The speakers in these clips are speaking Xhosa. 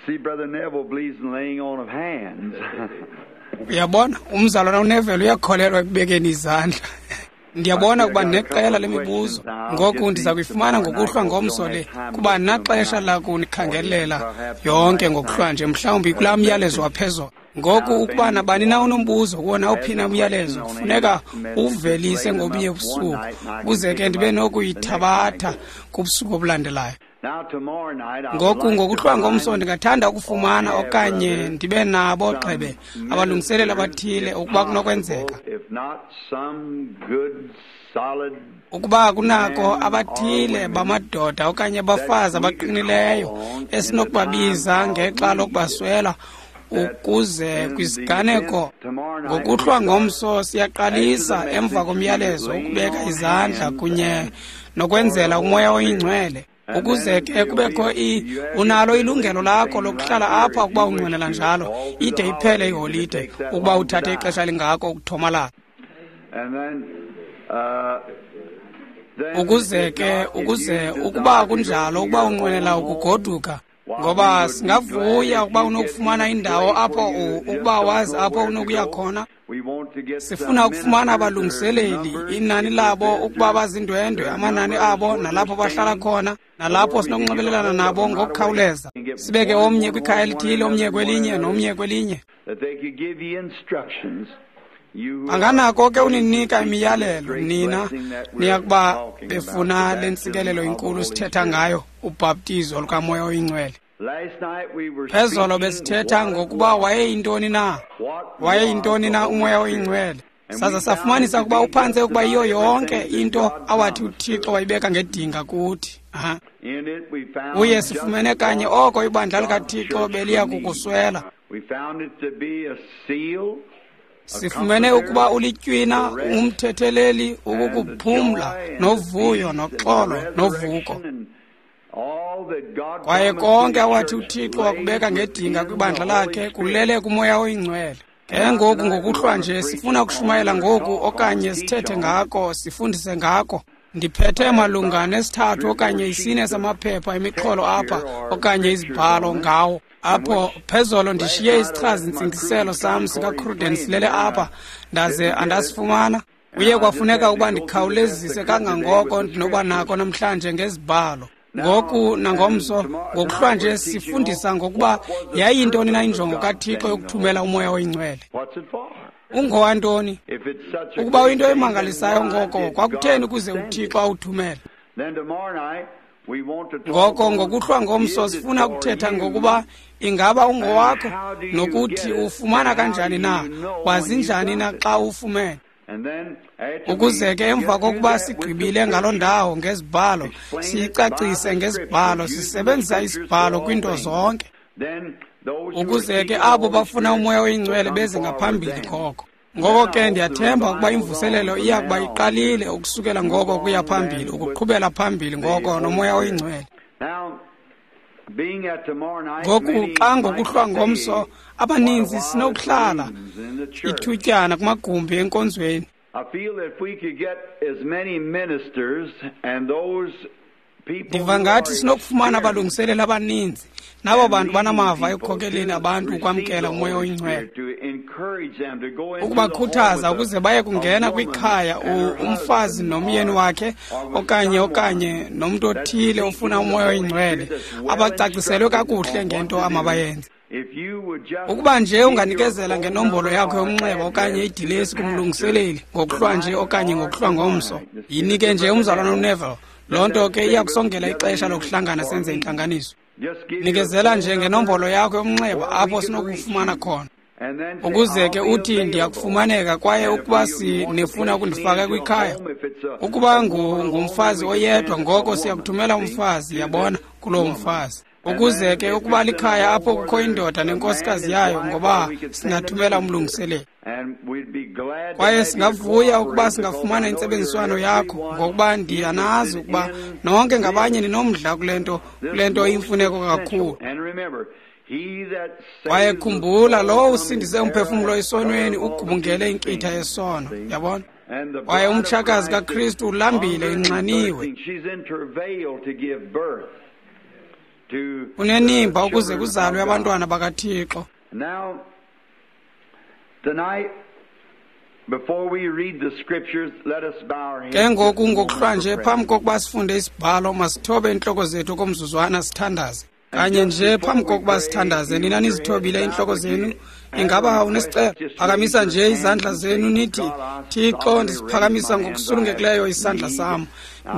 See, Brother Neville believes in laying on of hands. Uyabona, umzalwana uNeville uyakholelwa ekubekeni izandla. Ndiyabona ukuba neqela lemibuzo. Ngoku ndiza kuyifumana ngokuhlwa ngomso le, kuba naxesha lakunikhangelela yonke ngokuhlwa nje, mhlawumbi kulaa myalezo waphezolo. Ngoku ukuba nabani na unombuzo kuwo nawuphi na umyalezo, kufuneka uwuvelise ngobunye ubusuku, ukuze ke ndibe nokuyithabatha kubusuku obulandelayo. Ngoku ngokuhlwa ngomso ndingathanda ukufumana okanye ndibe nabo gxebe abalungiseleli abathile ukuba kunokwenzeka. Ukuba kunako abathile bamadoda okanye abafazi abaqinileyo esinokubabiza ngexa lokubaswela ukuze kwisiganeko ngokuhlwa ngomso siyaqalisa emva komyalezo ukubeka izandla kunye nokwenzela uMoya oyiNgcwele. Ukuze ke kubekho unalo ilungelo lakho lokuhlala apha ukuba unqwenela njalo ide iphele iholide ukuba uthathe ixesha elingako ukuthomalala. Ukuze ke ukuze ukuba kunjalo ukuba unqwenela ukugoduka, ngoba singavuya ukuba unokufumana indawo apho ukuba wazi apho unokuya khona. Sifuna ukufumana abalungiseleli, inani labo ukuba bazindwendwe, amanani abo nalapho bahlala khona, nalapho sinokunxibelelana nabo ngokukhawuleza. Sibeke omnye kwikhaya elithile, omnye kwelinye, nomnye kwelinye. Anganako ke uninika imiyalelo nina niyakuba befuna le ntsikelelo inkulu sithetha ngayo, ubhaptizo lukaMoya oyiNgcwele. Phezolo besithetha ngokuba wayeyintoni na, wayeyintoni na uMoya oyiNgcwele. Saza safumanisa ukuba uphantse ukuba yiyo yonke into awathi uThixo wayibeka ngedinga kuthi. Uye sifumene kanye oko ibandla likaThixo beliya kukuswela. Sifumene ukuba ulitywina, umthetheleli, ukukuphumla, novuyo, noxolo, novuko. Kwaye konke awathi uThixo wakubeka ngedinga kwibandla lakhe kulele kuMoya oyiNgcwele. Ke ngoku ngokuhlwa nje sifuna ukushumayela ngoku okanye sithethe ngako, sifundise ngako. Ndiphethe malunga nesithathu okanye isine samaphepha emixholo apha okanye izibhalo ngawo. Apho phezolo ndishiye isichazi-ntsingiselo sam sikaCruden silele apha, ndaze andasifumana. Kuye kwafuneka ukuba ndikhawulezise kangangoko ndinoba nako namhlanje ngezibhalo. Ngoku nangomso ngokuhlwa nje sifundisa ngokuba yayintoni na injongo kaThixo yokuthumela uMoya oyiNgcwele. Ungowantoni? Ukuba uyinto emangalisayo ngoko kwakutheni ukuze uThixo awuthumele? Ngoko ngokuhlwa ngomso sifuna ukuthetha ngokuba ingaba ungowakho nokuthi ufumana kanjani na, wazi njani na xa ufumene. Ukuze ke emva kokuba sigqibile ngaloo ndawo ngezibhalo, siyicacise ngezibhalo, sisebenzisa isibhalo kwinto zonke. Ukuze ke abo bafuna uMoya oyiNgcwele beze ngaphambili koko. Ngoko ke ndiyathemba ukuba imvuselelo iya kuba iqalile ukusukela ngoko kuya phambili, ukuqhubela phambili ngoko noMoya oyiNgcwele. Ngoku xa ngokuhlwa ngomso abaninzi sinokuhlala ithutyana kumagumbi enkonzweni. Ndiva ngathi sinokufumana abalungiseleli abaninzi nabo bantu banamava ekukhokeleni abantu ukwamkela uMoya oyiNgcwele, ukubakhuthaza ukuze baye kungena kwikhaya umfazi nomyeni wakhe okanye nomntu othile ofuna uMoya oyiNgcwele, abacaciselwe kakuhle ngento amabayenze. Ukuba nje unganikezela ngenombolo yakho yomnxeba okanye idilesi kumlungiseleli ngokuhlwa nje okanye ngokuhlwa ngomso, yinike nje umzalwana uNeville. Loo nto ke iya kusongela ixesha lokuhlangana senze intlanganiso. Nikezela nje ngenombolo yakho yomnxeba apho sinokufumana khona, ukuze ke uthi ndiyakufumaneka. Kwaye ukuba sinifuna ukundifaka kwikhaya, ukuba ngumfazi oyedwa, ngoko siyakuthumela umfazi, yabona, kuloo mfazi. Ukuze ke ukuba likhaya apho kukho indoda nenkosikazi yayo, ngoba singathumela umlungiseleli. Kwaye singavuya ukuba singafumana intsebenziswano yakho, ngokuba ndiyanazi ukuba nonke ngabanye ninomdla kule nto iyimfuneko kakhulu. Kwaye khumbula, lowo usindise umphefumlo esonweni ugubungele inkitha yesono, yabona. Kwaye umtshakazi kaKristu ulambile, inxaniwe. Unenimba ukuze kuzalwe abantwana bakaThixo. Now, tonight, before we read the scriptures, let us bow our heads. Ke ngoku ngokuhlwanje, phambi kokuba sifunde isibhalo, masithobe iintloko zethu komzuzwana sithandaze. Kanye nje phambi kokuba sithandaze, nina nizithobile iintloko zenu. Ingaba unesicelo? Phakamisa nje izandla zenu nithi, Thixo, ndisiphakamisa ngokusulungekileyo isandla sam.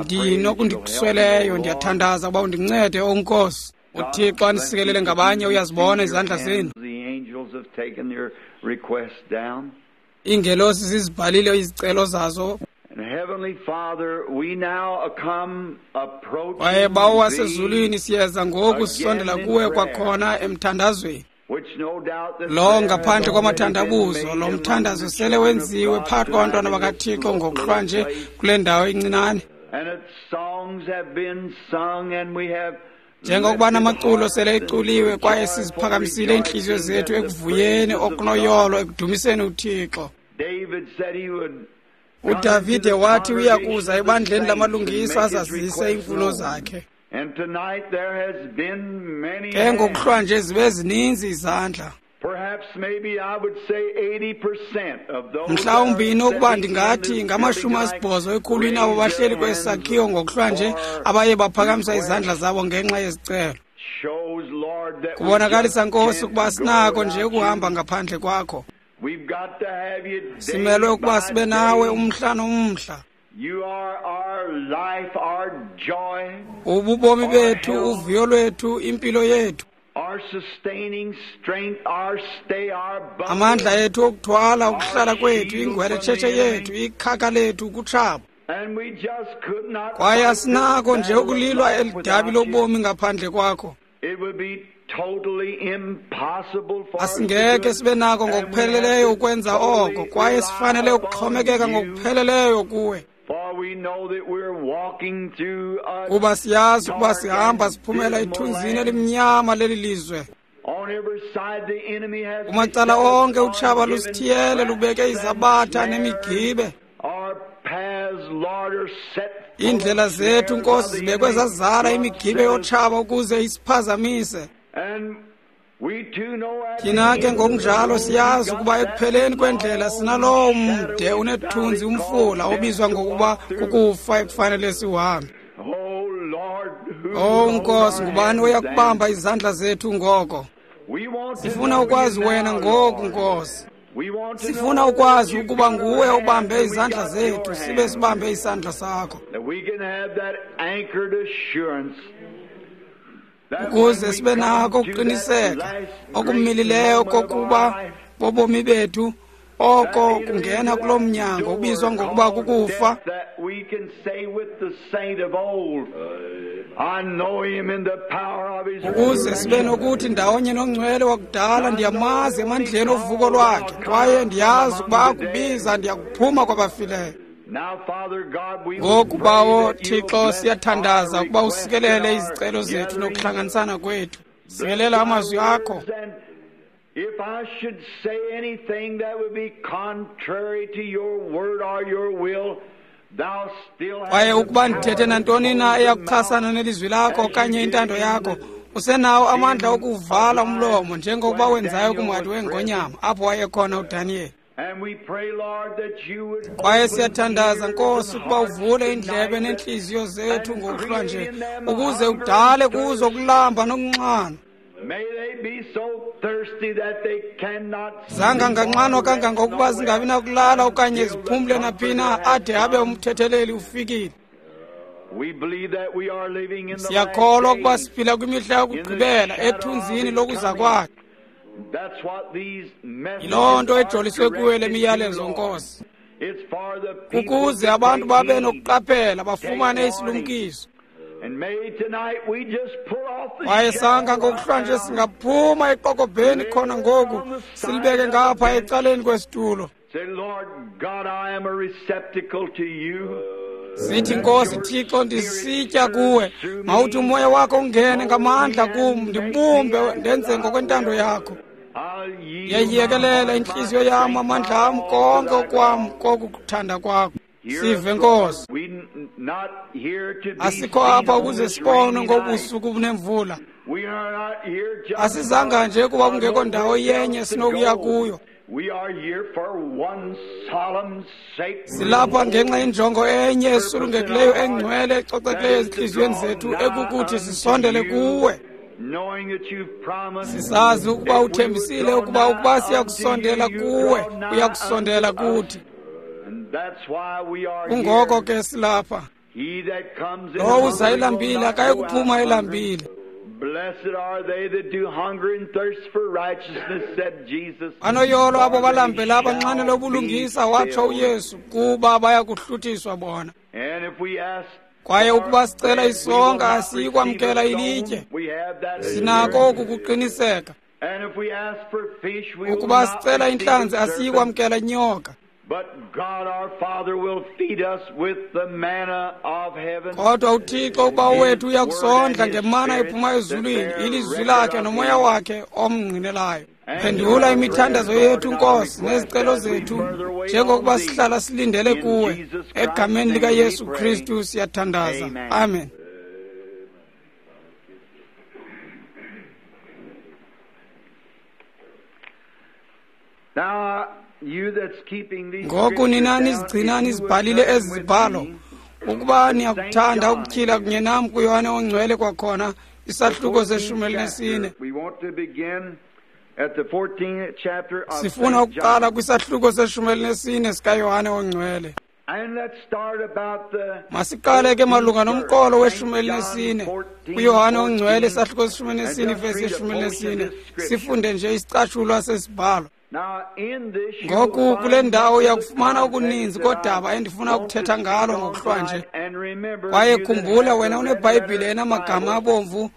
Ndinokundikusweleyo, ndiyathandaza ukuba undincede, O Nkosi. UThixo anisikelele ngabanye, uyazibona izandla zenu. The angels have taken their requests down. Iingelosi zizibhalile izicelo zazo. And Heavenly Father, we now come approaching Kwaye Bawo thee, wasezulwini, siyeza ngoku sisondela kuwe kwakhona emthandazweni. which no doubt this Lo prayer ngaphandle has kwamathandabuzo, already been lo made mthandazo among the sele children of wenziwe God phakathi kwabantwana tonight in this bakaThixo ngokuhlwa nje little place. kule ndawo incinane. And its songs have been sung and we have Njengokuba lifted namaculo hearts sele and eculiwe kwaye joyful siziphakamisile iintliziyo rejoicing zethu at the ekuvuyeni praises of okunoyolo God. ekudumiseni uThixo. David said he would UDavide wathi uya kuza ebandleni lamalungisa come into the azazise congregation of the iimfuno saints and make his zakhe. request known. And tonight there has been many Ke ngokuhlwa hands. nje zibe zininzi izandla. Perhaps maybe I would say 80% of those Mhlawumbi that are inokuba sitting in ndingathi this ngamashumi building asibhozo tonight ekhulwini abo raised bahleli their kwesi hands sakhiwo ngokuhlwa nje for abaye baphakamisa requests. izandla zabo ngenxa yezicelo. Shows, Lord, that we Kubonakalisa just Nkosi can't ukuba go sinako nje without ukuhamba you. ngaphandle kwakho. We've got to have you day Simelwe ukuba by sibe nawe day. umhla nomhla. You are our life, our joy, Ububomi bethu, uvuyo lwethu, impilo yethu, our sustaining strength, our stay, our buckler. amandla ethu okuthwala, ukuhlala kwethu, ingweletshetshe yethu, ikhaka lethu kutshaba. And we just could not Kwaye fight this asinako nje battle of ukulilwa life eli dabi without you. lobomi ngaphandle kwakho. It would be totally impossible for us to do Asingeke it. sibe nako And we have ngokupheleleyo to ukwenza totally oko, kwaye rely sifanele upon ukuxhomekeka you, ngokupheleleyo kuwe. for we know that we're walking through a Kuba siyazi ukuba dark sihamba and siphumela dismal ethunzini land. elimnyama leli lizwe. On every side the enemy has Kumacala beset us onke utshaba on given lusithiyele traps lubeke and izabatha snares. nemigibe. Our paths, Lord, are set full of Iindlela zethu, snares of Nkosi, the zibekwe enemy zazala to imigibe upset us. yotshaba ukuze isiphazamise. And we too know at the Thina ke end of the ngokunjalo road we siyazi got ukuba that ekupheleni kwendlela long sinalowo mde shadowy unethunzi valley umfula called obizwa death to ngokuba walk through. kukufa ekufanele siwuhambe. Oh Lord, who Oh will hold Nkosi, our ngubani hands oya then? kubamba izandla zethu ngoko? We want to Sifuna know you ukwazi wena now, ngoku, Lord. Nkosi. We want to Sifuna know that ukwazi you've ukuba got our nguwe hand obambe and we izandla got zethu, your sibe hand. sibambe isandla sakho. That we can have that anchored assurance that when Ukuze we sibe come nako to that ukuqiniseka last great okumilileyo moment of our kokuba life, bobomi bethu, oko that entering kungena into kuloo that mnyango door ubizwa ngokuba called kukufa, death, that we can say with the saint of old, I know him in the power of his ukuze sibe resurrection. nokuthi ndawonye nongcwele wakudala I know ndiyamazi that when he emandleni ovuko calls, lwakhe, I'll come kwaye out from ndiyazi ukuba among the dead. akubiza ndiyakuphuma kwabafileyo. Now, Father God, we would Ngoku pray Bawo that you'll Thixo bless our siyathandaza ukuba request and usikelele our izicelo zethu gathering. nokuhlanganisana kwethu. Bless Sikelela thy amazwi akho. words, and if I should say anything that would be contrary to your word or your will, thou still Kwaye hast the ukuba power ndithethe to nantoni na close the mouth eyakuchasana nelizwi lakho as you okanye did intando in yakho, the usenawo amandla den of okuwuvala lions umlomo njengokuba when wenzayo Daniel kumhadi was present. weengonyama apho wayekhona uDaniyeli. And we pray, Lord, that you would Kwaye open siyathandaza ears Nkosi and ukuba hearts uvule iindlebe tonight that, neentliziyo zethu and ngokuhlwa create nje in them a ukuze hunger and udale kuzo thirst. ukulamba nokunxanwa. May they be so thirsty that they cannot sleep Zanganganxanwa or rest kangangokuba nowhere zingabi nakulala okanye until the ziphumle naphina Comforter has ade abe come. umthetheleli ufikile. We believe that we are living in the last Siyakholwa ukuba days, siphila kwimihla in the yokugqibela shadow of ethunzini his lokuza coming. kwakhe. That's what these Yiloo messages nto are ejoliswe kuyo le directed to, miyalezo Lord. Nkosi, It's for the people ukuze to abantu take babe heed, nokuqaphela take bafumane warning. isilumkiso. And may tonight we just pull off the Kwaye shell sanga right ngokuhlwa nje now, singaphuma eqokobheni lay khona it ngoku on the side silibeke of the ngapha bench. ecaleni kwesitulo. Say, Lord God, I am a receptacle to you. Sithi Let Nkosi your Thixo spirit ndisitya serve kuwe, through mawuthi me, umoya wakho ungene mold me ngamandla kum, and make me ndibumbe as ndenze thy ngokwentando will. yakho. I'll yield my Ndiyayiyekelela heart, my intliziyo yam, strength, amandla my am, all to konke thy okwam cause. kokukuthanda kwakho. Hear Sive us, Lord. Nkosi. We Asikho apha ukuze sibonwe ngobusuku bunemvula. Asizanga nje kuba kungekho ndawo yenye sinokuya kuyo. Silapha ngenxa yenjongo enye esulungekileyo, engcwele, ecocekileyo ezintliziyweni zethu, ekukuthi sisondele kuwe. Sisazi ukuba uthembisile ukuba siyakusondela kuwe, uyakusondela kuthi. Kungoko ke silapha. Lowo uza elambile akayi kuphuma elambile. Banoyolo abo balambela abanxanele ubulungisa, watsho uYesu, kuba bayakuhluthiswa bona. Kwaye ukuba sicela isonka asiyi kwamkela ilitye. Sinako oku kuqiniseka. Ukuba sicela intlanzi asiyi kwamkela inyoka. Kodwa uThixo uBawo wethu uyakusondla ngemana ephuma ezulwini, ilizwi lakhe nomoya wakhe omngqinelayo. Phendula imithandazo yethu, Nkosi, nezicelo zethu, njengokuba sihlala silindele kuwe. Egameni likaYesu Kristu siyathandaza. Amen. Ngoku nina nizigcina nizibhalile ezi zibhalo, ukuba niyakuthanda ukutyhila kunye nam kuYohane oNgcwele kwakhona, isahluko se-14. Sifuna ukuqala kwisahluko se-14 sikaYohane oNgcwele. Masiqale ke malunga nomqolo we-14 kuYohane oNgcwele, isahluko se-14 vesi ye-14, sifunde nje isicatshulwa sesibhalo. Ngoku kule ndawo uyakufumana okuninzi kodaba endifuna ukuthetha ngalo ngokuhlwanje. Kwaye khumbula, wena uneBhayibhile enamagama abomvu,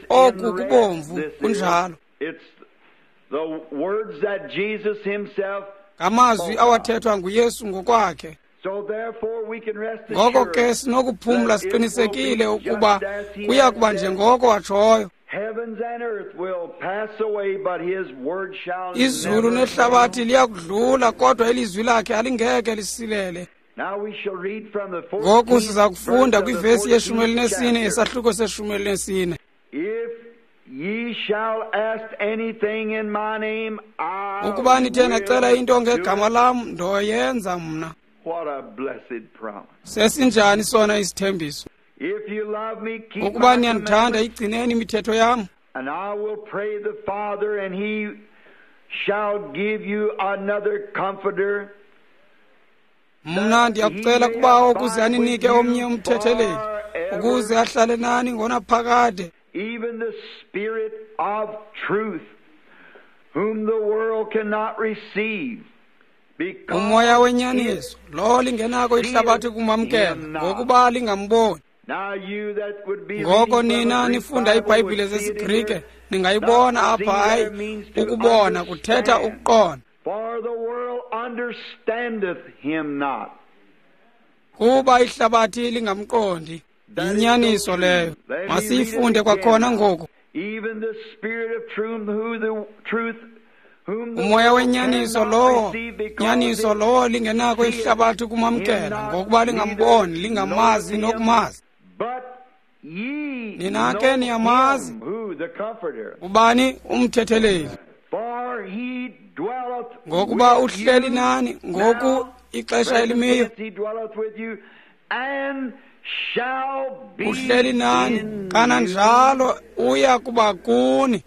oku kubomvu, kunjalo. Ngamazwi awathethwa nguYesu ngokwakhe. Ngoko ke sinokuphumla siqinisekile ukuba kuya kuba njengoko watshoyo. Izulu nehlabathi liyakudlula, kodwa ilizwi lakhe alingeke lisilele. Ngoku siza kufunda kwivesi ye-14 yesahluko se-14. Ukuba nithe nacela into ngegama lam, ndoyenza mna. Sesinjani sona isithembiso? Ukuba niyandithanda, igcineni imithetho yam. Mna ndiyakucela kuBawo ukuze aninike omnye umthetheleli, ukuze ahlale nani ngonaphakade. Even the Spirit of truth, whom the world cannot receive. Umoya wenyaniso, lo lingenako ihlabathi kumamkela, ngokuba lingamboni. Ngoko nina nifunda iBhayibhile zesiGrike, ningayibona apha. Hayi, ukubona kuthetha ukuqonda. Kuba ihlabathi lingamqondi. Yinyaniso leyo. Masiyifunde kwakhona ngoku. Umoya wenyaniso lowo, nyaniso lowo lingenako ihlabathi kumamkela, ngokuba lingamboni, lingamazi nokumazi. Nina ke niyamazi. Ubani? Umthetheleli. Ngokuba uhleli nani ngoku ixesha elimiyo. Uhleli nani, kananjalo uya kuba kuni.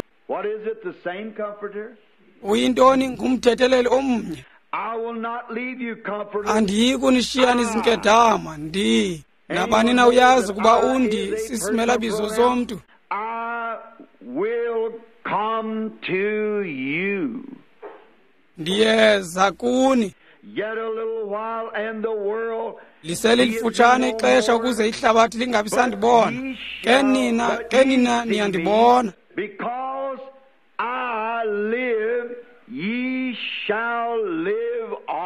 Uyintoni? Ngumthetheleli omnye. Andiyi kunishiya nizinkedama, ndi. Nabani na uyazi ukuba undi sisimelabizo somntu. Ndiyeza kuni. Liselilifutshane ixesha ukuze ihlabathi lingabi sandibona. Ke nina niyandibona.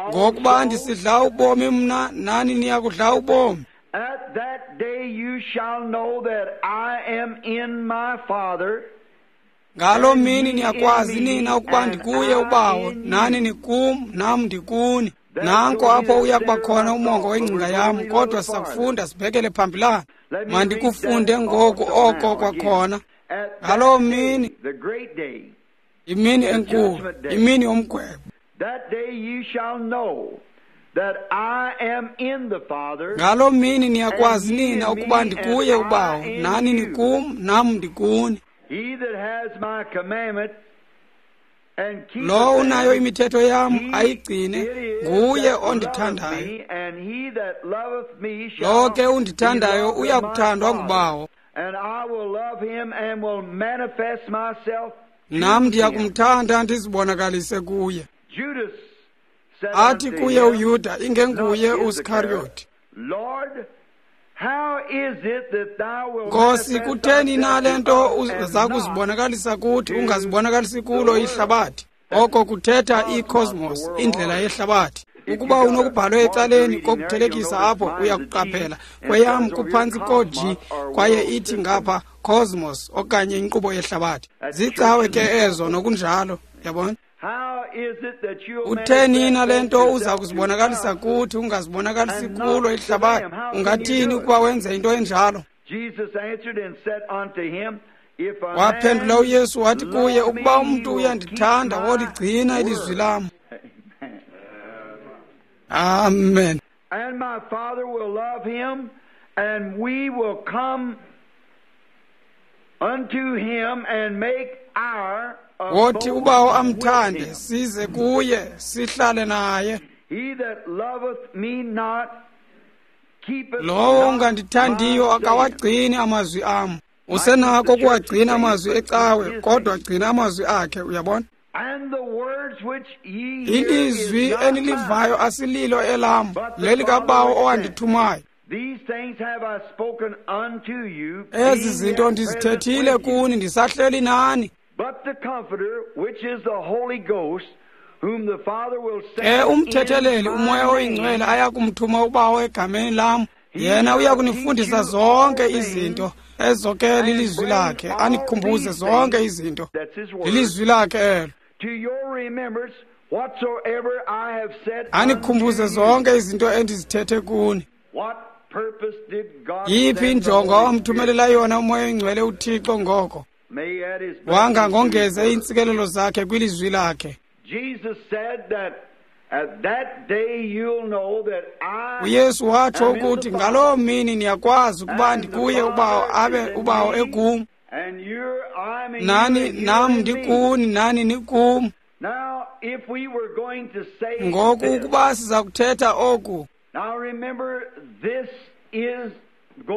Ngokuba ndisidla ubomi mna, nani niyakudla ubomi. At that day you shall know that I am in my Father. Ngaloo mini niyakwazi nina ukuba ndikuye uBawo, nani nikum, nam ndikuni. Nanko apho uya kuba khona umongo wengcinga yam, kodwa sizakufunda sibhekele phambilana. Mandikufunde ngoku oko kwakhona. Ngaloo mini, imini enkulu, imini yomgwebo. Ngaloo mini niyakwazi nina ukuba ndikuye uBawo, nani nikum, nam ndikuni. Lowo unayo imithetho yam ayigcine, nguye ondithandayo. Lowo ke undithandayo uya kuthandwa nguBawo, nam ndiya kumthanda ndizibonakalise kuye. Athi kuye uYuda, ingenguye uSikariyoti, Nkosi, kutheni na le nto uza kuzibonakalisa kuthi ungazibonakalisi kulo ihlabathi? Oko kuthetha i-cosmos, indlela yehlabathi. Ukuba unokubhalwe ecaleni kokuthelekisa apho, uyakuqaphela kweyam kuphantsi ko-G, kwaye ithi ngapha cosmos okanye inkqubo yehlabathi. Zicawe ke ezo nokunjalo, yabona? Utheni na le nto uza kuzibonakalisa kuthi ungazibonakalisi kulo ihlabathi? Ungathini ukuba wenze into enjalo? Waphendula uYesu wathi kuye, ukuba umntu uyandithanda, woligcina ilizwi lam. Amen. And my Father will love him, and we will come unto him and make our Wothi uBawo amthande, size kuye, sihlale naye. Lowo ungandithandiyo akawagcini amazwi am. Usenako ukuwagcina amazwi ecawe, kodwa gcina amazwi akhe, uyabona? Ilizwi enilivayo asililo elam, lelikaBawo owandithumayo. Ezi zinto ndizithethile kuni ndisahleli nani. Ke umthetheleli uMoya oyiNgcwele aya kumthuma uBawo egameni lam, yena uya kunifundisa zonke izinto, ezo ke lilizwi lakhe, anikhumbuze zonke izinto. Lilizwi lakhe elo. Anikhumbuze zonke izinto endizithethe kuni. Yiphi injongo awamthumelela yona uMoya oyiNgcwele uThixo ngoko? Wanga ngongeze iintsikelelo zakhe kwilizwi lakhe. uYesu watsho ukuthi ngaloo mini niyakwazi ukuba ndikuye uBawo, abe uBawo ekum, nani nam ndikuni, nani nikum. Ngoku ukuba siza kuthetha oku,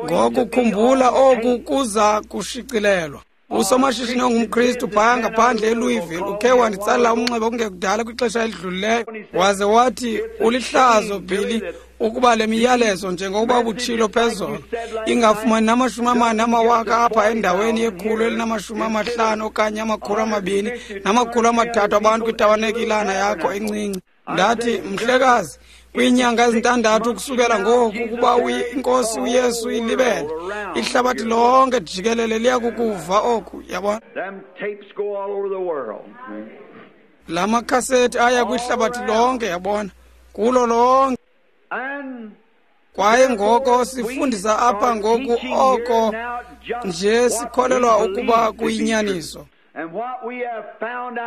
ngoku khumbula oku kuza kushicilelwa. Usomashishini ongumKristu phaya ngaphandle eLouisville ukhe wanditsalela umnxeba kungekudala kwixesha elidlulileyo, waze wathi, ulihlazo Billy ukuba le miyalezo njengokuba ubutshilo phezolo ingafumani nama-40 amawaka apha endaweni ye-150 okanye 200 na-300 abantu kwitabanekilana yakho encinci. Ndathi, mhlekazi, kwiinyanga ezintandathu kusukela ngoku ukuba iNkosi uYesu ilibele, ihlabathi lonke jikelele liyakukuva oku, yabona? La makhasethi aya kwihlabathi lonke, yabona, kulo lonke. Kwaye ngoko sifundisa apha ngoku oko nje sikholelwa ukuba kuyinyaniso.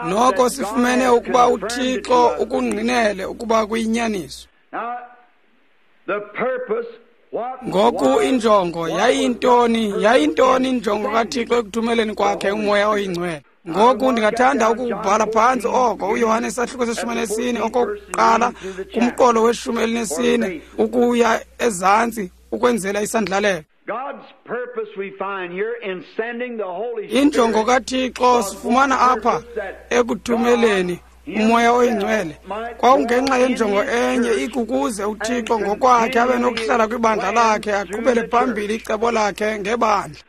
Noko sifumene ukuba uThixo ukungqinele ukuba kuyinyaniso. Ngoku injongo yayintoni? Yayintoni injongo kaThixo ekuthumeleni kwakhe uMoya oyiNgcwele? Ngoku ndingathanda ukubhala phantsi oko uYohane isahluko se-14 okokuqala kumqolo we-14 ukuya ezantsi ukwenzela isandlalelo. Injongo kaThixo sifumana apha ekuthumeleni uMoya oyiNgcwele kwawungenxa yenjongo enye, ikukuze uThixo ngokwakhe abe nokuhlala kwibandla lakhe, aqhubele phambili icebo lakhe ngebandla.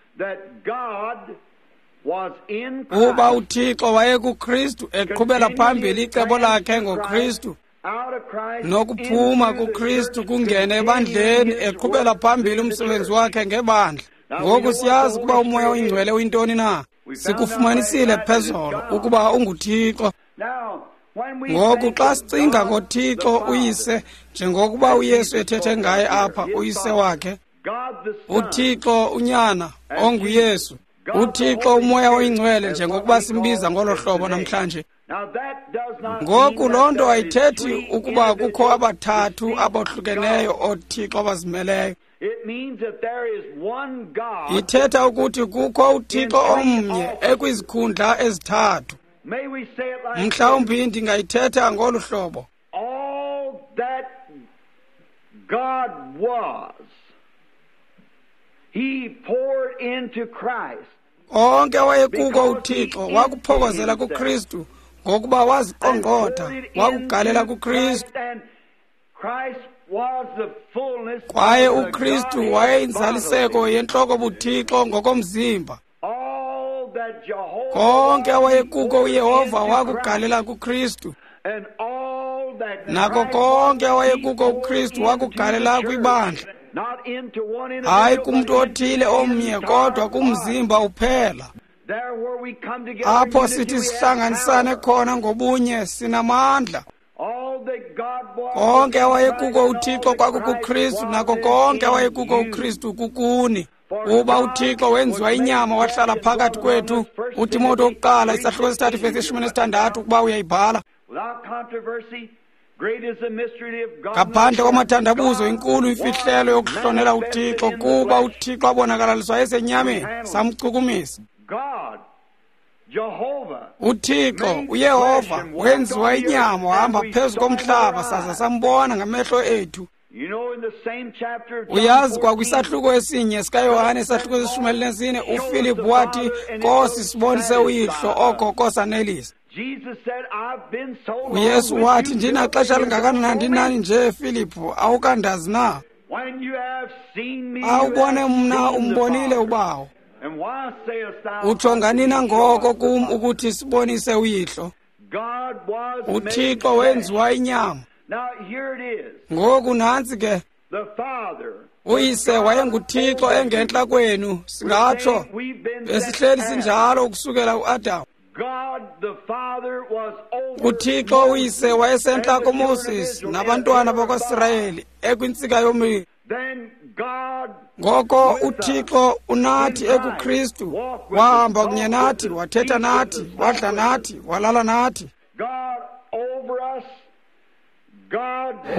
Uba uThixo wayekuKristu eqhubela phambili icebo lakhe ngoKristu, nokuphuma kuKristu kungene ebandleni eqhubela phambili umsebenzi wakhe ngebandla. Ngoku siyazi ukuba uMoya oyiNgcwele uyintoni na. Sikufumanisile phezolo ukuba unguThixo. Ngoku xa sicinga ngoThixo uYise, njengokuba uYesu ethethe ngaye apha, uYise wakhe, uThixo uNyana onguYesu, uThixo uMoya oyiNgcwele, njengokuba simbiza ngolo hlobo namhlanje. Ngoku loo nto ayithethi ukuba kukho abathathu abohlukeneyo ooThixo abazimeleyo. Ithetha ukuthi kukho uThixo omnye ekwizikhundla ezithathu. Mhlawumbi ndingayithetha ngolu hlobo. Onke wayekuko uThixo wakuphokozela kuKristu, ngokuba waziqongqotha wakugalela kuKristu. Kwaye uKristu wayeyinzaliseko yentloko buThixo ngokomzimba. Konke awayekuko uYehova wakugalela kuKristu, nako konke awayekuko uKristu wakugalela kwibandla, hayi kumntu othile omnye, kodwa kumzimba uphela. Apho sithi sihlanganisane khona ngobunye, sinamandla. Konke awayekuko uThixo kwakukuKristu, nako konke awayekuko uKristu kukuni. Uba uThixo wenziwa inyama wahlala phakathi kwethu, uTimothy wokuqala isahluko 3 vesi 16, ukuba uyayibhala. Ngaphandle kwamathandabuzo, inkulu imfihlelo yokuhlonela uThixo, kuba uThixo abonakalaliswa esenyameni, samchukumisa. uThixo uYehova wenziwa inyama wahamba phezu komhlaba, saza sambona ngamehlo ethu. Uyazi, kwakwisahluko esinye sikaYohane, isahluko 14, uFilip wathi, Nkosi, sibonise uyihlo, oko kosanelisa. uYesu wathi, ndinaxesha lingakanani ndinani nje, Filiphu, awukandazi na? Awubone mna, umbonile uBawo. Utsho nganina ngoko kum ukuthi sibonise uyihlo? uThixo wenziwa inyama. Ngoku nantsi ke, uyise wayenguThixo engentla kwenu, singatsho besihleli sinjalo ukusukela uAdam. uThixo uyise wayesentla koMoses nabantwana bakwaSirayeli ekwintsika yomlilo. Ngoko uThixo unathi ekuKristu, wahamba kunye nathi, wathetha nathi, wadla nathi, walala nathi.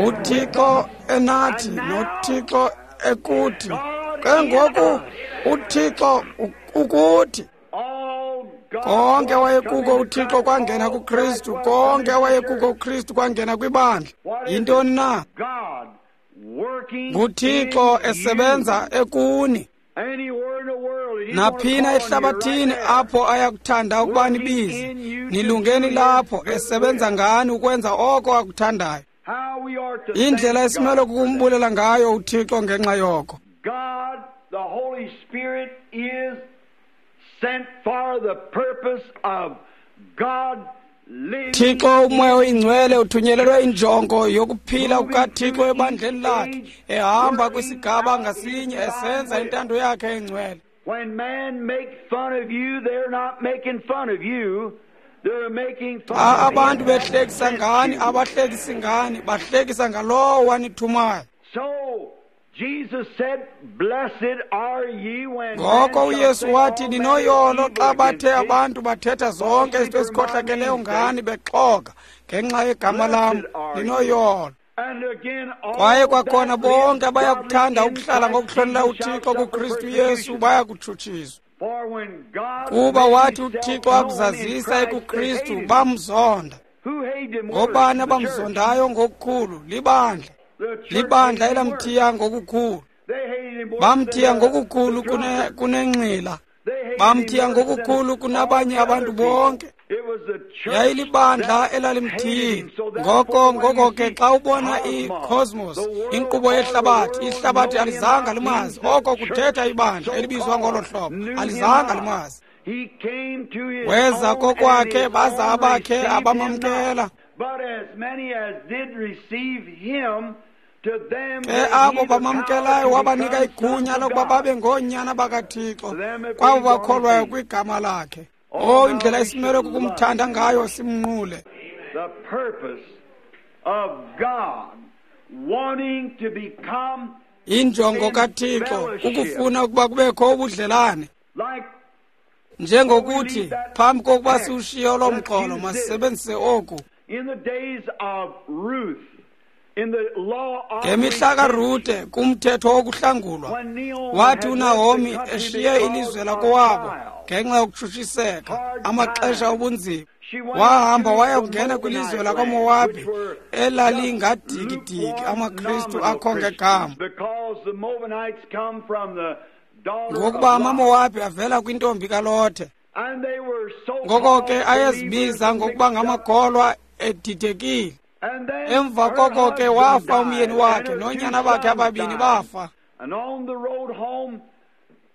uThixo enathi noThixo ekuthi. Ke ngoku uThixo ukuthi. Konke wayekuko uThixo kwangena kuKristu, konke wayekuko uKristu kwangena kwibandla. Yintoni na? NguThixo esebenza ekuni. Naphina ehlabathini apho ayakuthanda ukuba nibize, nilungeni lapho, esebenza ngani ukwenza oko akuthandayo. Indlela esimele kukumbulela ngayo uThixo ngenxa yoko. Thixo uMoya oyiNgcwele uthunyelelwe injongo yokuphila kukaThixo ebandleni lakhe, ehamba kwisigaba ngasinye esenza intando yakhe engcwele. Xa abantu behlekisa ngani, abahlekisi ngani, bahlekisa ngalowo wanithumayo. Ngoko uYesu wathi, ninoyolo xa bathe abantu bathetha zonke izinto ezikhohlakeleyo ngani bexoka ngenxa yegama lam, ninoyolo. Kwaye kwakhona bonke abayakuthanda ukuhlala ngokuhlonela uThixo kuKristu Yesu bayakutshutshiswa. Kuba wathi uThixo akuzazisa ekuKristu, bamzonda. Ngobani abamzondayo ngokukhulu? Libandla. Libandla elamthiya ngokukhulu. Bamthiya ngokukhulu kunenxila. Bamthiya ngokukhulu kunabanye abantu bonke. Yayilibandla elalimthiyile. Ngoko ke xa ubona i-cosmos, inkqubo yehlabathi, ihlabathi alizanga limazi. Oko kuthetha ibandla elibizwa ngolo hlobo, alizanga limazi. Weza kokwakhe, baza abakhe abamamkela. Ke abo bamamkelayo wabanika igunya lokuba babe ngoonyana bakaThixo, kwabo bakholwayo kwigama lakhe. Oh, indlela esimele kukumthanda ngayo simnqule. The purpose of God wanting to become Injongo kaThixo kukufuna ukuba kubekho ubudlelane. like Njengokuthi phambi kokuba siwushiye lo mxholo masisebenzise oku. in the days of Ruth, in the law of Ngemihla kaRute kumthetho wokuhlangulwa, when Naomi wathi had uNahomi left the country eshiye because ilizwe of lakowabo trial, ngenxa yokutshutshiseka, amaxesha obunzima, she went wahamba to waya the kungena kwilizwe Moabite lakwaMowabi land, which were elalingadikidiki just amaKristu lukewarm akho nominal ngegama, Christians, because the Moabites come from the daughter ngokuba of Lot, amaMowabi avela kwintombi kaLothe. and they were so Ngoko ke called ayezibiza believers ngokuba mixed up. ngamakholwa edidekile. And then Emva her koko ke husband wafa died, umyeni and wakhe her two noonyana bakhe sons ababini died. bafa. And on the road home,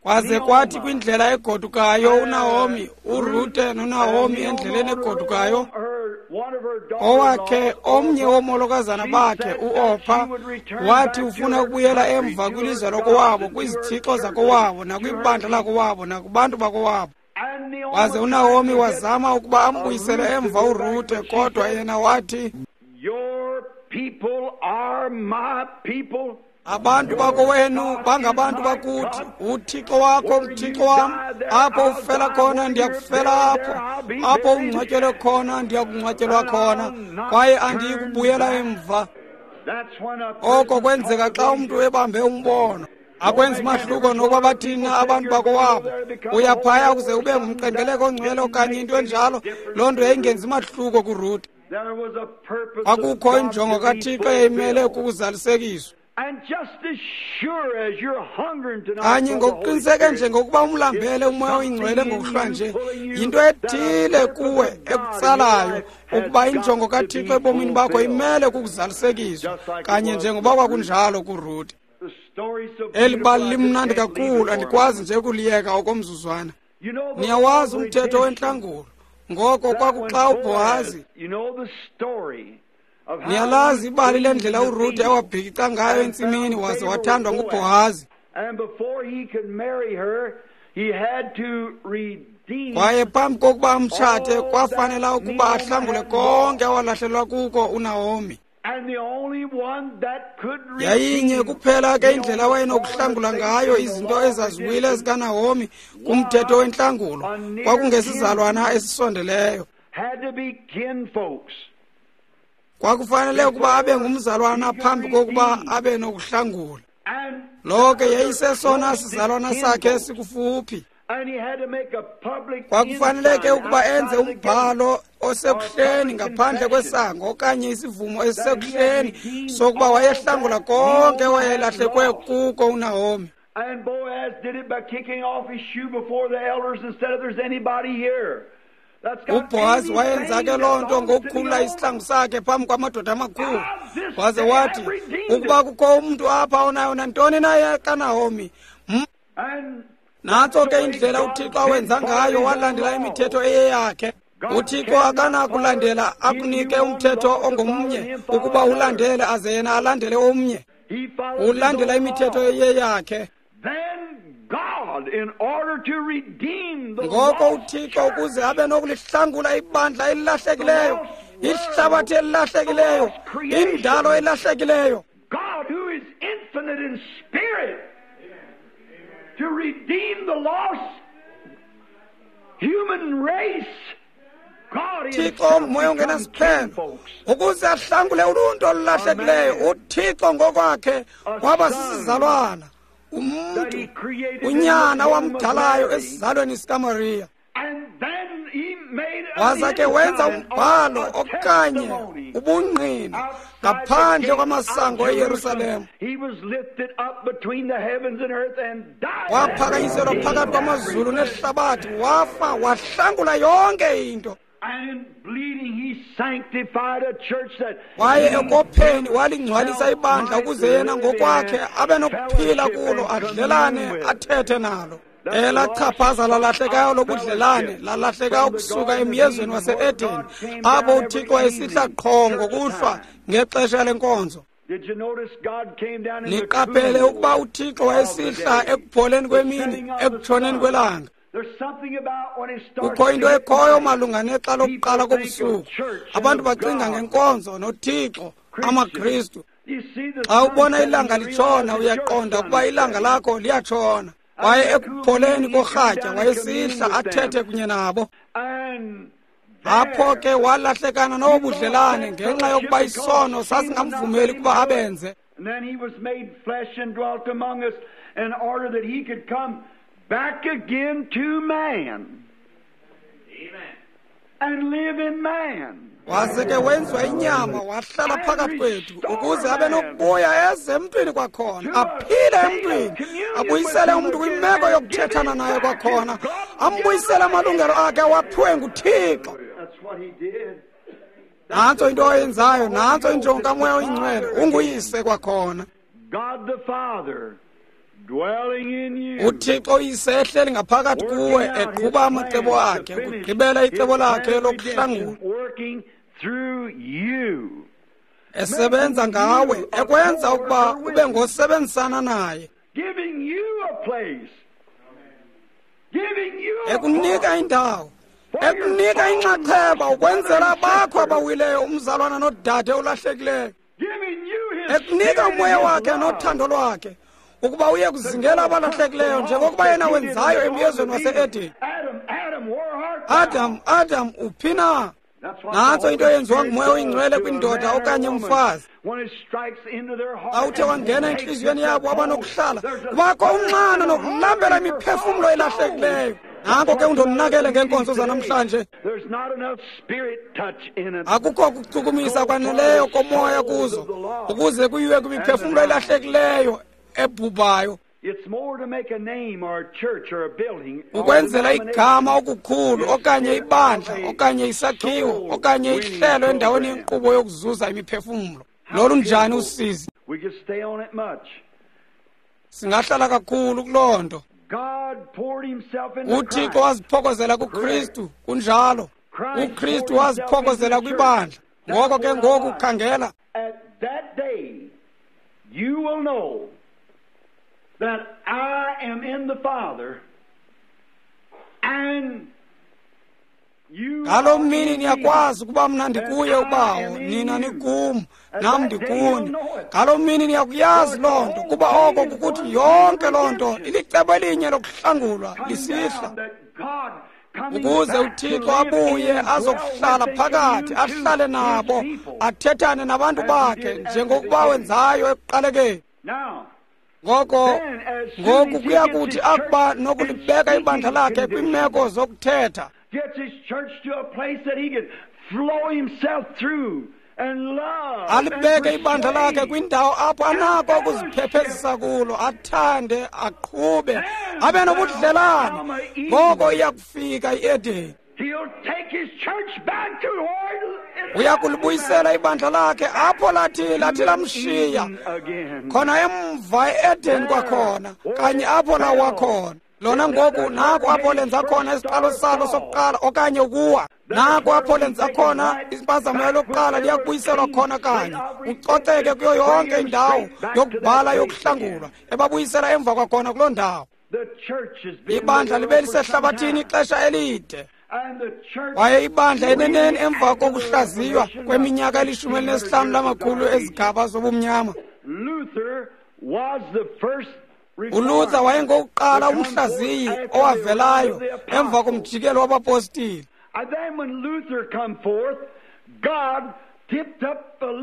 Kwaze kwathi kwindlela egodukayo uNahomi, uRute noNahomi endleleni egodukayo, owakhe omnye woomolokazana bakhe uOrpa wathi ufuna ukubuyela emva kwilizwe lakowabo, kwizithixo zakowabo, nakwibandla lakowabo, nakubantu bakowabo. Waze uNahomi wazama ukuba ambuyisele emva uRute, kodwa yena wathi, Your people are my people. Abantu bakowenu bangabantu bakuthi, uThixo wakho nguThixo wam. Apho ufela khona ndiyakufela apho, apho ungcwatyelwe khona ndiyakungcwatyelwa khona, kwaye andiyi kubuyela emva. That's when a Oko person kwenzeka xa umntu ebambe umbono. Akwenzi mahluko nokuba bathini na abantu bakowabo. Uyaphaya ukuze ube ngumqengeleko ongcwele okanye into enjalo, loo nto yayingenzi mahluko kuRute. There was a purpose of Kwakukho God injongo to be kaThixo eyayimele fulfilled. ukuzalisekiswa. And just as sure as you're hungering tonight Kanye for the Holy ngokuqiniseke Spirit, njengokuba umlambele uMoya oyiNgcwele ngokuhlwa nje, yinto ethile kuwe ekutsalayo ukuba injongo kaThixo ebomini bakho imele kukuzalisekiswa, kanye njengoba kwakunjalo kuRute. the story's so Eli bali beautiful, I just limnandi can't leave kakhulu, it for andikwazi nje ukuliyeka okomzuzwana. You know the Niyawazi law of umthetho redemption. wentlangulo. Ngoko That kwakuxa when uBhohazi, Boaz, you know the story of how niyalazi ibali Ruth lendlela cleaned the uRute field. awabhikica ngayo entsimini waze wathandwa nguBhohazi. And before he could marry her, he had to redeem Kwaye phambi kokuba amtshate kwafanela ukuba ahlangule konke awalahlelwa kuko uNahomi. And the only one that could Yayinye redeem kuphela ke indlela Naomi awayenokuhlangula ngayo izinto ezaziwile zikaNahomi kumthetho wentlangulo, kwakungesizalwana esisondeleyo. had to be kinfolks. Kwakufanele ukuba abe ngumzalwana phambi kokuba abe nokuhlangula. And Lo ke yayisesona sizalwana sakhe esikufuphi. And he had to make a public Kwakufanele ke ensign ukuba enze outside the gate. umbhalo osekuhleni ngaphandle kwesango okanye isivumo esisekuhleni sokuba wayehlangula konke wayelahlekwe kuko uNahomi. And Boaz did it by kicking off his shoe before the elders and said, if there's anybody here that's got uBhohazi wayenza ke loo nto anything that belongs to ngokukhulula Naomi, isihlangu sakhe phambi kwamadoda amakhulu, waze wathi, ukuba kukho umntu apha onayo nantoni na kaNahomi, and nantso ke indlela uThixo awenza ngayo, walandela imithetho eyeyakhe. UThixo akanakulandela akunike umthetho ongomnye ukuba ulandele aze yena alandele omnye. he followed his Ulandela own imithetho law. eyeyakhe. Then God, in order to redeem the Ngoko lost uThixo church, ukuze abe nokulihlangula ibandla elilahlekileyo, ihlabathi elilahlekileyo, indalo elahlekileyo, God who is infinite in spirit, to redeem the lost human race, God Thixo himself moya become ongenasiphelo kinfolks. ukuze ahlangule uluntu olulahlekileyo, uThixo ngokwakhe waba sisizalwana, That umntu, he created in unyana the womb of wamdalayo Mary. esizalweni sikaMariya. And then he made an Waza ke wenza ensign umbhalo or a okanye testimony ubungqina outside the ngaphandle gate kwamasango of eYerusalem. Jerusalem. He was lifted up between the heavens and earth and died. Waphakanyiselwa phakathi kwamazulu nehlabathi, wafa, wahlangula yonke into. And in bleeding he sanctified a church that Kwaye ekopheni walingcwalisa ibandla ukuze yena ngokwakhe abe nokuphila kulo, adlelane, athethe nalo. Elachaphaza lalahlekayo lobudlelane lalahleka ukusuka emyezweni wase-Edeni, apho uThixo wayesihla qho ngokuhlwa ngexesha lenkonzo. Did you notice God came down in the Niqaphele cool ukuba uThixo wayesihla ekupholeni kwemini, ekutshoneni kwelanga. Kukho into ekhoyo malunga nexa lokuqala kobusuku. Abantu bacinga ngenkonzo noThixo, amaKristu. Xa ubona ilanga litshona, uyaqonda ukuba ilanga lakho liyatshona. Kwaye ekupholeni korhatya wayesihla athethe kunye nabo. Apho ke walahlekana nobudlelane ngenxa yokuba isono sasingamvumeli ukuba abenze. And then he was made flesh and dwelt among us in order that he could come back again to man. Amen. And live in man. Waze ke wenziwa inyama wahlala phakathi kwethu ukuze abe nokubuya eze emntwini kwakhona, aphile emntwini, abuyisele umntu kwimeko yokuthethana naye kwakhona, ambuyisele amalungelo akhe awaphiwe nguThixo. Nantso into oyenzayo, nantso injongo kaMoya oyiNgcwele, unguyise kwakhona. UThixo uyise ehleli ngaphakathi kuwe, eqhuba amacebo akhe, ukugqibela icebo lakhe lokuhlangula, esebenza ngawe, ekwenza ukuba ube ngosebenzisana naye, ekunika indawo, ekunika inxaxheba ukwenzela abakho abawileyo, umzalwana nodade olahlekileyo, ekunika umoya wakhe nothando lwakhe ukuba uye kuzingela abalahlekileyo njengokuba yena wenzayo emyezweni wase-Edeni. Adam, Adam, uphi na? Nantso into eyenziwa nguMoya oyiNgcwele kwindoda okanye umfazi. Xa uthe wangena entliziyweni yabo abanokuhlala, kubakho unxano nokulambela imiphefumlo elahlekileyo. Nanko ke undonakele ngeenkonzo zanamhlanje. Akukho kuchukumisa kwaneleyo komoya kuzo ukuze kuyiwe kwimiphefumlo elahlekileyo ebhubhayo. Ukwenzela igama okukhulu okanye ibandla okanye isakhiwo okanye ihlelo endaweni yenkqubo yokuzuza imiphefumlo. Lolu njani usizi? Singahlala kakhulu kuloo nto. UThixo waziphokozela kuKristu, kunjalo. UKristu waziphokozela kwibandla. Ngoko ke ngoku khangela. You will know that I am in the Father, and you. Ngaloo mini niyakwazi ukuba mna ndikuye uBawo, nina nikum, nam ndikuni. Ngaloo mini niyakuyazi loo nto, kuba oko kukuthi yonke loo nto ilicebo elinye lokuhlangulwa lisihla, ukuze uThixo abuye azokuhlala phakathi, ahlale nabo, athethane nabantu bakhe njengokuba wenzayo ekuqalekeni. Ngoko ngoku kuyakuthi akuba nokulibeka ibandla lakhe kwiimeko zokuthetha, alibeke ibandla lakhe kwindawo apho anako ukuziphephezisa kulo, athande, aqhube, abe nobudlelane. Ngoko iyakufika iEdeni. Uya kulibuyisela ibandla lakhe apho lathi lamshiya khona emva e-Edeni kwakhona, kanye apho lawa khona. Lona ngoku naku apho lenza khona isiqalo salo sokuqala okanye ukuwa. Naku apho lenza khona impazamo yalokuqala, liyakubuyiselwa khona kanye, ucoceke kuyo yonke indawo yokubhala yokuhlangulwa, ebabuyisela emva kwakhona kuloo ndawo. Ibandla libe lisehlabathini ixesha elide, kwaye ibandla eneneni emva kokuhlaziywa kweminyaka eli-15 lamakhulu ezigaba zobumnyama. ULuther wayengokuqala umhlaziyi owavelayo emva komjikelo wabapostile.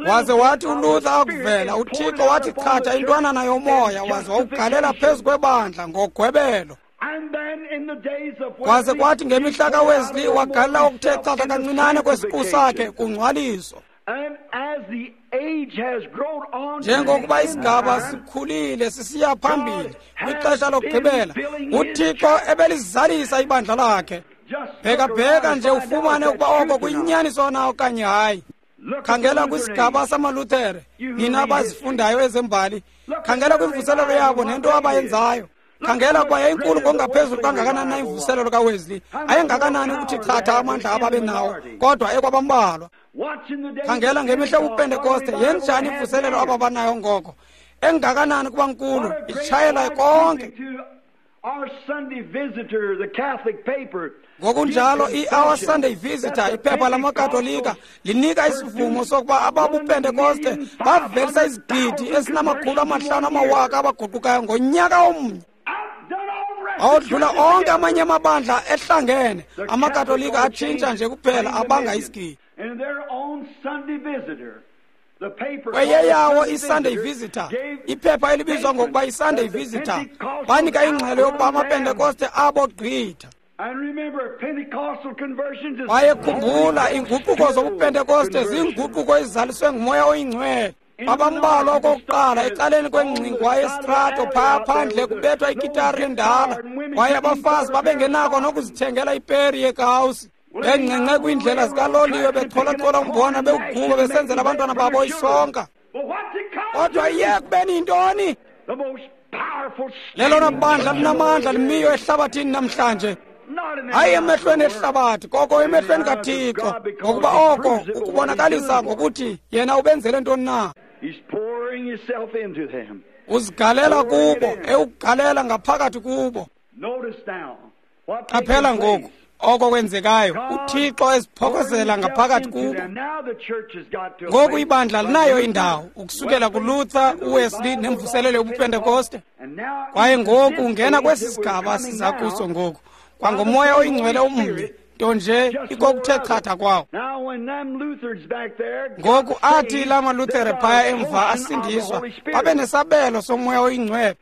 Waze wathi uLuther akuvela, uThixo wathi chatha intwanana yomoya waze wawugalela phezu kwebandla ngogwebelo. Kwaze kwathi ngemihla kaWesley wagalela okuthe chatha kancinane kwesiqu sakhe kungcwaliso. Njengokuba isigaba sikhulile sisiya phambili kwixesha lokugqibela, uThixo ebelizalisa ibandla lakhe. Bhekabheka nje ufumane ukuba oko kuyinyaniso na okanye hayi. Khangela kwisigaba samaLuthere, nina abazifundayo ezembali. Khangela kwimvuselelo yabo nento abayenzayo. Khangela ukuba yayinkulu ngokungaphezulu kangakanani na imvuselelo kaWesley. Ayengakanani ukuthi chatha amandla ababenawo, kodwa ekwabambalwa. Khangela ngemihla yobuPentekoste, yenjani imvuselelo ababanayo ngoko. Engakanani kuba nkulu, itshayela konke. Ngokunjalo i-Our Sunday Visitor, iphepha lamaKatolika, linika isivumo sokuba ababuPentekoste bavelisa 500,000 abaguqukayo ngonyaka omnye. Awodlula onke amanye amabandla ehlangene, amaKatolika atshintsha nje kuphela abanga isigidi. Kweyeyawo i-Sunday Visitor, iphepha elibizwa ngokuba i-Sunday Visitor, banika ingxelo yokuba amaPentekoste abogqitha. Wayekhumbula iinguquko zobuPentekoste ziinguquko ezizaliswe nguMoya oyiNgcwele. Babambalwa okokuqala ecaleni kwengxingwa yestrato phaya phandle kubethwa ikitari endala, kwaye abafazi babengenako nokuzithengela iperi yekawusi. Bengqengqe kwiindlela zikaloliwe becholachola umbona bewuguba besenzela abantwana babo isonka. Kodwa iye kubeni yintoni? Lelona bandla linamandla limiyo ehlabathini namhlanje. Hayi emehlweni ehlabathi, koko emehlweni kaThixo, ngokuba oko ukubonakalisa ngokuthi yena ubenzele ntoni na. Uzigalela kubo, ewugalela ngaphakathi kubo. Qaphela ngoku oko kwenzekayo, uThixo eziphokozela ngaphakathi kubo. Ngoku ibandla linayo indawo ukusukela kuLuther, uWesley nemvuselelo yobuPentekoste. Kwaye ngoku ungena kwesi sigaba siza kuso ngoku, kwangoMoya oyiNgcwele omnye, nto nje ikokuthe chatha kwawo. Ngoku athi la maLuthere phaya emva asindiswa, babe nesabelo soMoya oyiNgcwele.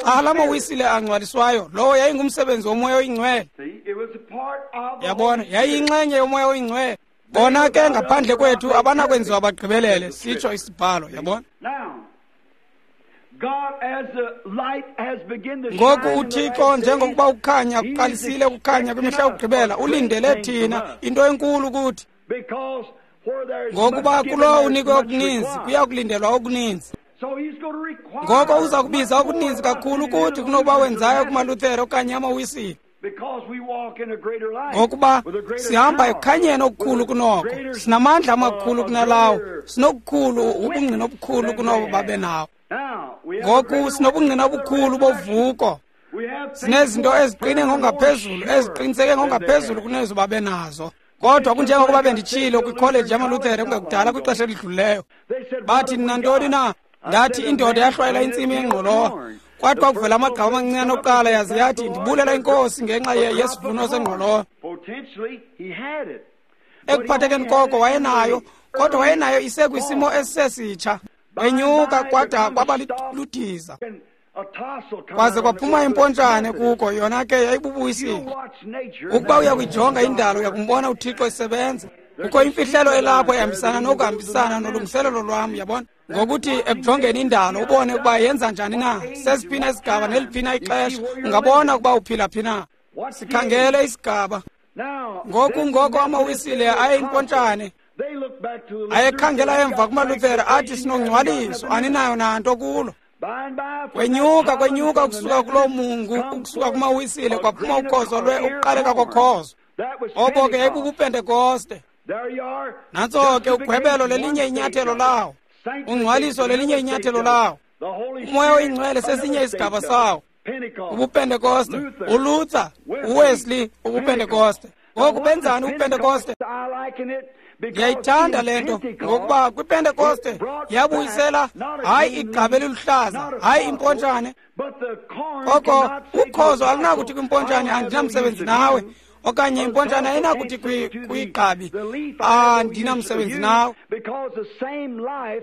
Xa la maWisile angcwaliswayo, lowo yayingumsebenzi woMoya oyiNgcwele. Yabona, yayiyinxenye yoMoya oyiNgcwele. Bona ke ngaphandle kwethu abanakwenziwa bagqibelele, sitsho isibhalo, yabona. Ngoku uThixo, njengokuba ukukhanya kuqalisile ukukhanya kwimihla yokugqibela, ulindele thina into enkulu kuthi. Ngokuba kulowo unikwe okuninzi kuya kulindelwa okuninzi. Ngoko uza kubiza okuninzi kakhulu kuthi kunokuba wenzayo kumaLuthere okanye amaWisile. Ngokuba sihamba ekukhanyeni okukhulu kunoko, sinamandla amakhulu kunalawo, sinokukhulu ubungqina obukhulu kunobo babe nawo. Ngoku sinobungqina obukhulu bovuko, sinezinto eziqine ngokungaphezulu, eziqiniseke ngokungaphezulu kunezo babe nazo. Kodwa kunjengokuba benditshilo kwikholeji yamaLuthere kungekudala kwixesha elidlulileyo, bathi nantoni na? Ndathi indoda yahlwayela intsimi yengqolowa, kwathi kwakuvela amagqabi amancinane okuqala, yaze yathi ndibulela inkosi ngenxa yesivuno sengqolowa. Ekuphathekeni koko wayenayo, kodwa wayenayo isekwisimo esisesitsha. Wenyuka kwada kwaba ludiza, kwaze kwaphuma impontshane kuko, yona ke yayibubuyisile. Ukuba uyakuyijonga indalo, uyakumbona uThixo esebenza. Kukho imfihlelo elapho ehambisana nokuhambisana nolungiselelo lwam, yabona. Ngokuthi ekujongeni indalo ubone ukuba yenza njani na, sesiphina isigaba neliphina ixesha, ungabona ukuba uphila phi na. Sikhangele isigaba ngoku. Ngoko amaWisile ayimpontshane, ayekhangela emva kumaLuthere athi sinongcwaliso, aninayo nanto kulo. Kwenyuka kwenyuka ukusuka kuloo mungu, ukusuka kumaWisile kwaphuma ukhozo lwe ukuqaleka kokhozo. Obo ke yayibubuPentekoste. Nantso ke ugwebelo lelinye inyathelo lawo, ungcwaliso lelinye inyathelo lawo, uMoya oyiNgcwele sesinye isigaba sawo. UbuPentekoste, uLuther, uWesley, ubuPentekoste. Ngoku benzani ubuPentekoste? Ndiyayithanda le nto, ngokuba kwiPentekoste yabuyisela hayi igqabi eliluhlaza, hayi impontshane. Koko ukhozo alunakuthi kwimpontshane andinamsebenzi nawe, okanye impontshane ayinakuthi kwigqabi andinamsebenzi nawe.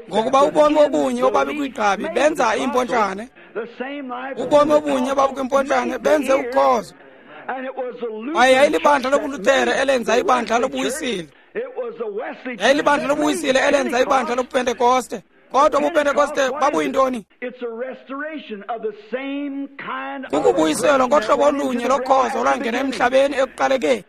Ngokuba ubomi obunye obabikwigqabi benza impontshane, ubomi obunye obabukwimpontshane benze ukhozo. Kwaye yayilibandla lobuLuthere elenza ibandla lobuWisile, yayilibandla lobuWisile elenza ibandla lobuPentekoste. Kodwa ubuPentekoste babuyintoni? Kukubuyiselwa ngohlobo olunye lokhozo olwangena emhlabeni ekuqalekeni,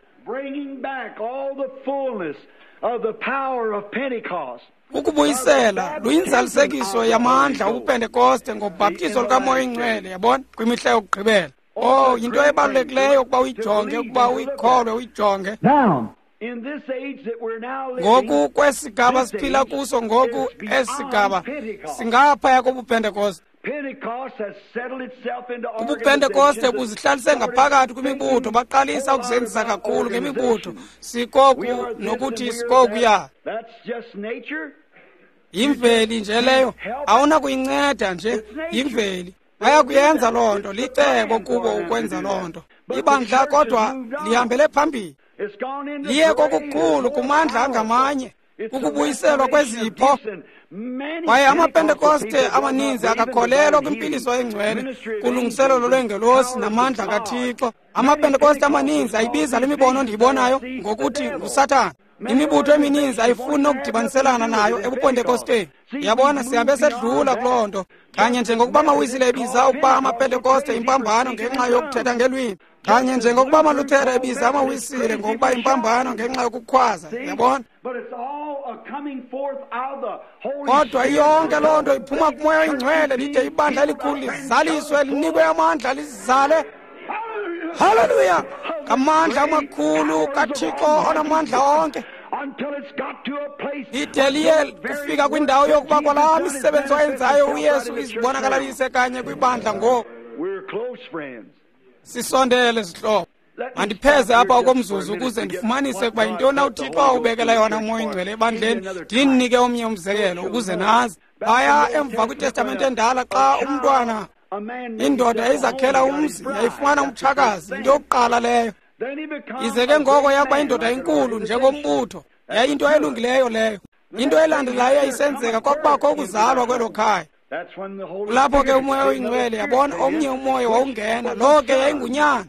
ukubuyisela luyinzalisekiso yamandla obuPentekoste ngobhaptizo lukaMoya oyiNgcwele, yabona, kwimihla yokugqibela. Oh, yinto ebalulekileyo ukuba uyijonge, ukuba uyikholwe, uyijonge. Ngoku kwesigaba siphila kuso ngoku, esi sigaba singaphaya kobuPentekoste. UbuPentekoste buzihlalise ngaphakathi kwimibutho, baqalisa ukuzenzisa kakhulu ngemibutho, sikoku nokuthi sikokuya. Yimveli nje leyo, awunakuyinceda nje, yimveli. Bayakuyenza loo nto, licebo kubo ukwenza loo nto. Ibandla kodwa lihambele phambili, liye kokukhulu kumandla angamanye, ukubuyiselwa kwezipho. Kwaye amaPentekoste amaninzi akakholelwa kwimpiliso engcwele, kulungiselelo lwengelosi namandla kaThixo. AmaPentekoste amaninzi ayibiza le mibono ndiyibonayo ngokuthi nguSathana. Imibutho emininzi ayifuni nokudibaniselana nayo ebuPentekosteni. Yabona, sihambe sedlula kuloo nto. Kanye njengokuba amaWisile ebiza ukuba amaPentekoste impambano ngenxa yokuthetha ngelwimi, kanye njengokuba amaLuthera ebiza amaWisile ngokuba impambano ngenxa yokukhwaza. Yabona? Kodwa iyonke loo nto iphuma kuMoya oyiNgcwele, lide ibandla elikhulu lizaliswe, linikwe amandla, lizale. Haleluya! Ngamandla amakhulu kaThixo onamandla onke. Lide liye kufika kwindawo yokuba kwalaa misebenzi wayenzayo uYesu izibonakalalise kanye kwibandla ngoku. Sisondele, zihlobo. Mandipheze apha okomzuzu ukuze ndifumanise ukuba yintoni na uThixo awubekela yona uMoya oyiNgcwele ebandleni, ndinike omnye umzekelo ukuze nazi. Phaya emva kwiTestamente endala, xa umntwana, indoda yayizakhela umzi, yayifumana umtshakazi, into yokuqala leyo. Ize ke ngoko yakuba indoda inkulu njengombutho, yayinto elungileyo leyo. Into elandelayo yayisenzeka kwakubakho ukuzalwa kwelo khaya. Kulapho ke uMoya oyiNgcwele, yabona, omnye umoya wawungena, lo ke yayingunyana.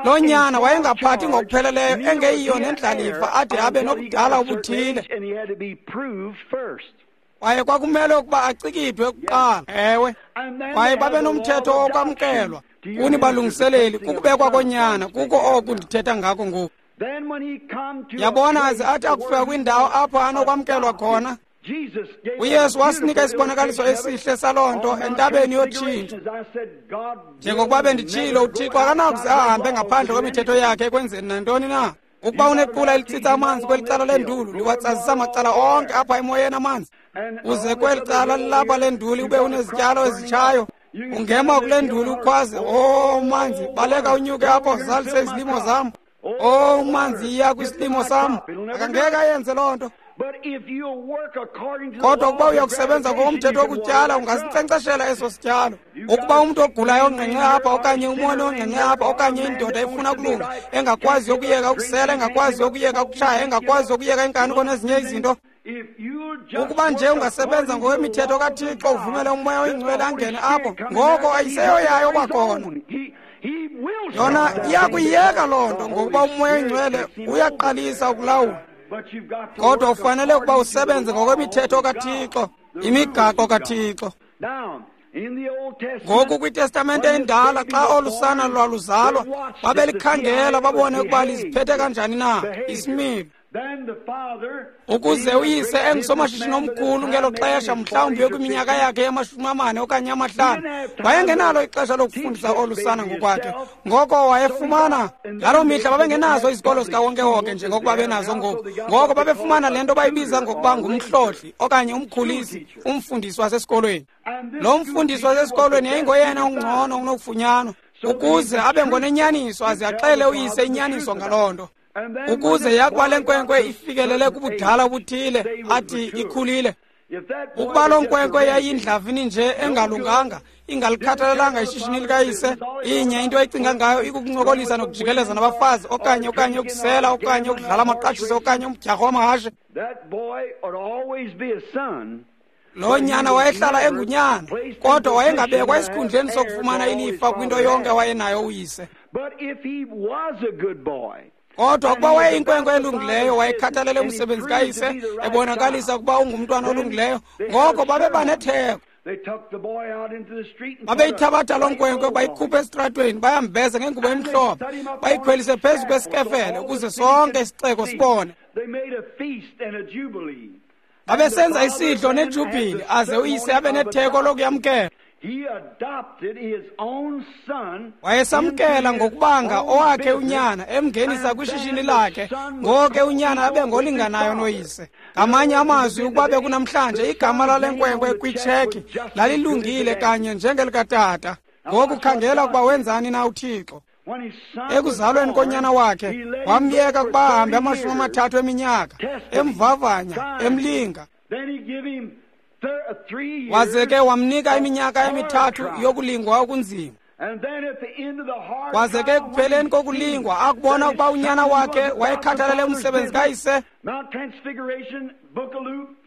Lo nyana wayengaphathi ngokupheleleyo, engeyiyo nendlalifa ade abe nobudala obuthile. Kwaye kwakumele ukuba acikidwe kuqala. Ewe, kwaye babe nomthetho wokwamkelwa kuni balungiseleli, kukubekwa konyana, kuko oku ndithetha ngako ngoku. Yabona, aze athi akufika kwindawo apho anokwamkelwa khona, uYesu wasinika isibonakaliso esihle saloo nto entabeni yotshintsho. Njengokuba benditshilo, uThixo akanakuze ahambe ngaphandle kwemithetho yakhe ekwenzeni nantoni na. Ukuba unequla elitsitsa amanzi kweli cala lenduli, liwatsazisa macala onke apha emoyeni amanzi, uze kweli cala lilapha lenduli ube unezityalo ezitshayo, ungema kule nduli ukhwaze, "O manzi, baleka unyuke apho zalise izilimo zam. O manzi, iya kwisilimo sam." Akangeke ayenze loo nto. Kodwa ukuba uyakusebenza ngokomthetho wokutyala, ungasinkcenkceshela eso sityalo. Ukuba umntu ogulayo ongqengqe apha, okanye umoni ongqengqe apha, okanye indoda efuna ukulunga, engakwazi ukuyeka ukusela, engakwazi ukuyeka ukutshaya, engakwazi ukuyeka inkanuko nezinye izinto, ukuba nje ungasebenza ngokwemithetho kaThixo, uvumele uMoya oyiNgcwele angene apho, ngoko ayiseyoyayo kwakhona. Yona iyakuyiyeka loo nto, ngokuba uMoya oyiNgcwele uyaqalisa ukulawula. Kodwa ufanele ukuba usebenze ngokwemithetho kaThixo, imigaqo kaThixo. Ngoku kwiTestamente endala, xa olu sana lwaluzalwa, babelikhangela babone ukuba liziphethe kanjani na isimilo. Ukuze uyise engusomashishini omkhulu ngelo xesha, mhlawumbi yokwiminyaka yakhe yama-40 okanye 50, wayengenalo ixesha lokufundisa olu sana ngokwakhe. Ngoko wayefumana, ngaloo mihla babengenazo izikolo zikawonkewonke njengokuba benazo ngoku. Ngoko babefumana le nto bayibiza ngokuba ngumhlohli okanye umkhulisi, umfundisi wasesikolweni. Lo mfundisi wasesikolweni yayingoyena ungcono unokufunyanwa, ukuze abe ngonenyaniso aze axele uyise inyaniso ngaloo nto. Ukuze yakuba le nkwenkwe ifikelele kubudala obuthile, athi ikhulile. Ukuba loo nkwenkwe yayindlavini nje engalunganga, ingalikhathalelanga ishishini likayise, inye into ecinga ngayo ikukuncokolisa nokujikeleza nabafazi, okanye ukusela, okanye ukudlala amaqashiso, okanye umdyarho wamahashe, lo nyana wayehlala engunyana, kodwa wayengabekwa esikhundleni sokufumana ilifa kwinto yonke wayenayo uyise. Kodwa ukuba wayeyinkwenkwe elungileyo, wayekhathalele umsebenzi kayise, ebonakalisa ukuba ungumntwana olungileyo, ngoko babeba netheko. Babeyithabatha loo nkwenkwe, bayikhuphe esitratweni, bayambeza ngengubo emhlophe, bayikhwelise phezu kwesikefele ukuze sonke isixeko sibone. Babesenza isidlo nejubhili, aze uyise abe netheko lokuyamkela. Wayesamkela ngokubanga owakhe unyana, emngenisa kwishishini lakhe, ngoke unyana abe ngolinganayo noyise. Ngamanye amazwi, ukuba bekunamhlanje, igama lale nkwenkwe kwitsheki lalilungile kanye njengelikatata. Ngoku khangela ukuba wenzani na uThixo. Ekuzalweni konyana wakhe, wamyeka ukuba ahambe 30 eminyaka, emvavanya, emlinga. Waze ke wamnika iminyaka 3 yokulingwa okunzima. Waze ke ekupheleni kokulingwa, akubona ukuba unyana wakhe wayekhathalele umsebenzi kayise.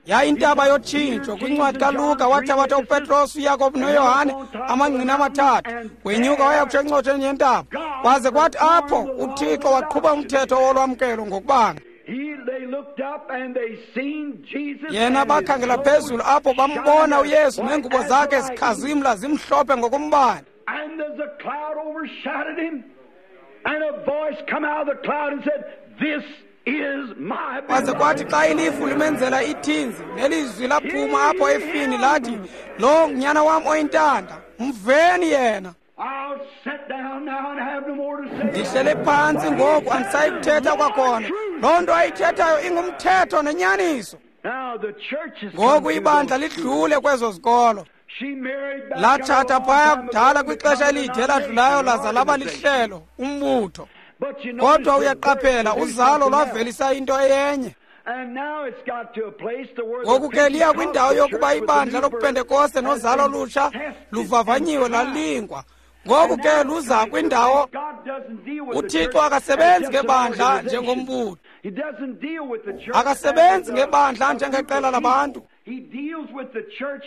Yayintaba yotshintsho. Kwincwadi kaLuka wathabatha uPetros, uYakobi noYohane, amangqina 3, wenyuka waya kutsho encotsheni yentaba. Kwaze kwathi apho uThixo waqhuba umthetho wolwamkelo ngokubanga. Yena bakhangela phezulu apho bambona uYesu neengubo zakhe zikhazimla zimhlophe ngokombane. Kwaze kwathi xa ilifu limenzela ithinzi, nelizwi laphuma apho efini lathi, "Lo ngunyana wam oyintanda, mveni yena." Ndihlele phantsi ngoku, andisayi kuthetha kwakhona. Loo nto ayithethayo ingumthetho nenyaniso. Ngoku ibandla lidlule kwezo zikolo. Latshata phaya kudala kwixesha elide eladlulayo, laza laba lihlelo, umbutho. Kodwa uyaqaphela, uzalo lwavelisa into eyenye. Ngoku ke liya kwindawo yokuba ibandla lobuPentekoste nozalo olutsha luvavanyiwe lalingwa. Ngoku ke luza kwindawo uThixo akasebenzi ngebandla njengombutho. Akasebenzi ngebandla njengeqela labantu.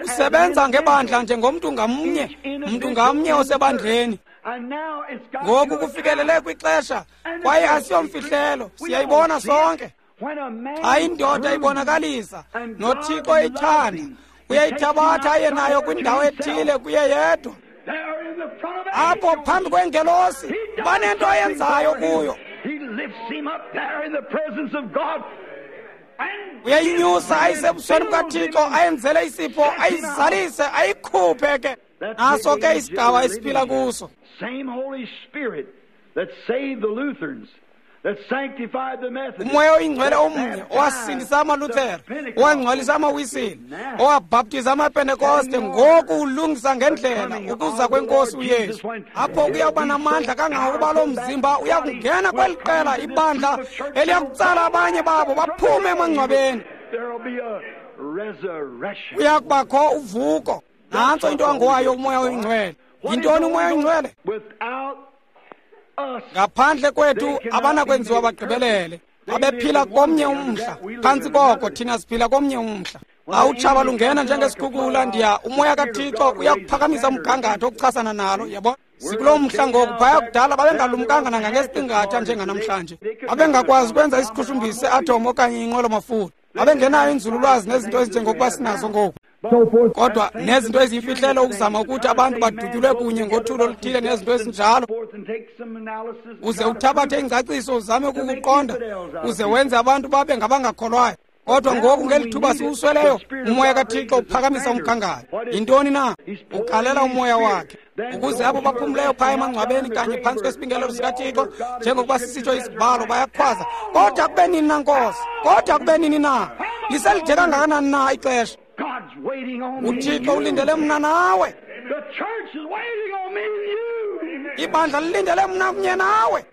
Usebenza ngebandla njengomntu ngamnye, mntu ngamnye osebandleni. Ngoku kufikelele kwixesha, kwaye asiyomfihlelo, siyayibona sonke. Xa indoda ibonakalisa noThixo eyithanda, uyayithabatha aye nayo kwindawo ethile kuye yedwa. Apho phambi kwengelosi banento ayenzayo kuyo. Uyayinyusa ayisebusweni bukaThixo, ayenzele isipho, ayizalise, ayikhuphe ke. Naso ke isigaba esiphila kuso. Umoya oyingcwele omnye owasindisa amaLuthere, owangcwalisa amaWisile, owabhaptiza amaPentekoste, ngoku ulungisa ngendlela ukuza kwenkosi uYesu. Apho kuyawuba namandla kangangokuba lo mzimba uyakungena kweli qela ibandla eliyakutsala abanye babo baphume emangcwabeni. Kuyakubakho uvuko. Nantso into angowayo umoya oyingcwele. Yintoni umoya oyingcwele? Ngaphandle kwethu abanakwenziwa bagqibelele. Babephila komnye umhla, phantsi koko thina siphila komnye umhla. Xa utshaba lungena njengesikhukula, ndiya umoya kaThixo uyakuphakamisa umgangatho okuchasana nalo, yabo. Sikulo mhla ngoku. Phaya kudala babengalumkanga nangangesiqingatha njenganamhlanje. Babengakwazi ukwenza isiqhushumbisi se-atom okanye inqwelo-mafutha. Babengenayo inzululwazi nezinto ezinjengokuba sinazo ngoku. Kodwa nezinto eziyimfihlelo ukuzama ukuthi abantu badutyulwe kunye ngothulo oluthile nezinto ezinjalo. Uze uthabathe ingcaciso uzame ukukuqonda, uze wenze abantu babe ngabangakholwayo. Kodwa ngoku ngeli thuba siwusweleyo, umoya kaThixo uphakamisa umgangatho. Yintoni na? Ugalela umoya wakhe ukuze abo baphumleyo phaya emangcwabeni kanye phantsi kwesibingelelo sikaThixo, njengokuba sisitsho isibhalo, bayakhwaza, "Kodwa kube nini na, Nkosi? Kodwa kube nini na? Liselide kangakanani na ixesha?" UThixo ulindele mna nawe. Ibandla lilindele mna kunye nawe.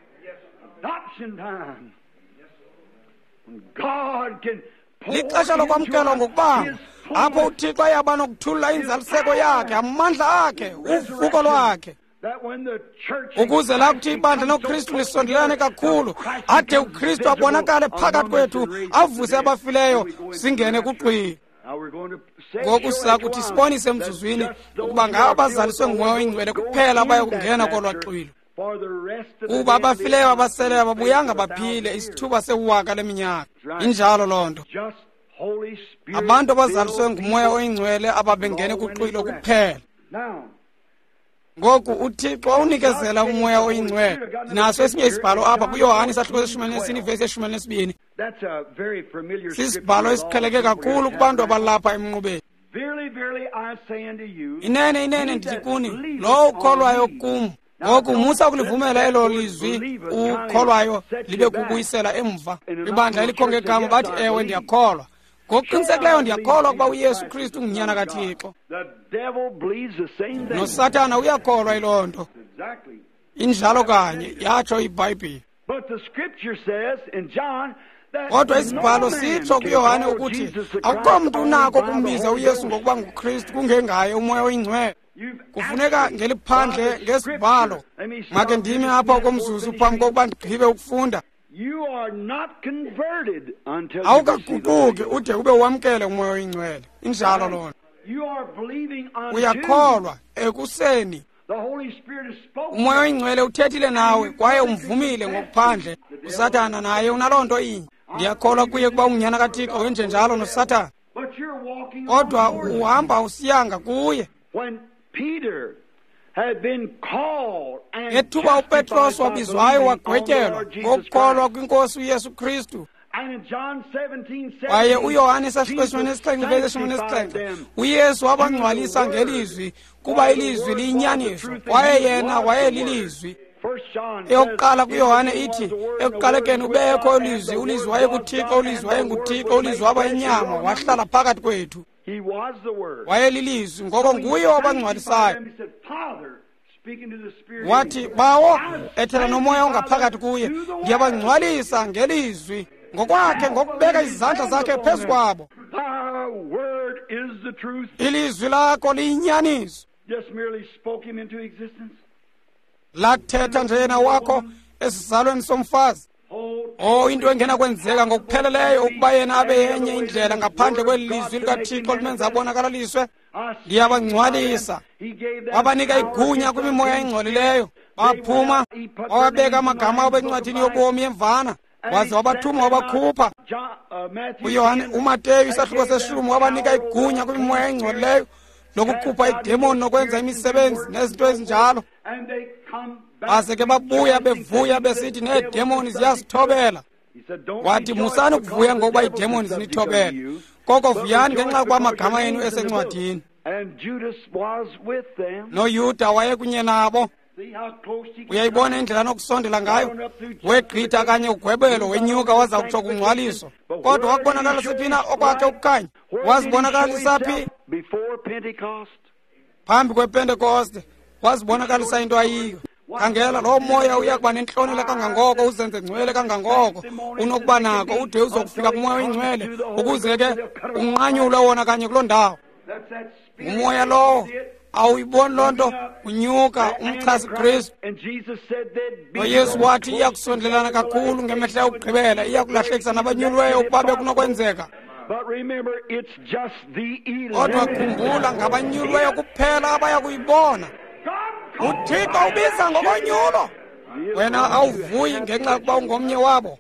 Lixesha lokwamkelwa ngokubanga, apho uThixo ayaba nokuthulula inzaliseko yakhe, amandla akhe, uvuko lwakhe, ukuze lakuthi ibandla noKristu lisondelane kakhulu, ade uKristu abonakale phakathi kwethu, avuse abafileyo, singene kuxwilo. Ngoku siza kuthi sibonise emzuzwini ukuba ngabo abazaliswe ngumoya oyingcwele kuphela abayakungena kolwa xwilo. Kuba abafileyo abaseleyo ababuyanga baphile isithuba sewaka leminyaka. Injalo loo nto. Abantu abazaliswe ngumoya oyingcwele ababengene kuxwilo kuphela. Ngoku uThixo wawunikezela umoya oyingcwele. Ndinaso esinye isibhalo apha kuYohane isahluko se-14 ivesi ye-12. Sisibhalo esiqheleke kakhulu kubantu abalapha emnqubeni. Inene, inene ndithi kuni, lowo ukholwayo kum. Ngoku musa ukulivumela elo lizwi ukholwayo libe kubuyisela emva. Ibandla elikho ngegama bathi, ewe, ndiyakholwa. Ngokuqinisekileyo ndiyakholwa ukuba uYesu Kristu ungunyana kaThixo. NoSathana uyakholwa yiloo nto. Injalo kanye, yatsho iBhayibhile. Kodwa isibhalo sitsho kuYohane ukuthi akukho mntu unako ukumbiza uYesu ngokuba nguKristu kungengaye uMoya oyiNgcwele. Kufuneka ngeliphandle ngesibhalo. Make ndime apha okomzuzu phambi kokuba ndigqibe ukufunda. Awukaguquki ude ube wamkele uMoya oyiNgcwele. Injalo loo nto. Uyakholwa ekuseni. UMoya oyiNgcwele uthethile nawe kwaye umvumile ngokuphandle. USathana naye unaloo nto inye. Ndiyakholwa kuye kuba ungunyana kaThixo, wenjenjalo noSathana. Kodwa uhamba usiyanga kuye. Ngethuba uPetros wabizwayo wagwetyelwa ngokukholwa kwinkosi uYesu Kristu. Kwaye uYohane isahluko 17:17 uYesu wabangcwalisa ngelizwi, kuba ilizwi liyinyaniso, kwaye yena wayelilizwi. Eyokuqala kuYohane ithi, ekuqalekeni ubekho ulizwi, ulizwi wayekuThixo, ulizwi wayenguThixo, ulizwi waba yinyama, wahlala phakathi kwethu. Wayelilizwi, ngoko nguye wabangcwalisayo. Wathi, Bawo, ethela nomoya ongaphakathi kuye, ndiyabangcwalisa ngelizwi ngokwakhe, ngokubeka izandla zakhe phezu kwabo. Ilizwi lakho liyinyaniso. Lathetha nje yena wakho esizalweni somfazi. Oh, into engenakwenzeka ngokupheleleyo ukuba yena abe yenye indlela ngaphandle kweli lizwi likaThixo limenza abonakalaliswe. Ndiyabangcwalisa. Wabanika igunya kwimimoya engcolileyo. Baphuma, wawabeka amagama abo encwadini yobomi yemvana, waze wabathuma wabakhupha. UYohane uMateyu isahluko 10 wabanika igunya kwimimoya engcolileyo lokukhupha idemoni nokwenza imisebenzi nezinto ezinjalo. Baze ke babuya bevuya besithi needemoni ziyasithobela. Wathi, musani ukuvuya ngokuba iidemoni zinithobela, koko vuyani ngenxa yokuba amagama enu esencwadini. NoYuda wayekunye nabo. Uyayibona indlela nokusondela ngayo? Wegqitha kanye ugwebelo, wenyuka waza kutsho kungcwaliso. Kodwa wakubonakalisa phi na okwakhe ukukhanya? Wazibonakalisa phi? Phambi kwePentekoste wazibonakalisa into ayiyo. Khangela, loo moya uya kuba nentlonelo kangangoko, uzenze ngcwele kangangoko unokuba nako, ude uzokufika kuMoya oyiNgcwele, ukuze ke unqanyulwe wona kanye kuloo ndawo. Ngumoya lowo. Awuyiboni loo nto? Unyuka umchasi Kristu. NoYesu wathi iya kusondelana kakhulu ngemihla yokugqibela, iya kulahlekisa nabanyuliweyo ukuba bekunokwenzeka. Kodwa khumbula, ngabanyuliweyo kuphela abaya kuyibona. UThixo ubiza ngokonyulo. Wena awuvuyi ngenxa yokuba ungomnye wabo.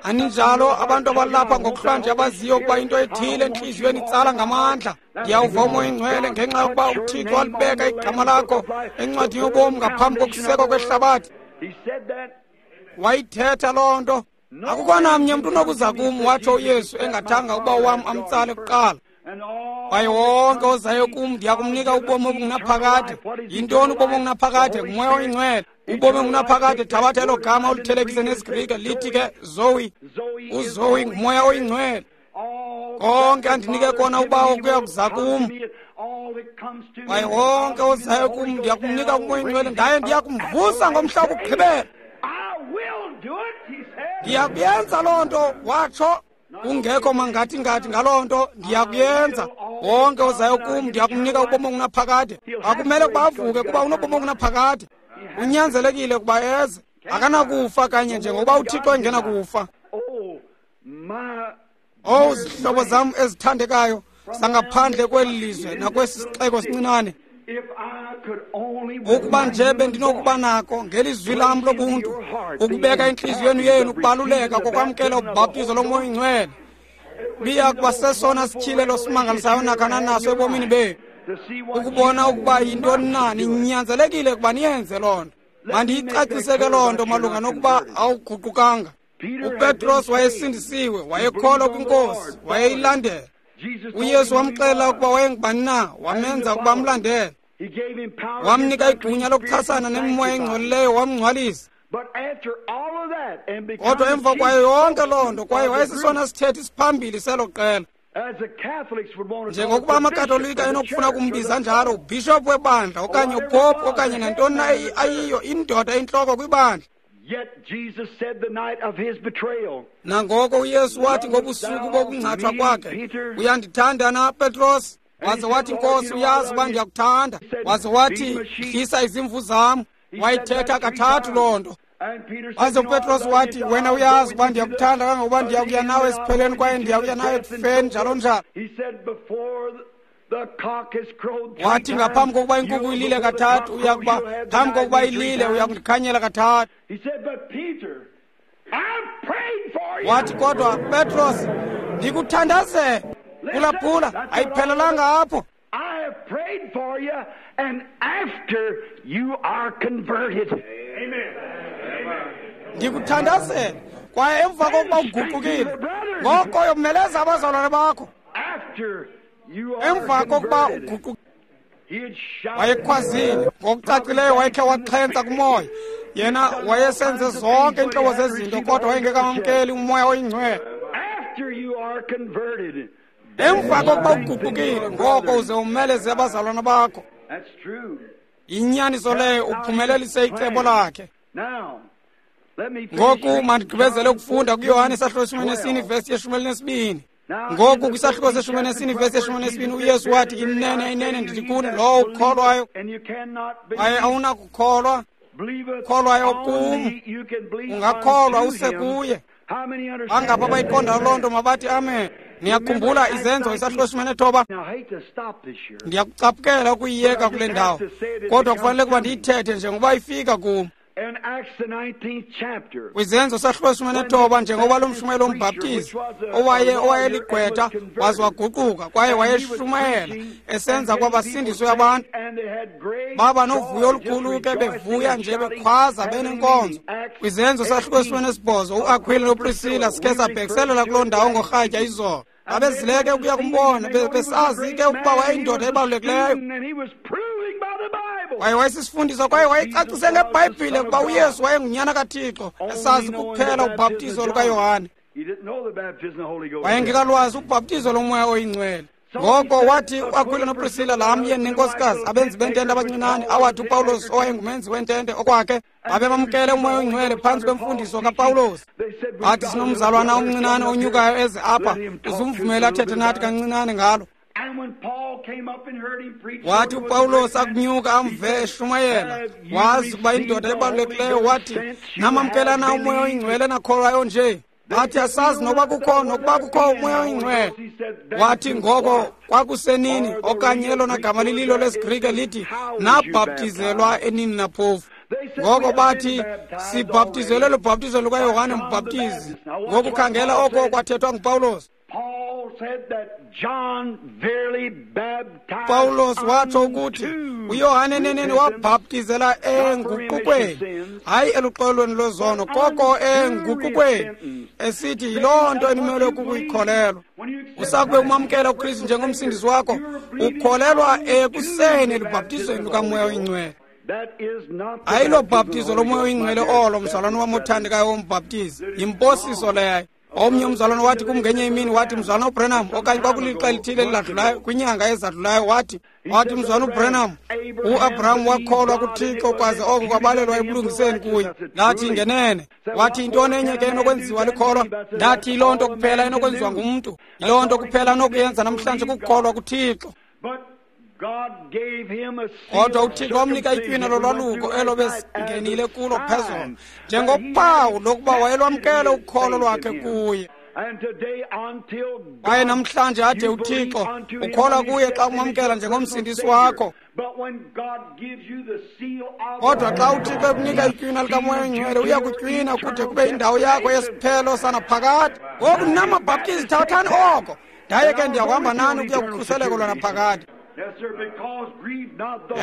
Aninjalo abantu abalapha ngokuhlwanje abaziyo ukuba into ethile entliziyweni itsala ngamandla. Ndiyawuva uMoya oyiNgcwele ngenxa yokuba uThixo walibeka igama lakho encwadini yobomi ngaphambi kokusekwa kwehlabathi. Wayithetha loo nto. Akukho namnye mntu unokuza kum, watsho uYesu, engathanga uba wam amtsale kuqala. Kwaye wonke ozayo kum ndiya kumnika ubomi obungunaphakade. Yintoni ubomi obungunaphakade? Ngumoya oyiNgcwele. Ubomi obungunaphakade, thabatha elo gama olithelekise nesiGrike, lithi ke Zoe. UZoe ngumoya oyiNgcwele. Konke andinike kona uBawo kuya kuza kum. Kwaye wonke ozayo kum ndiya kumnika uMoya oyiNgcwele, ndaye ndiya kumvusa ngomhla wokugqibela. Ndiyakuyenza loo nto, watsho. Kungekho mangathi-ngathi ngaloo nto, ndiyakuyenza. Wonke ozayo kum ndiyakumnika ubomi obungunaphakade. Akumele ukuba avuke kuba unobomi obungunaphakade. Unyanzelekile ukuba eze. Akanakufa kanye njengokuba uThixo engenakufa. Owu, zihlobo zam ezithandekayo zangaphandle kweli lizwe nakwesi sixeko sincinane, ukuba nje bendinokuba nako ngelizwi lam lobuntu ukubeka intliziyweni yenu ukubaluleka kokwamkela ubhaptizo loMoya oyiNgcwele, biya kuba sesona sityhilelo simangalisayo nakhana naso ebomini benu, ukubona ukuba yintoni na. Ninyanzelekile ukuba niyenze loo nto. Mandiyicacise ke loo nto malunga nokuba awuguqukanga. UPetros wayesindisiwe, wayekholwa kwinkosi, wayeyilandela. UYesu wamxelela ukuba wayengubani na, wamenza ukuba amlandele. Wamnika igunya lokuchasana nemimoya engcolileyo, wamngcwalisa. Kodwa emva kwayo yonke loo nto, kwaye wayesisona sithethi siphambili selo qela. Njengokuba amaKatolika enokufuna kumbiza njalo, ubhishophu webandla okanye upopu okanye nantoni na ayiyo, indoda intloko kwibandla. Nangoko uYesu wathi ngobusuku bokungcatshwa kwakhe, uyandithanda na, Petros? Waze wathi, Nkosi, uyazi uba ndiyakuthanda. Waze wathi, dlisa izimvu zam. Wayithetha kathathu loo nto. Waze uPetros wathi, wena uyazi uba ndiyakuthanda kangangokuba ndiyakuya nawe esiphelweni kwaye ndiyakuya nawe ekufeni, njalo njalo. Wathi ngaphambi kokuba inkukhu ilile kathathu, uyakuba phambi kokuba ilile uyakundikhanyela kathathu. Wathi, kodwa Petros, ndikuthandazele. Phulaphula, ayiphelelanga apho. I have prayed for you, and after you are converted. Amen. Ndikuthandazele kwaye emva kokuba uguqukile, ngoko yomeleza abazalwane bakho. Emva kokuba uguqukile, wayekhwazile ngokucacileyo, wayekhe waxhentsa kumoya. Yena wayesenze zonke iintlobo zezinto, kodwa wayengekamamkeli umoya oyingcwele. Emva kokuba uguqukile, ngoko uze umeleze abazalwana bakho. Inyaniso leyo, uphumelelise icebo lakhe. Ngoku mandigqibezele ukufunda kuYohane isahluko 14 vesi 12. Ngoku kwisahluko se-14 vesi 12 uYesu wathi, inene inene ndithi kuni, lowo ukholwayo kwaye awunakukholwa, kholwayo kum, ungakholwa use kuye. Bangapha abayiqondayo loo nto mabathi amen. Niyakhumbula Izenzo isahluko 19? Ndiyakucaphukela ukuyiyeka kule ndawo, kodwa kufanele ukuba ndiyithethe njengoba ifika kum. Kwizenzo sahluko 19, njengoba lo mshumayeli wombhaptizi owayeligqwetha waze waguquka kwaye wayeshumayela esenza kwabasindiswe abantu, baba novuyo olukhulu ke, bevuya nje bekhwaza benenkonzo. Kwizenzo sahluko 18, uAkhwila noPrisila sikhe sabhekiselela kuloo ndawo ngorhatya izolo. Babezileke ukuya kumbona, besazi ke ukuba wayeyindoda ebalulekileyo. Kwaye wayesisifundisa kwaye wayecacise ngeBhayibhile ukuba uYesu wayengunyana kaThixo, esazi kuphela ubhaptizo lukaYohane. Wayengekalwazi ubhaptizo lomoya oyingcwele. Ngoko wathi uAkhwila noPrisila, laa myeni nenkosikazi, abenzi bentente abancinane, awathi uPawulos owayengumenzi wentente okwakhe, babemamkele umoya oyingcwele phantsi kwemfundiso kaPawulos. Bathi, sinomzalwana omncinane onyukayo eze apha, uzumvumele athethe nathi kancinane ngalo. Wathi uPawulos akunyuka amve eshumayela, wazi ukuba indoda ebalulekileyo, wathi, namamkela na umoya oyingcwele nakholwayo nje? Bathi, asazi nokuba kukho nokuba kukho umoya oyingcwele. Wathi, ngoko kwakusenini, okanye elona gama lililo lesiGrike lithi nabhaptizelwa enini naphofu. Ngoko bathi, sibhaptizelwe lubhaptizo lukaYohane uMbhaptizi. Ngoku khangela oko kwathethwa nguPawulos. Pawulos watsho ukuthi uYohane eneneni wabhaptizela enguqukweni, hayi eluxolweni lwezono, koko enguqukweni, esithi yiloo nto enimelwe kukuyikholelwa. Usakube umamkela uKristu njengomsindisi wakho, ukholelwa ekuseni elubhaptizweni lukamoya oyingcwele. Ayilo bhaptizo lomoya oyingcwele olo, mzalwane wam othandekayo wombhaptizi, yimposiso leyo. Omnye umzalwane wathi kum ngenye imini, wathi, mzalwana uBrenham, okanye kwakulixa elithile eliladlulayo, kwinyanga ezadlulayo, wathi mzalwana uBrenham, uAbraham wakholwa kuThixo kwaze oko kwabalelwa ebulungiseni kuye. Ndathi, ngenene. Wathi, yintoni enye ke enokwenziwa likholwa? Ndathi, yiloo nto kuphela enokwenziwa ngumntu, yiloo nto kuphela anokuyenza namhlanje, kukukholwa kuThixo. Kodwa uThixo wamnika itywina lolwaluko elo besingenile kulo phezolo, njengophawu lokuba wayelwamkele ukholo lwakhe kuye. Kwaye namhlanje ade uThixo ukholwa kuye xa umamkela njengomsindisi wakho. Kodwa xa uThixo ekunika itywina likamoya oyingcwele, uya kutywina kude kube indawo yakho yesiphelo sanaphakade. Ngoku ninamabhaptizi, thathani oko, ndaye ke ndiyakuhamba nani ukuya kukhuseleko lwanaphakade.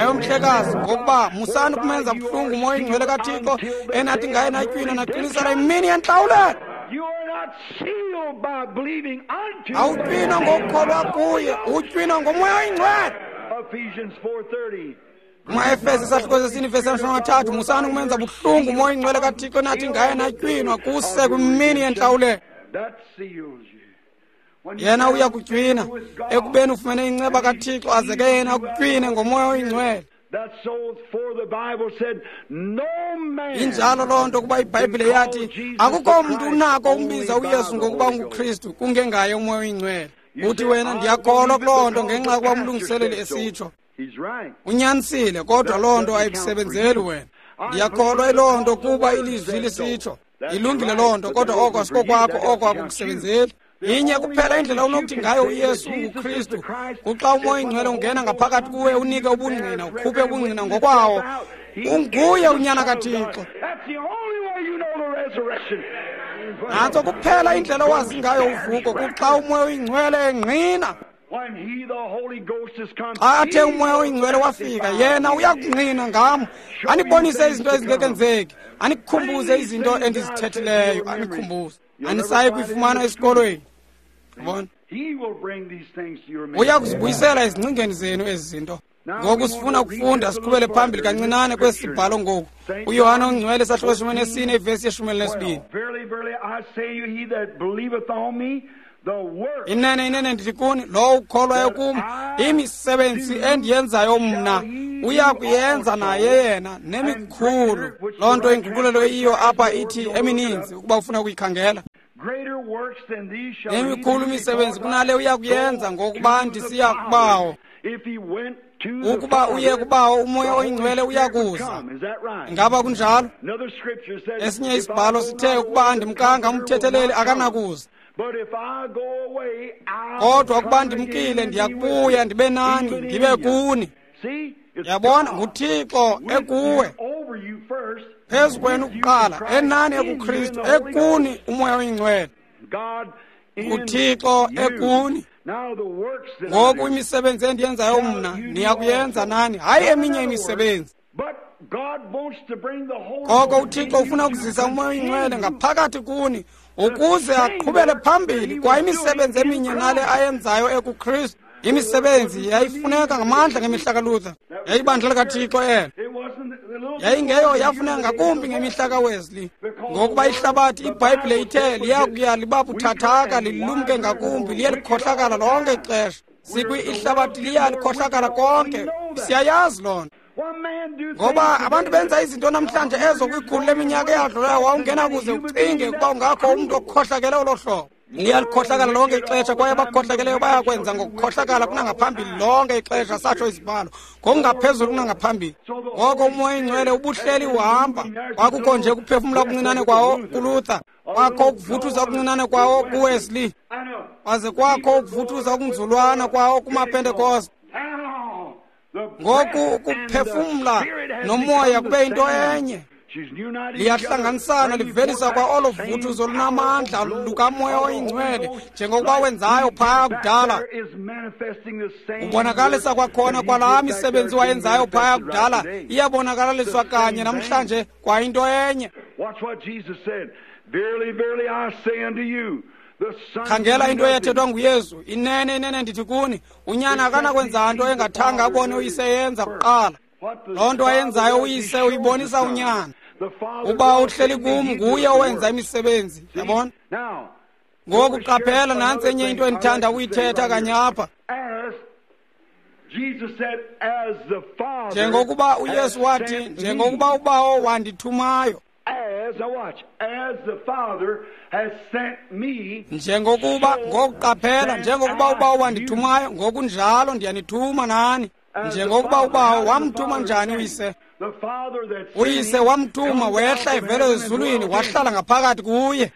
Ewe mhlekazi, ngokuba musani ukumenza buhlungu umoya oyingcwele kaThixo, enathi ngaye natywina naqinisela imini yentlawulelo. Awutywinwa ngokukholwa kuye, utywinwa ngoMoya oyiNgcwele. KumaEfese isahluko sesine ivesi 30, musani ukumenza buhlungu uMoya oyiNgcwele kaThixo nathi ngaye natywinwa kuse kwimini yentlawulelo. Yena uya kutywina ekubeni ufumene inceba kaThixo, aze ke yena akutywine ngoMoya oyiNgcwele. Injalo loo nto, kuba iBhayibhile yathi akukho mntu unako ukumbiza uYesu ngokuba unguKristu kungengaye uMoya oyiNgcwele. Uthi wena, ndiyakholwa kuloo nto ngenxa yokuba umlungiseleli esitsho. Unyanisile, kodwa loo nto ayikusebenzeli wena. Ndiyakholwa iloo nto kuba ilizwi lisitsho. Ilungile loo nto, kodwa oko asikokwakho, oko akukusebenzeli. Inye kuphela indlela onokuthi ngayo uYesu unguKristu, kuxa uMoya oyiNgcwele ungena ngaphakathi kuwe, unike ubungqina, ukhuphe ubungqina ngokwawo. Unguye uNyana kaThixo. Nantso kuphela indlela owazi ngayo uvuko, kuxa uMoya oyiNgcwele engqina. Xa athe uMoya oyiNgcwele wafika, yena uyakungqina ngam, anibonise izinto ezingekenzeki, anikhumbuze izinto endizithethileyo, anikhumbuze. Anisayi kuyifumana esikolweni. Yabona? Uya kuzibuyisela ezingcingeni zenu ezi zinto. Ngoku sifuna ukufunda siqhubele phambili kancinane kwesi sibhalo ngoku. UYohane oNgcwele isahluko 14 ivesi ye-12. Inene, inene ndithi kuni, lowo ukholwayo kum, imisebenzi endiyenzayo mna uya kuyenza naye yena, nemikhulu. Loo nto inguqulelo eyiyo apha ithi emininzi, ukuba ufuna ukuyikhangela. Nemikhulu imisebenzi kunale uya kuyenza, ngokuba ndisiya kuBawo. Ukuba uye kuBawo, uMoya oyiNgcwele uya kuza. Ingaba kunjalo? Esinye isibhalo sithe ukuba andimkanga umthetheleli akanakuza. Kodwa ukuba ndimkile, ndiyakubuya ndibe nani, ndibe kuni. Yabona, nguThixo ekuwe, phezu kwenu kuqala, enani ekuKristu, ekuni uMoya oyiNgcwele. NguThixo ekuni. Ngoku imisebenzi endiyenzayo mna niyakuyenza nani, hayi eminye imisebenzi. Koko uThixo ufuna ukuzisa uMoya oyiNgcwele ngaphakathi kuni ukuze aqhubele phambili kwa imisebenzi eminye nale ayenzayo ekuKristu. Imisebenzi yayifuneka ngamandla ngemihla kaLuther, yayibandla likaThixo elo. Yayingeyo yafuneka ngakumbi ngemihla kaWesley, ngokuba ihlabathi iBhayibhile ithe liyakuya liba buthathaka, lilumke ngakumbi, liye likhohlakala lonke ixesha. Sikwi ihlabathi liya likhohlakala konke, siyayazi loo nto. Ngoba abantu benza izinto namhlanje ezo kwikhulu leminyaka eyadlulayo wawungena kuze ucinge ukuba ungakho umntu okhohlakele olo hlobo. Liyalikhohlakala lonke ixesha, kwaye abakhohlakeleyo bayakwenza ngokukhohlakala kunangaphambili lonke ixesha, satsho isibhalo, ngokungaphezulu kunangaphambili. Ngoko uMoya oyiNgcwele ubuhleli uhamba. Kwakukho nje ukuphefumla okuncinane kwawo kuLuther, kwakho ukuvuthuza okuncinane kwawo kuWesley, kwaze kwakho ukuvuthuza okunzulwana kwawo kumaPentekoste. Ngoku ukuphefumla nomoya kube yinto enye. Liyahlanganisana, livelisa kwa olo vuthuzo olunamandla lukaMoya oyiNgcwele njengokuba wenzayo phaya kudala. Ubonakalisa kwakhona kwalaa misebenzi wayenzayo phaya kudala, iyabonakalaliswa kanye namhlanje kwa into enye. Khangela into eyathethwa nguYesu, inene, inene ndithi kuni, unyana akanakwenza nto engathanga abone uyise yenza kuqala. Loo nto ayenzayo uyise uyibonisa unyana. Uba uhleli kum, nguye owenza imisebenzi. Yabona? Ngoku qaphela, nantsi enye into endithanda ukuyithetha kanye apha. Njengokuba uYesu wathi, njengokuba uBawo wandithumayo, njengokuba, ngokuqaphela, njengokuba uBawo wandithumayo, ngokunjalo ndiyanithuma nani. Njengokuba uBawo wamthuma njani uyise? Uyise wamthuma, wehla evela ezulwini, wahlala ngaphakathi kuye.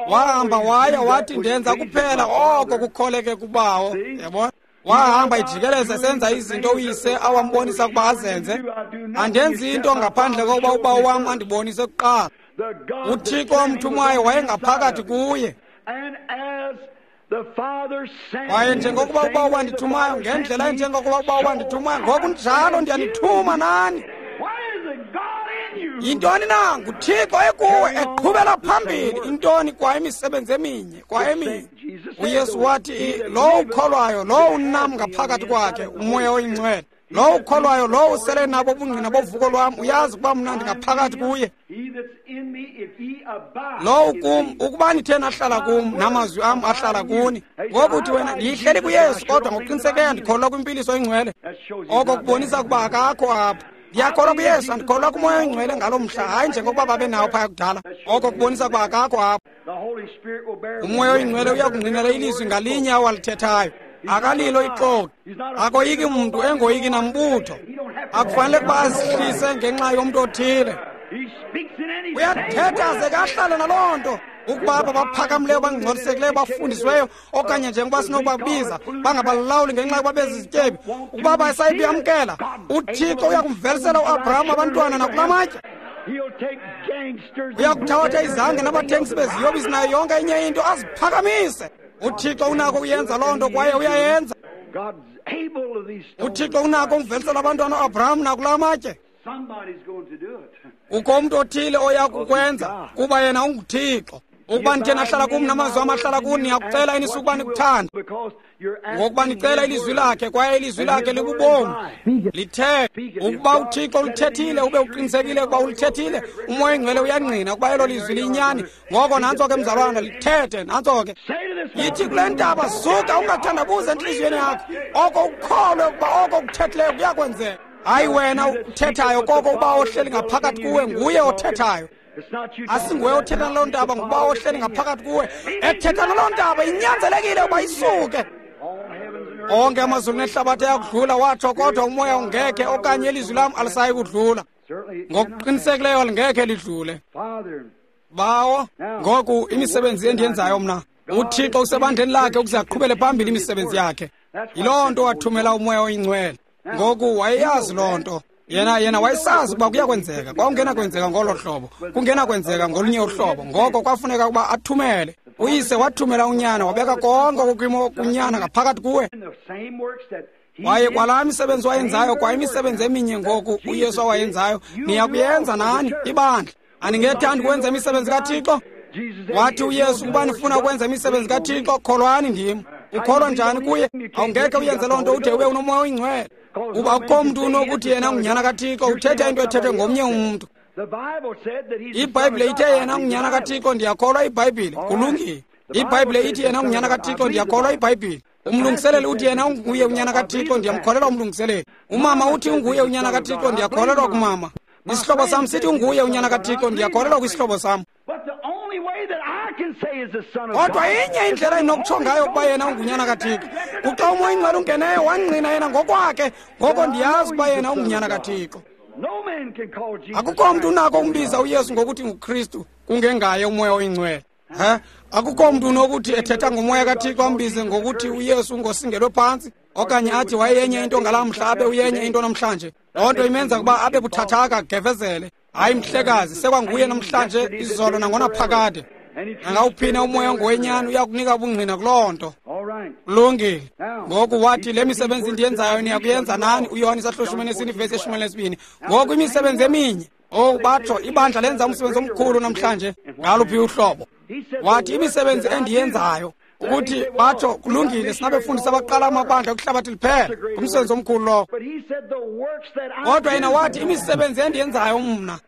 Wahamba waya wathi, ndenza kuphela oko kukholeke kuBawo. Yabona? Wahamba ejikeleza esenza izinto uyise awambonisa ukuba azenze. Andenzi into ngaphandle kokuba uBawo wam andibonise kuqala. UThixo wamthumayo wayengaphakathi kuye. Kwaye njengokuba uBawo wandithumayo, ngendlela enjengokuba uBawo wandithumayo, ngokunjalo ndiyanithuma nani. Yintoni na? NguThixo ekuwe eqhubela phambili intoni? Kwa imisebenzi eminye, kwa eminye. UYesu wathi lowo ukholwayo, lowo unam ngaphakathi kwakhe uMoya oyiNgcwele, lowo ukholwayo, lowo usele nabo ubungqina bovuko lwam, uyazi ukuba mna ndingaphakathi kuye. Lowo kum, ukuba nithe nahlala kum, namazwi am ahlala kuni. Ngoku uthi wena, ndiyihleli kuYesu, kodwa ngokuqinisekileyo ndikholelwa kwimpiliso engcwele. Oko kubonisa ukuba akakho apha. Ndiyakholwa kuYesu, andikholelwa kuMoya oyiNgcwele ngaloo mhla, hayi njengokuba babenawo phaya kudala. Oko kubonisa ukuba akakho apha. UMoya oyiNgcwele uyakungqinela ilizwi ngalinye awalithethayo. Akalilo ixoki, akoyiki mntu, engoyiki nambutho. Akufanele ukuba azihlise ngenxa yomntu othile. Uyathetha ze kahlale naloo nto. Ukuba aba baphakamileyo, bangcolisekileyo, bafundisiweyo, okanye njengoba sinokubabiza, bangabalawuli ngenxa yokuba bezizityebi, ukuba basayibuyamkela, uThixo uyakumvelisela uAbraham abantwana nakula matye. Uyakuthabatha izange nabathengisi beziyobisi nayo yonke enye into, aziphakamise. UThixo unako ukuyenza loo nto, kwaye uyayenza. UThixo unako ukuvelisela abantwana uAbraham nakula matye. Ukho umntu othile oya kukwenza, kuba yena unguThixo. Ukuba nithe nahlala kum, namazwi am ahlala kuni, niyakucela enisukuba ukuba nikuthanda, ngokuba nicela ilizwi lakhe, kwaye ilizwi lakhe libubomi. Lithe ukuba uThixo ulithethile, ube uqinisekile ukuba ulithethile, uMoya oyiNgcwele uyangqina ukuba elo lizwi liyinyani. Ngoko nantso ke, mzalwana, lithethe, nantso ke. Yithi kule ntaba, suka, ungathandabuzi entliziyweni yakho, oko ukholwe ukuba oko ukuthethileyo kuyakwenzeka. Hayi wena uthethayo, koko uba ohleli ngaphakathi kuwe nguye othethayo. Asinguwe othetha naloo ntaba, nguba ohleli ngaphakathi kuwe ethetha naloo ntaba. Inyanzelekile uba isuke. Onke amazulu nehlabathi ayakudlula, watsho, kodwa umoya ungekhe, okanye ilizwi lam alisayi kudlula. Ngokuqinisekileyo lingekhe lidlule. Bawo, ngoku imisebenzi endiyenzayo mna, uThixo usebandleni lakhe ukuze aqhubele phambili imisebenzi yakhe. Yiloo nto wathumela uMoya oyiNgcwele. Ngoku wayeyazi loo nto. Yena wayesazi ukuba kuyakwenzeka. Kwakungenakwenzeka ngolo hlobo, kungenakwenzeka ngolunye uhlobo. Ngoko kwafuneka ukuba athumele. Uyise wathumela unyana, wabeka konke okukwimo kunyana ngaphakathi kuwe. Kwaye kwalaa misebenzi wayenzayo, kwa imisebenzi eminye ngoku uYesu awayenzayo, niyakuyenza nani, ibandla. Aningethandi ukwenza imisebenzi kaThixo? Wathi uYesu, ukuba nifuna ukwenza imisebenzi kaThixo, kholwani ndim. Ukholwa njani kuye? Awungekhe uyenze loo nto ude ube unoMoya oyiNgcwele. Uba akukho mntu unokuthi yena ungunyana kaThixo, uthetha into ethethwe ngomnye umntu. IBhayibhile ithe yena ungunyana kaThixo, ndiyakholwa iBhayibhile. Kulungile. IBhayibhile ithi yena ungunyana kaThixo, ndiyakholwa iBhayibhile. Umlungiseleli uthi yena unguye unyana kaThixo, ndiyamkholelwa umlungiseleli. Umama uthi unguye unyana kaThixo, ndiyakholelwa kumama. Isihlobo sam sithi unguye unyana kaThixo, ndiyakholelwa kwisihlobo sam. Kodwa inye indlela endinokutsho ngayo ukuba yena ungunyana kaThixo, kuxa uMoya oyiNgcwele ungeneyo wangqina yena ngokwakhe, ngoko ndiyazi ukuba yena ungunyana kaThixo. Akukho mntu unako ukumbiza uYesu ngokuthi nguKristu kungengaye uMoya oyiNgcwele. Akukho mntu unokuthi ethetha ngoMoya kaThixo ambize ngokuthi uYesu ungosingelwe phantsi, okanye athi wayeyenye into ngalaa mhla abe uyenye into namhlanje. Loo nto imenza ukuba abe buthathaka, gevezele. Hayi mhlekazi, sekwanguye namhlanje, izolo nangonaphakade. Nangawuphina umoya ongowenyani uyakunika ubungqina kuloo nto. Kulungile. Ngoku wathi le misebenzi ndiyenzayo niyakuyenza nani, uYohane isahluko 14 ivesi 12. Ngoku imisebenzi eminye. Oh, batsho ibandla lenza umsebenzi omkhulu namhlanje ngaluphi uhlobo. Wathi imisebenzi endiyenzayo, ukuthi batsho kulungile, sinabefundisi abaqala amabandla kwihlabathi liphela, ngumsebenzi omkhulu lowo. Kodwa yena wathi imisebenzi endiyenzayo mna.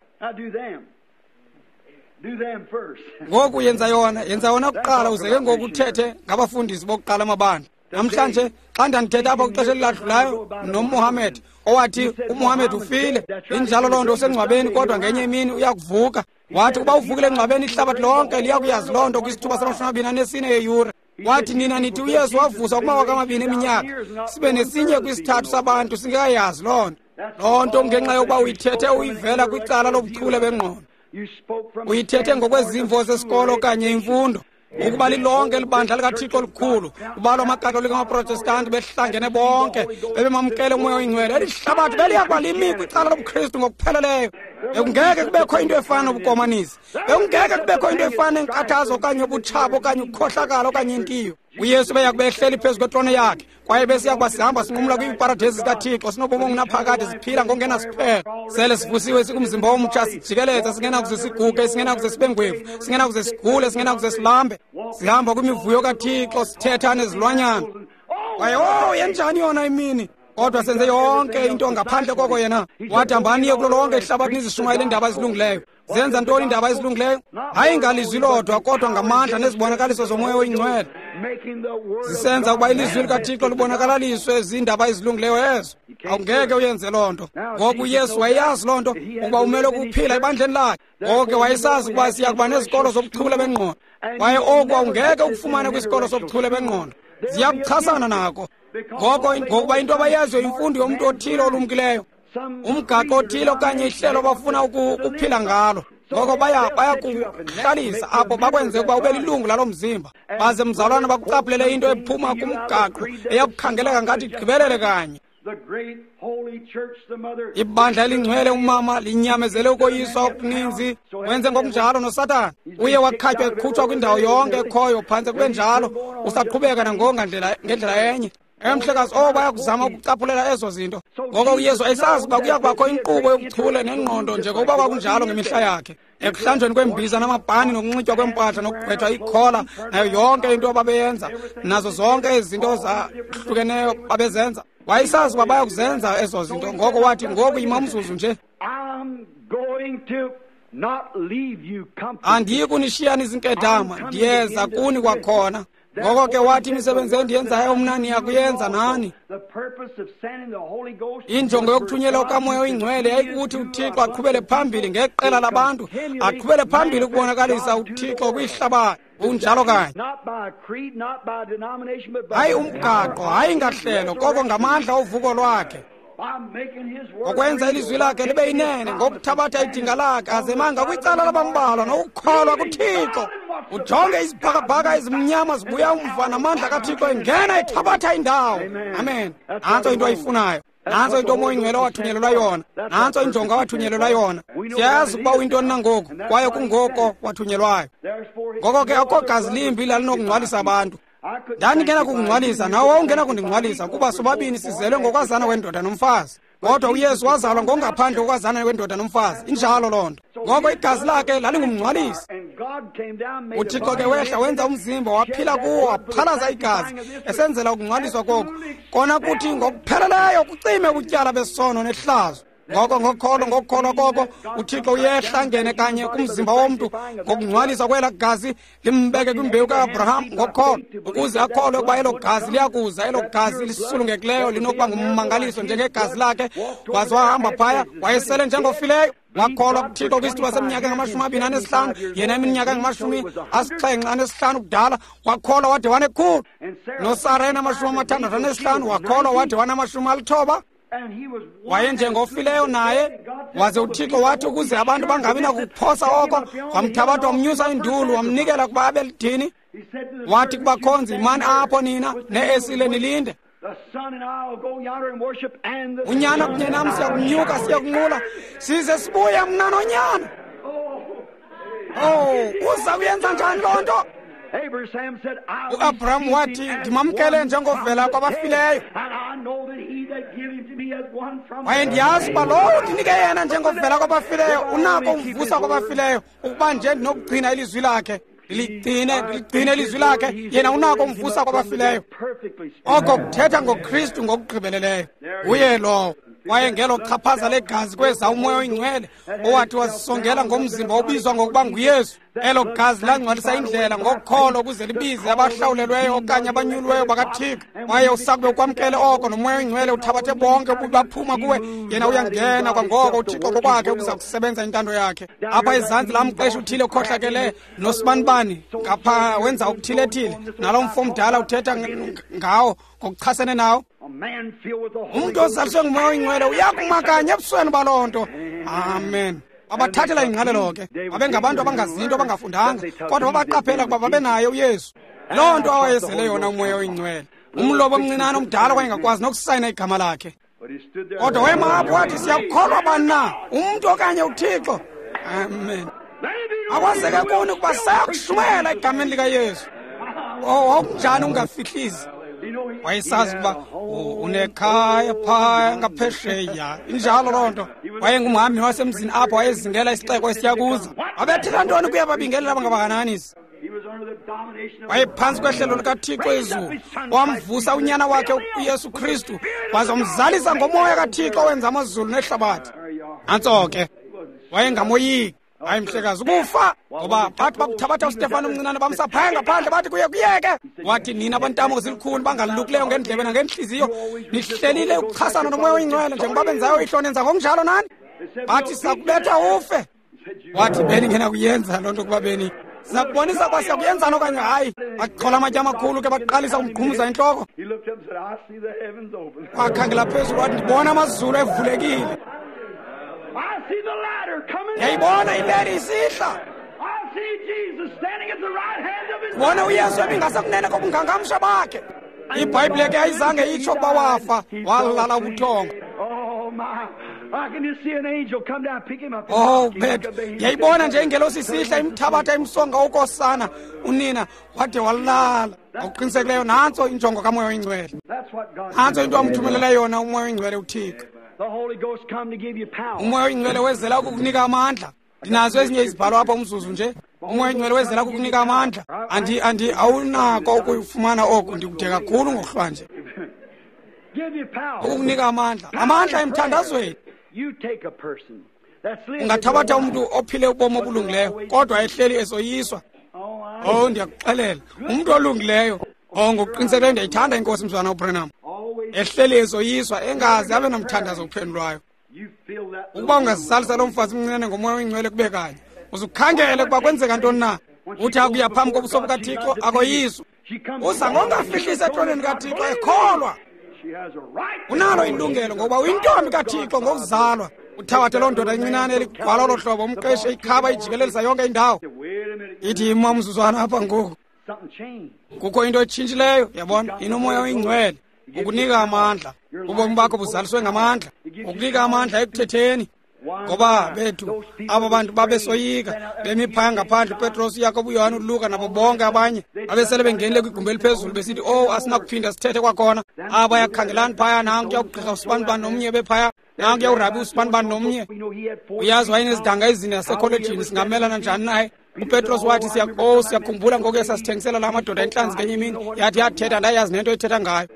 Ngoku yenza yona kuqala, uze ke ngoku uthethe ngabafundisi bokuqala amabandla. Namhlanje xa ndandithetha apha kwixesha eliladlulayo noMohammed, owathi uMohammed ufile, injalo loo nto, usengcwabeni, kodwa ngenye imini uyakuvuka. Wathi ukuba uvukile engcwabeni, ihlabathi lonke liyakuyazi loo nto kwisithuba sama-24 yeyure. Wathi nina nithi uYesu wavuswa kumawaka amabini eminyaka, sibe nesinye kwisithathu sabantu singekayazi loo nto. Loo nto ngenxa yokuba uyithethe uyivela kwicala lobuchule bengqondo. Uyithethe ngokwezimvo zesikolo okanye imfundo. Ukuba lilonke libandla likaThixo likhulu, kubalwa amaKatolika, amaProtestanti behlangene bonke, bebemamkele uMoya oyiNgcwele, eli hlabathi beliya kuba limi kwicala lobuKristu ngokupheleleyo. Bekungeke kubekho into efana nobukomanisi, bekungeke kubekho into efana nenkathazo okanye ubutshaba okanye ukukhohlakala okanye intiyo. UYesu beyakuba ehleli phezu kwetrone yakhe, kwaye besiya kuba sihamba sinqumla kwiiparadesi zikaThixo, sinobomi obungunaphakade, siphila ngokungenasiphelo. Sele sivusiwe sikumzimba omtsha, sijikeleza, singenakuze siguge, singenakuze sibe ngwevu, singenakuze sigule, singenakuze silambe. Sihamba kwimivuyo kaThixo, sithetha nezilwanyana. Kwaye oh, yenjani yona imini! Kodwa senze yonke into ngaphandle koko yena. Wathi hambani niye kulo lonke ihlabathi nizishumayele iindaba ezilungileyo. Zenza ntoni iindaba ezilungileyo? Hayi ngalizwi lodwa, kodwa ngamandla nezibonakaliso zomoya oyingcwele. Zisenza ukuba ilizwi likaThixo libonakalaliswe ziindaba ezilungileyo ezo. Awungeke uyenze loo nto. Ngoku uYesu wayeyazi loo nto, ukuba umele ukuphila ebandleni lakhe. Ngoko ke wayesazi ukuba siya kuba nezikolo zobuchule bengqondo. Kwaye oku awungeke ukufumane kwisikolo sobuchule bengqondo. Ziyakuchasana nako. Ngoko ngokuba into abayaziyo imfundo yomntu othile olumkileyo, umgaqo othile okanye ihlelo abafuna ukuphila ngalo. Ngoko bayakuhlalisa apho bakwenze ukuba ube lilungu lalo mzimba, baze mzalwana bakucaphulele into ephuma kumgaqo eyakukhangeleka ngathi igqibelele kanye. Ibandla elingcwele umama linyamezele ukoyiswa okuninzi, wenze ngokunjalo noSathana. Uye wakhatywa ekhutshwa kwindawo yonke ekhoyo, phantse kube njalo, usaqhubeka nangongandlela ngendlela enye. Emhlekazi, oh, bayakuzama ukucaphulela ezo zinto. Ngoko uYesu ayisazi uba kuya kubakho inkqubo yobuchule nengqondo njengokuba kwakunjalo ngemihla yakhe. Ekuhlanjweni kweembiza namabhani nokunxitywa kweempahla nokugqwethwa ikhola nayo yonke into ababeyenza, nazo zonke ezi zinto zahlukeneyo babezenza. Wayesazi uba bayakuzenza ezo zinto. Ngoko wathi, ngoku yima umzuzu nje. Andiyi kunishiya nizinkedama, ndiyeza kuni kwakhona. Ngoko ke wathi, imisebenzi endiyenzayo mna niyakuyenza nani. Injongo yokuthunyelwa kukaMoya oyiNgcwele yayikuthi uThixo aqhubele phambili ngeqela labantu, aqhubele phambili ukubonakalisa uThixo kwihlabathi. Kunjalo kanye. Hayi umgaqo, hayi ngahlelo, koko ngamandla ovuko lwakhe. Ngokwenza ilizwi lakhe libe yinene, ngokuthabatha idinga lakhe azemanga kwicala labambalwa nokukholwa kuThixo. Ujonge izibhakabhaka ezimnyama zibuya umva namandla kaThixo engena ethabatha indawo. Amen. Nantso into ayifunayo. Nantso into uMoya oyiNgcwele owathunyelelwa yona. Nantso injongo awathunyelelwa yona. Siyazi ukuba uyintoni na ngoku, kwaye kungoko wathunyelwayo. Ngoko ke akukho gazi limbi lalinokungcwalisa abantu. Ndandingena kukungcwalisa, nawe wawungena kundingcwalisa, kuba sobabini sizelwe ngokwazana kwendoda nomfazi. Kodwa uYesu wazalwa ngongaphandle kokwazana kwendoda nomfazi. Injalo loo nto. Ngoko igazi lakhe lalingumngcwalisi. UThixo ke wehla wenza umzimba, waphila kuwo, waphalaza igazi, esenzela ukungcwaliswa koku. Kona kuthi ngokupheleleyo kucime ubutyala besono nehlazo. Ngoko ngokholo, ngokukholwa koko, uThixo uyehla angene kanye kumzimba womntu ngokungcwaliswa kwela gazi, limbeke kwimbewu ka-Abraham ngokholo, ukuze akholwe ukuba elo gazi liyakuza, elo gazi lisulungekileyo linokuba ngummangaliso njengegazi lakhe. Waze wahamba phaya, wayesele njengofileyo. Wakholwa kuThixo kwisithuba seminyaka engama-25, yena iminyaka engama-75 ubudala, wakholwa wade wanekhulu. NoSara enama-65, wakholwa wade wanama-90. Wayenjengofileyo naye. Waze uThixo wathi ukuze abantu bangabi nakuphosa oko, wamthabatha wamnyusa indulu, wamnikela kuba abe lidini. Wathi kubakhonzi, yimani apho nina neesile nilinde. Unyana kunye nam siyakunyuka siyakunqula, size sibuye mna nonyana. Oh, uza kuyenza njani loo nto? UAbraham wathi, ndimamkele njengovela kwabafileyo. Kwaye ndiyazi uba lowo ndinike yena njengovela kwabafileyo unako umvusa kwabafileyo, ukuba nje ndinokugcina ilizwi lakhe. Ndiligcine ilizwi lakhe, yena unako umvusa kwabafileyo. Oko kuthetha ngoKristu ngokugqibeleleyo. Uye lowo. Kwaye ngelo chaphaza legazi kweza uMoya oyiNgcwele owathi wasisongela ngomzimba obizwa ngokuba nguYesu. Elo gazi langcwalisa indlela ngokholo ukuze libize abahlawulelweyo okanye abanyuliweyo bakaThixo. Kwaye usakube ukwamkele oko noMoya oyiNgcwele uthabathe bonke ububi baphuma kuwe, yena uyangena kwangoko uThixo ngokwakhe ukuza kusebenza intando yakhe. Apha ezantsi laa mqeshi uthile okhohlakele nosibanibani ngapha wenza okuthile-thile, nalo mfo mdala uthetha ngawo ngokuchasene nawo. Umntu ozaliswe nguMoya oyiNgcwele uyakuma kanye ebusweni baloo nto. Amen. Babathathela ingqalelo ke. Babengabantu abangazinto, abangafundanga, kodwa babaqaphela ukuba babenaye uYesu. Loo nto awayezele yona uMoya oyiNgcwele. Umlobo omncinane omdala wayengakwazi nokusayina igama lakhe. Kodwa wema apho wathi, siyakukholwa bani na, umntu okanye uThixo? Amen. Akwazeke kuni ukuba sayakushumayela egameni likaYesu. Wawunjani ungafihlisi? Wayesazi ukuba unekhaya phaya ngaphesheya. Injalo loo nto. Wayengumhambi wasemzini apho wayezingela isixeko esiya kuza. Wabethela ntoni kuye ababingelela abangabakananisi? Wayephantsi kwehlelo likaThixo ezulu. Wamvusa unyana wakhe uYesu Kristu, waza wamzalisa ngomoya kaThixo owenza amazulu nehlabathi. Nantso ke. Wayengamoyiki. Hayi mhlekazi, ukufa ngoba bathi bakuthabatha uStefano omncinane bamsa phaya ngaphandle, bathi kuye kuyeke. Wathi, nina bantamo zilikhuni bangalukileyo ngeendlebe nangentliziyo, nihlelile ukuchasana nomoya oyingcwele njengoba benzayo ihlo, nenza ngokunjalo nani. Bathi sakubetha ufe. Wathi beningena kuyenza loo nto kuba beni sakubonisa uba siyakuyenzani okanye hayi. Bachola amatye amakhulu ke, baqalisa umqhumuza intloko. Wakhangela phezulu wathi, ndibona amazulu evulekile. Ndiyayibona ileli isihla. Bona uYesu ebingasekunene kobungangamsha bakhe. IBhayibhile ke ayizange itsho ukuba wafa, walala ubuthongo. Oh bethu, ndiyayibona nje ingelosi isihla imthabatha imsonga ukosana unina wade walala. Ngokuqinisekileyo nantso injongo kaMoya oyiNgcwele. Nantso into amthumelela yona uMoya oyiNgcwele uThixo. UMoya oyiNgcwele wezela ukukunika amandla. Ndinazo ezinye izibhalo apha umzuzu nje. UMoya oyiNgcwele wezela ukukunika amandla. Andi awunako ukuyifumana oku, ndikude kakhulu ngokuhlwanje. Ukukunika amandla. Amandla emthandazweni. Ungathabatha umntu ophile ubomi obulungileyo kodwa ehleli esoyiswa. Oh, ndiyakuxelela, umntu olungileyo. Oh, ngokuqinisekileyo ndiyayithanda inkosi mzwana uBranham. Ehleli esoyiswa engazi abe nomthandazo ophendulwayo. Ukuba ungazizalisa lo mfazi mncinane ngomoya oyingcwele kube kanye, uzukhangele ukuba kwenzeka ntoni na. Uthi akuya phambi kobuso bukaThixo akoyiswa. Uza ngongafihlisi etroneni kaThixo ekholwa. Unalo ilungelo ngokuba uyintombi kaThixo ngokuzalwa. Uthabathe loo ndoda incinane eligwala olo hlobo, umqeshe ikhaba ijikelelisa yonke indawo. Ithi ima umzuzwana apha ngoku. Kukho into etshintshileyo, yabona, inomoya oyingcwele. Ukunika amandla. Ubomi bakho buzaliswe ngamandla. Ukunika amandla ekuthetheni. Ngoba bethu aba bantu babesoyika bemi phaya ngaphandle, uPetros, uYakobo, uYohane, uLuka nabo bonke abanye babesele bengenile kwigumbi eliphezulu besithi, oh, asinakuphinda sithethe kwakhona. Aba yakhangelani phaya, nankuya ugqirha usibanibani nomnye bephaya, nankuya urabi usibanibani nomnye. Uyazi wayenezidanga ezine zasekholejini, singamelana njani naye? UPetros wathi, siyakhumbula ngoku esasithengisela la madoda intlanzi ngenye imini. Yathi yathetha, ndayazi nento ethetha ngayo.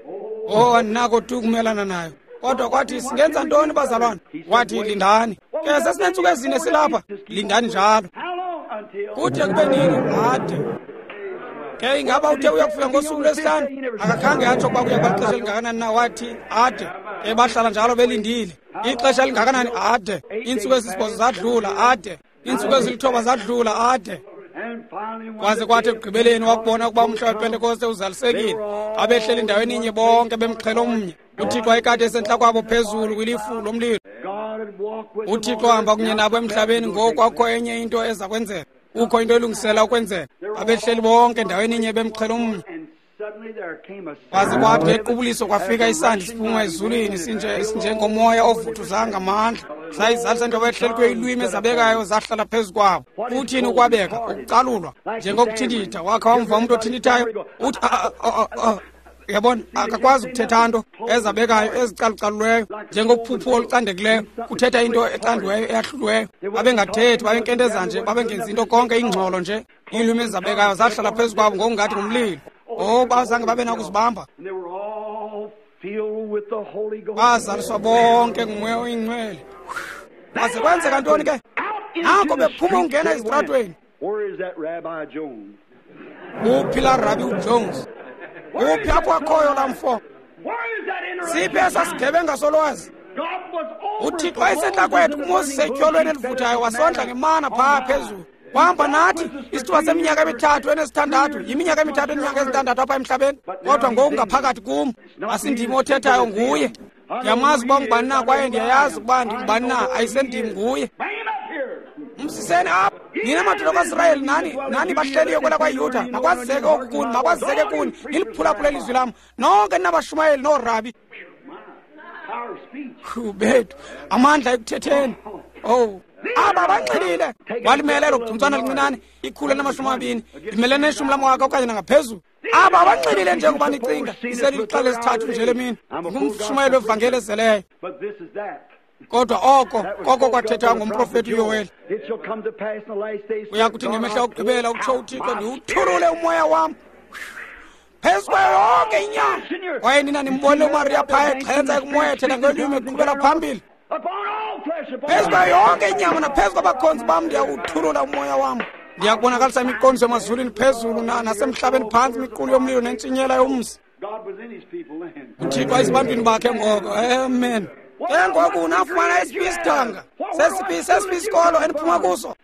Oh, andinako tu ukumelana nayo. Kodwa kwathi, singenza ntoni bazalwane? Wathi, lindani. Ke sesinentsuku ezine silapha, lindani njalo. Kude kube nini? Ade. Ke ingaba uthe uyakufika ngosuku lwesihlanu? Akakhange atsho ukuba kuya kuba lixesha elingakanani na, wathi ade. Ke bahlala njalo belindile. Ixesha elingakanani? Ade. Iintsuku ezisibhozo zadlula, ade. Iintsuku ezilithoba zadlula, ade. Kwaze kwathi ekugqibeleni wakubona ukuba umhla wePentekoste uzalisekile. Abehleli endaweni inye bonke bemxhelo omnye. UThixo wayekade esentla kwabo phezulu kwilifu lomlilo. UThixo wahamba kunye nabo emhlabeni. Ngoku akukho enye into eza kwenzeka. Kukho into elungisela ukwenzeka. Abehleli bonke endaweni inye bemxhelo omnye. Kwaze kwathi ngequbuliso kwafika isandi siphuma ezulwini sinjengomoya ovuthuza ngamandla. Sayizalisa into abahleli kuyo, iilwimi ezabekayo zahlala phezu kwabo. Uthini ukwabeka? Ukucalulwa. Njengokuthintitha. Wakha wamva umntu othintithayo? Uthi uyabona, akakwazi ukuthetha nto. Ezabekayo, ezicalucaluliweyo, njengophuphu olucandekileyo, kuthetha into ecandiweyo eyahluliweyo. Babengathethi, babenkenteza nje, babengenzi into, konke ingxolo nje. Iilwimi ezabekayo zahlala phezu kwabo ngokungathi ngumlilo. Oh, bazange babe nakuzibamba. Bazaliswa bonke nguMoya oyiNgcwele. Kwaze kwenzeka ntoni ke? Nako bephuma ungena ezitratweni. Uphi laa Rabi uJones? Uphi apho akhoyo laa mfo? Siphi esaa sigebenga solwazi? UThixo wayesentla kwethu kuMoses etyholweni elivuthayo, wasondla ngemana phaa phezulu. Wahamba nathi isithuba seminyaka emithathu enesithandathu, yiminyaka emithathu eninyanga ezintandathu apha emhlabeni. Kodwa ngoku ngaphakathi kum, asindim othethayo, nguye. Ndiyamazi uba ngubani na kwaye ndiyayazi ukuba ndingubani na, ayisendim, nguye. Msiseni apha nina madoda kwaSirayeli, nani bahleliyo kwela kwaYuda, makwazeke oku kuni, makwazeke kuni, niliphulaphule ilizwi lam nonke ninabashumayeli noorabi. Bethu, amandla ekuthetheni. Oh, Aba banxilile. Walimele elo gcuntswana lincinane, 120, limele neshumi lamawaka okanye nangaphezulu. Aba banxilile njengoba nicinga. Iselilixa lesithathu nje lemini. Ngumshumayeli wevangeli ezeleyo. Kodwa oko koko kwathethwa ngomprofeti uYoweli. Uyakuthi ngemihla yokugqibela, utsho uThixo, ndiwuthulule umoya wam phezu kwayo yonke inyama. Kwaye nina nimbonile uMariya phaya exhentsa ekumoya ethetha ngelwimi eqhubela phambili. Phezu kwayo yonke inyama naphezu kwabakhonzi bam ndiyakuwuthulula umoya wam. Ndiyakubonakalisa imiqondiso emazulwini phezulu nasemhlabeni phantsi, imiqulu yomlilo nentshinyela yomsi. UThixo ayisebantwini bakhe ngoko. Amen. Ke ngoku unafumana esiphi isidanga, sesiphi isikolo eniphuma kuso?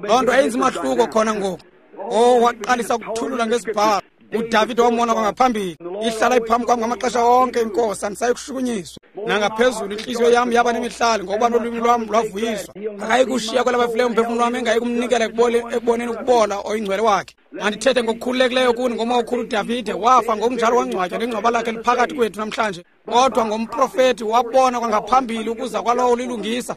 Loo nto ayenzi mahluko khona ngoku. Oh, waqalisa ukuthulula ngesibhalo. uDavide wamona kwangaphambili. Ihlala iphambi kwam ngamaxesha onke inkosi, andisayi kushukunyiswa. Nangaphezulu intliziyo yam yaba nemihlali, ngokuba nolwimi lwam lwavuyiswa. Akayi kushiya kwelabafileyo umphefumlo wam, engayi kumnikela ekuboneni ukubola oyingcwele wakhe. Mandithethe ngokukhululekileyo kuni ngomakhulu uDavide wafa ngokunjalo wangcwatywa, nengcwaba lakhe liphakathi kwethu namhlanje. Kodwa ngomprofeti wabona kwangaphambili ukuza kwalowo lilungisa.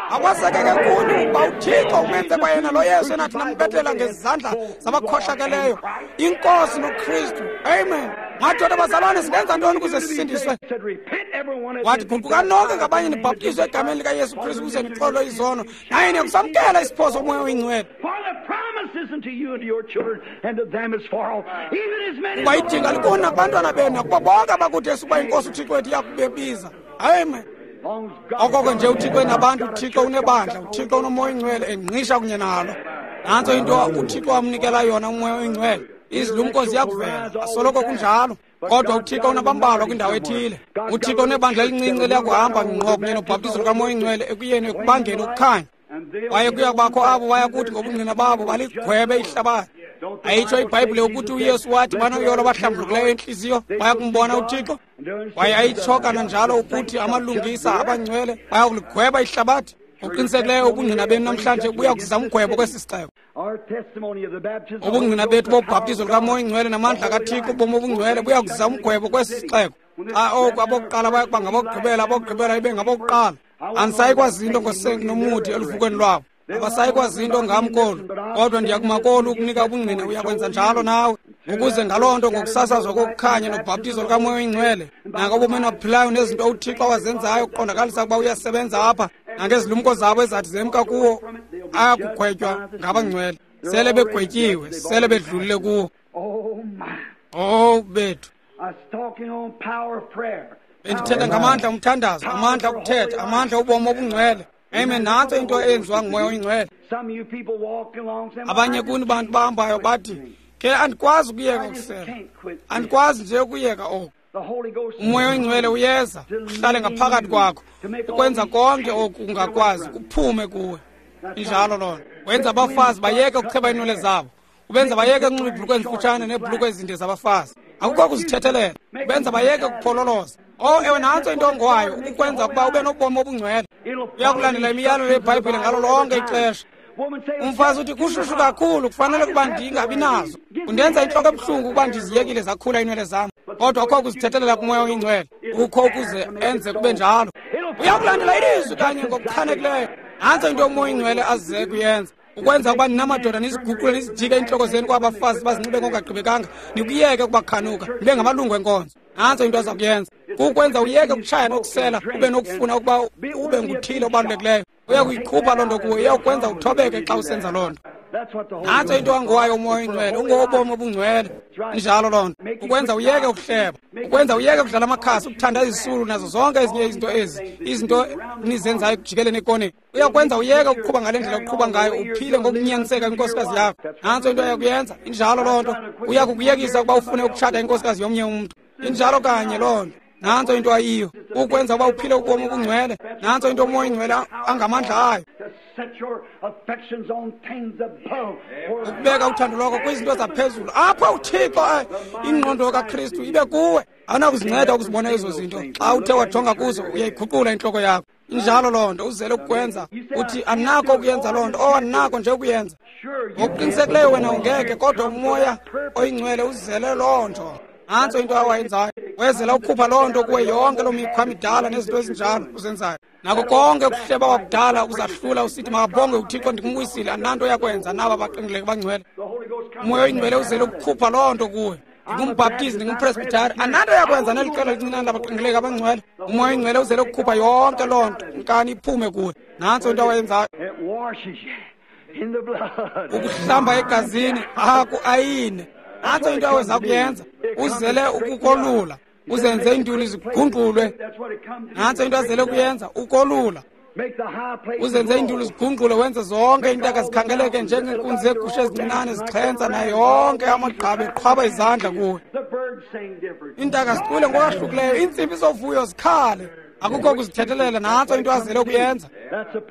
Akwazeke kuni ukuba uThixo umenze kwayena lo Yesu enathi nambethela ngezandla zabakhohlakeleyo, iNkosi noKristu. Amen. Madoda bazalwane, singenza ntoni ukuze sisindiswe? Wathi, guqukani nonke ngabanye nibhaptizwe egameni likaYesu Kristu ukuze nixolwe izono, naye niyakusamkela isipho soMoya oyiNgcwele. Kuba idinga likuni nakubantwana benu nakubo bonke abakude esukuba iNkosi uThixo wethu iyakubebiza. Amen. Okoko nje uThixo enabantu, uThixo unebandla, uThixo unoMoya oyiNgcwele engqisha kunye nalo. Nantso into uThixo amnikela yona uMoya oyiNgcwele. Izilumko ziyakuvela, asoloko kunjalo. Kodwa uThixo unabambalwa kwindawo ethile. uThixo unebandla elincinci eliyakuhamba ngqo kunye nobhaptizo lukaMoya oyiNgcwele ekuyeni ekubangeni ukukhanya. Kwaye kuyakubakho abo bayakuthi ngobungqina babo baligwebe ihlabathi. Ayitsho iBhayibhile ukuthi uYesu wathi banoyolo abahlambulukileyo entliziyo bayakumbona uThixo. Kwaye ayitsho kananjalo ukuthi amalungisa abangcwele bayakuligweba ihlabathi. Ngokuqinisekileyo ubungqina benu namhlanje buya kuzisa umgwebo kwesi sixeko. Ubungqina bethu bobhaptizo lukaMoya oyiNgcwele namandla kaThixo, ubomi obungcwele, buya kuzisa umgwebo kwesi sixeko. Xa oku abokuqala bayakuba ngabokugqibela, abokugqibela ibe ngabokuqala. Andisayi kwazi into ngonomuthi eluvukweni lwabo. Abasayi kwazi into ngam kolu, kodwa ndiyakuma kolu ukunika ubungqina. Uyakwenza njalo nawe, ukuze ngaloo nto ngokusasazwa kokukhanya nobhaptizo lukaMoya oyiNgcwele nangobomi enabuphilayo nezinto uThixo awazenzayo ukuqondakalisa ukuba uyasebenza apha, nangezilumko zabo ezathi zemka kuwo, ayakugwetywa ngabangcwele. Sele begwetyiwe, sele bedlulile kuwo. Oh bethu, bendithetha ngamandla omthandazo, amandla okuthetha, amandla obomi obungcwele. Amen. Nantso into eyenziwa nguMoya oyiNgcwele. Abanye kuni bantu bahambayo bathi, ke andikwazi ukuyeka ukusela, andikwazi nje ukuyeka oku. uMoya oyiNgcwele uyeza uhlale ngaphakathi kwakho, ukwenza konke oku ungakwazi kuphume kuwe. Injalo loo nto. Wenza abafazi bayeke ukucheba iinwele zabo, ubenza bayeke ukunxiba iibhulukhwe ezimfutshane neebhulukhwe ezinde zabafazi. Akukho kuzithethelela. Ubenza bayeke ukuphololoza. Oh, ewe, nantso into ongowayo, ukukwenza ukuba ube nobomi obungcwele. Uyakulandela imiyalelo yeBhayibhile ngalo lonke ixesha. Umfazi uthi kushushu kakhulu, kufanele ukuba ndingabi nazo. Kundenza intloko ebuhlungu ukuba ndiziyekile zakhula iinwele zam. Kodwa akukho kuzithethelela kuMoya oyiNgcwele, ukho ukuze enze kube njalo. Uyakulandela ilizwi kanye ngokuchanekileyo. Nantso into uMoya oyiNgcwele aze kuyenza, ukwenza ukuba ninamadoda niziguqule nizijike iintloko zenu kwabafazi bazinxibe ngokungagqibekanga, nikuyeke ukubakhanuka, nibe ngamalungu enkonzo. Nantso into aza kuyenza, kukwenza uyeke ukutshaya nokusela, ube nokufuna ukuba ube nguthile obalulekileyo. Uyakuyikhupha loo nto kuwe, iyakwenza uthobeke xa usenza loo nto. Nantso into angowayo uMoya oyiNgcwele, ungowobomi obungcwele. Injalo loo nto. Ukwenza uyeke ukuhleba, ukwenza uyeke ukudlala amakhasi, ukuthanda izisulu nazo zonke ezinye izinto ezi, izinto nizenzayo ekujikeleni ekoneni. Uyakwenza uyeke ukuqhuba ngale ndlela uqhuba ngayo, uphile ngokunyaniseka kwinkosikazi yakho. Nantso into ayakuyenza. Injalo loo nto. Uyakukuyekisa ukuba ufune ukutshata inkosikazi yomnye umntu. Injalo kanye loo nto. Nantso into ayiyo, ukwenza uba uphile ubomi obungcwele. Nantso into uMoya oyiNgcwele angamandla ayo, ukubeka uthando lwakho kwizinto zaphezulu, apho uThixo ingqondo kaKristu ibe kuwe. Awunakuzinceda ukuzibona ezo zinto. Xa uthe wajonga kuzo, uyayiguqula intloko yakho. Injalo loo nto. Uzele ukukwenza uthi andinakho ukuyenza loo nto. Oh, andinakho nje ukuyenza. Ngokuqinisekileyo wena ungeke, kodwa uMoya oyiNgcwele uzele loo nto. Nantso into awayenzayo. Wezela ukukhupha loo nto kuwe, yonke loo mikhwa midala nezinto ezinjalo uzenzayo. Nako konke ukuhleba kwakudala uzahlula usithi makabonge uThixo ndikumbuyisile, andinanto yakwenza naba baqingileke bangcwele. Umoya oyingcwele uzele ukukhupha loo nto kuwe. Ndingumbhaptizi, ndingumpresbitari, andinanto yakwenza neli qela lincinane labaqingileke abangcwele. Umoya oyingcwele uzele ukukhupha yonke loo nto, nkani iphume kuwe. Nantso into awayenzayo. Ukuhlamba egazini aku ayine. Nantso into aweza kuyenza. Uzele ukukolula, uzenze iintuli zigungqulwe. Nantso into azele kuyenza, ukolula. Uzenze iintuli zigungqulwe, wenze zonke iintaka zikhangeleke njengeenkunzi zeegusha ezincinane zixhentsa, nayo yonke amagqabi eqhwaba izandla kuwe. Iintaka zicule ngokwahlukileyo, iintsimbi zovuyo zikhale. Akukho kuzithethelela. Nantso into azele kuyenza.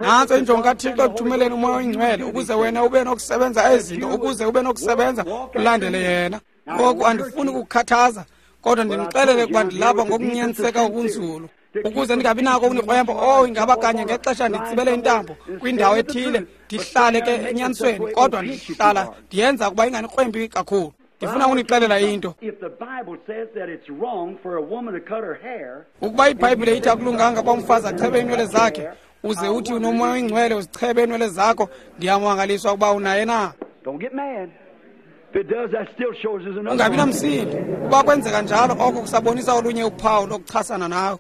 Nantso injongo kaThixo ekuthumeleni umoya oyingcwele, ukuze wena ube nokusebenza ezinto, ukuze ube nokusebenza ulandele yena. Ngoku andifuni ukukhathaza, kodwa ndinixelele ukuba ndilapha ngokunyaniseka okunzulu, ukuze ndingabi nako ukunikrwempa. Oh, ingaba kanye ngexesha nditsibele intambo kwindawo ethile, ndihlale ke enyanisweni, kodwa ndihlala ndiyenza ukuba inganikrwempi kakhulu. Ndifuna ukunixelela into. Ukuba iBhayibhile ithi akulunganga uba umfazi achebe iinwele zakhe, uze uthi unomoya oyingcwele uzichebe iinwele zakho, ndiyamangaliswa ukuba unaye na. Ungabi namsindo. Uba kwenzeka njalo, oko kusabonisa olunye uphawu lokuchasana nawe.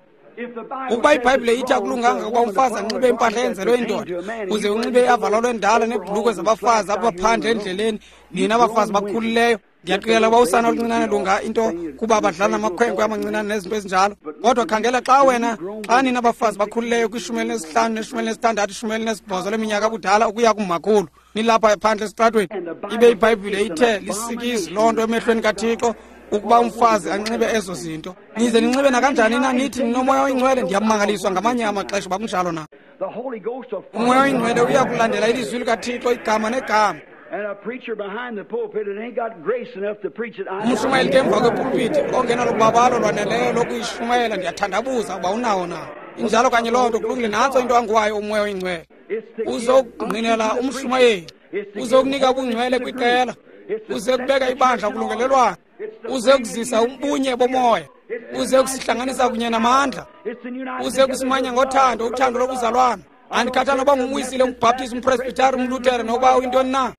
Ukuba iBhayibhile ithi akulunganga ukuba umfazi anxibe impahla eyenzelwe indoda, uze unxibe iavalolo endala neebhulukwe zabafazi apha phandle endleleni, nina abafazi bakhulileyo, ndiyaqikelela uba usana oluncinane lunga into kuba badlala namakhwenkwe amancinane nezinto ezinjalo. Kodwa khangela, xa wena, xa nina abafazi bakhulileyo kwi-15 ne-16, 18 leminyaka abudala ukuya kumakhulu, nilapha phandle esitratweni, ibe iBhayibhile ithe lisikizi loo nto emehlweni kaThixo ukuba umfazi anxibe ezo zinto. Nize ninxibe nakanjani na nithi ninomoya oyingcwele? Ndiyamangaliswa ngamanye amaxesha uba kunjalo na. Umoya oyingcwele uya kulandela ilizwi likaThixo igama negama. Umshumayeli ke emva kwepulpiti ongenalubabalo lwaneleyo lokuyishumayela, ndiyathandabuza uba unawo na. Injalo kanye loo nto, kulungile. Nantso into anguwayo umoya oyingcwele. Uzokungqinela umshumayeli, uzokunika ubungcwele kwiqela, uze kubeka ibandla kulungelelwano, uze kuzisa ubunye bomoya, uze kusihlanganisa kunye namandla, uze kusimanya ngothando, uthando lobuzalwana. Andikhathali noba ngumwisile, umbhaptizi, umpresbitari, umlutere, noba uyintoni na.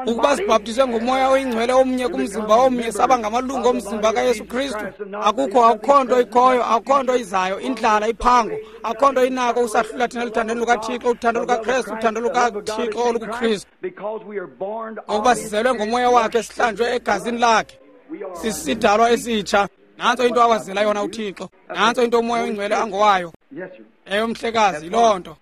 Ukuba sibhaptizwe ngomoya oyingcwele omnye kumzimba omnye, saba ngamalungu omzimba kaYesu Kristu. Akukho, akukho nto ikhoyo, akukho nto izayo, indlala, iphango, akukho nto inako usahlula thina eluthandweni lukaThixo, uthando lukaKristu, uthando lukaThixo olukuKristu. Ngokuba sizelwe ngomoya wakhe, sihlanjwe egazini lakhe, sisidalwa esitsha. Nantso into awazela yona uThixo. Nantso into umoya oyingcwele angowayo. Ewe mhlekazi, yiloo nto.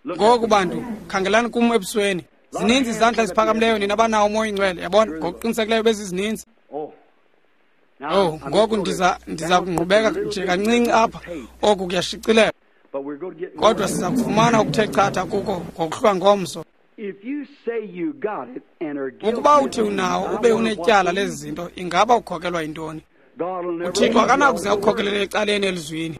Ngoku bantu, khangelani kum ebusweni. Zininzi izandla eziphakamileyo nina abanawo umoya oyingcwele, yabona, ngokuqinisekileyo bezizininzi. Oh, ngoku ndiza kungqubeka nje kancinci apha. Oku kuyashicilela. Kodwa siza kufumana okuthe chatha kuko ngokuhlwa ngomso. Ukuba uthi unawo ube unetyala lezi zinto, ingaba ukhokelwa yintoni? UThixo akanakuze akukhokelele ecaleni elizwini.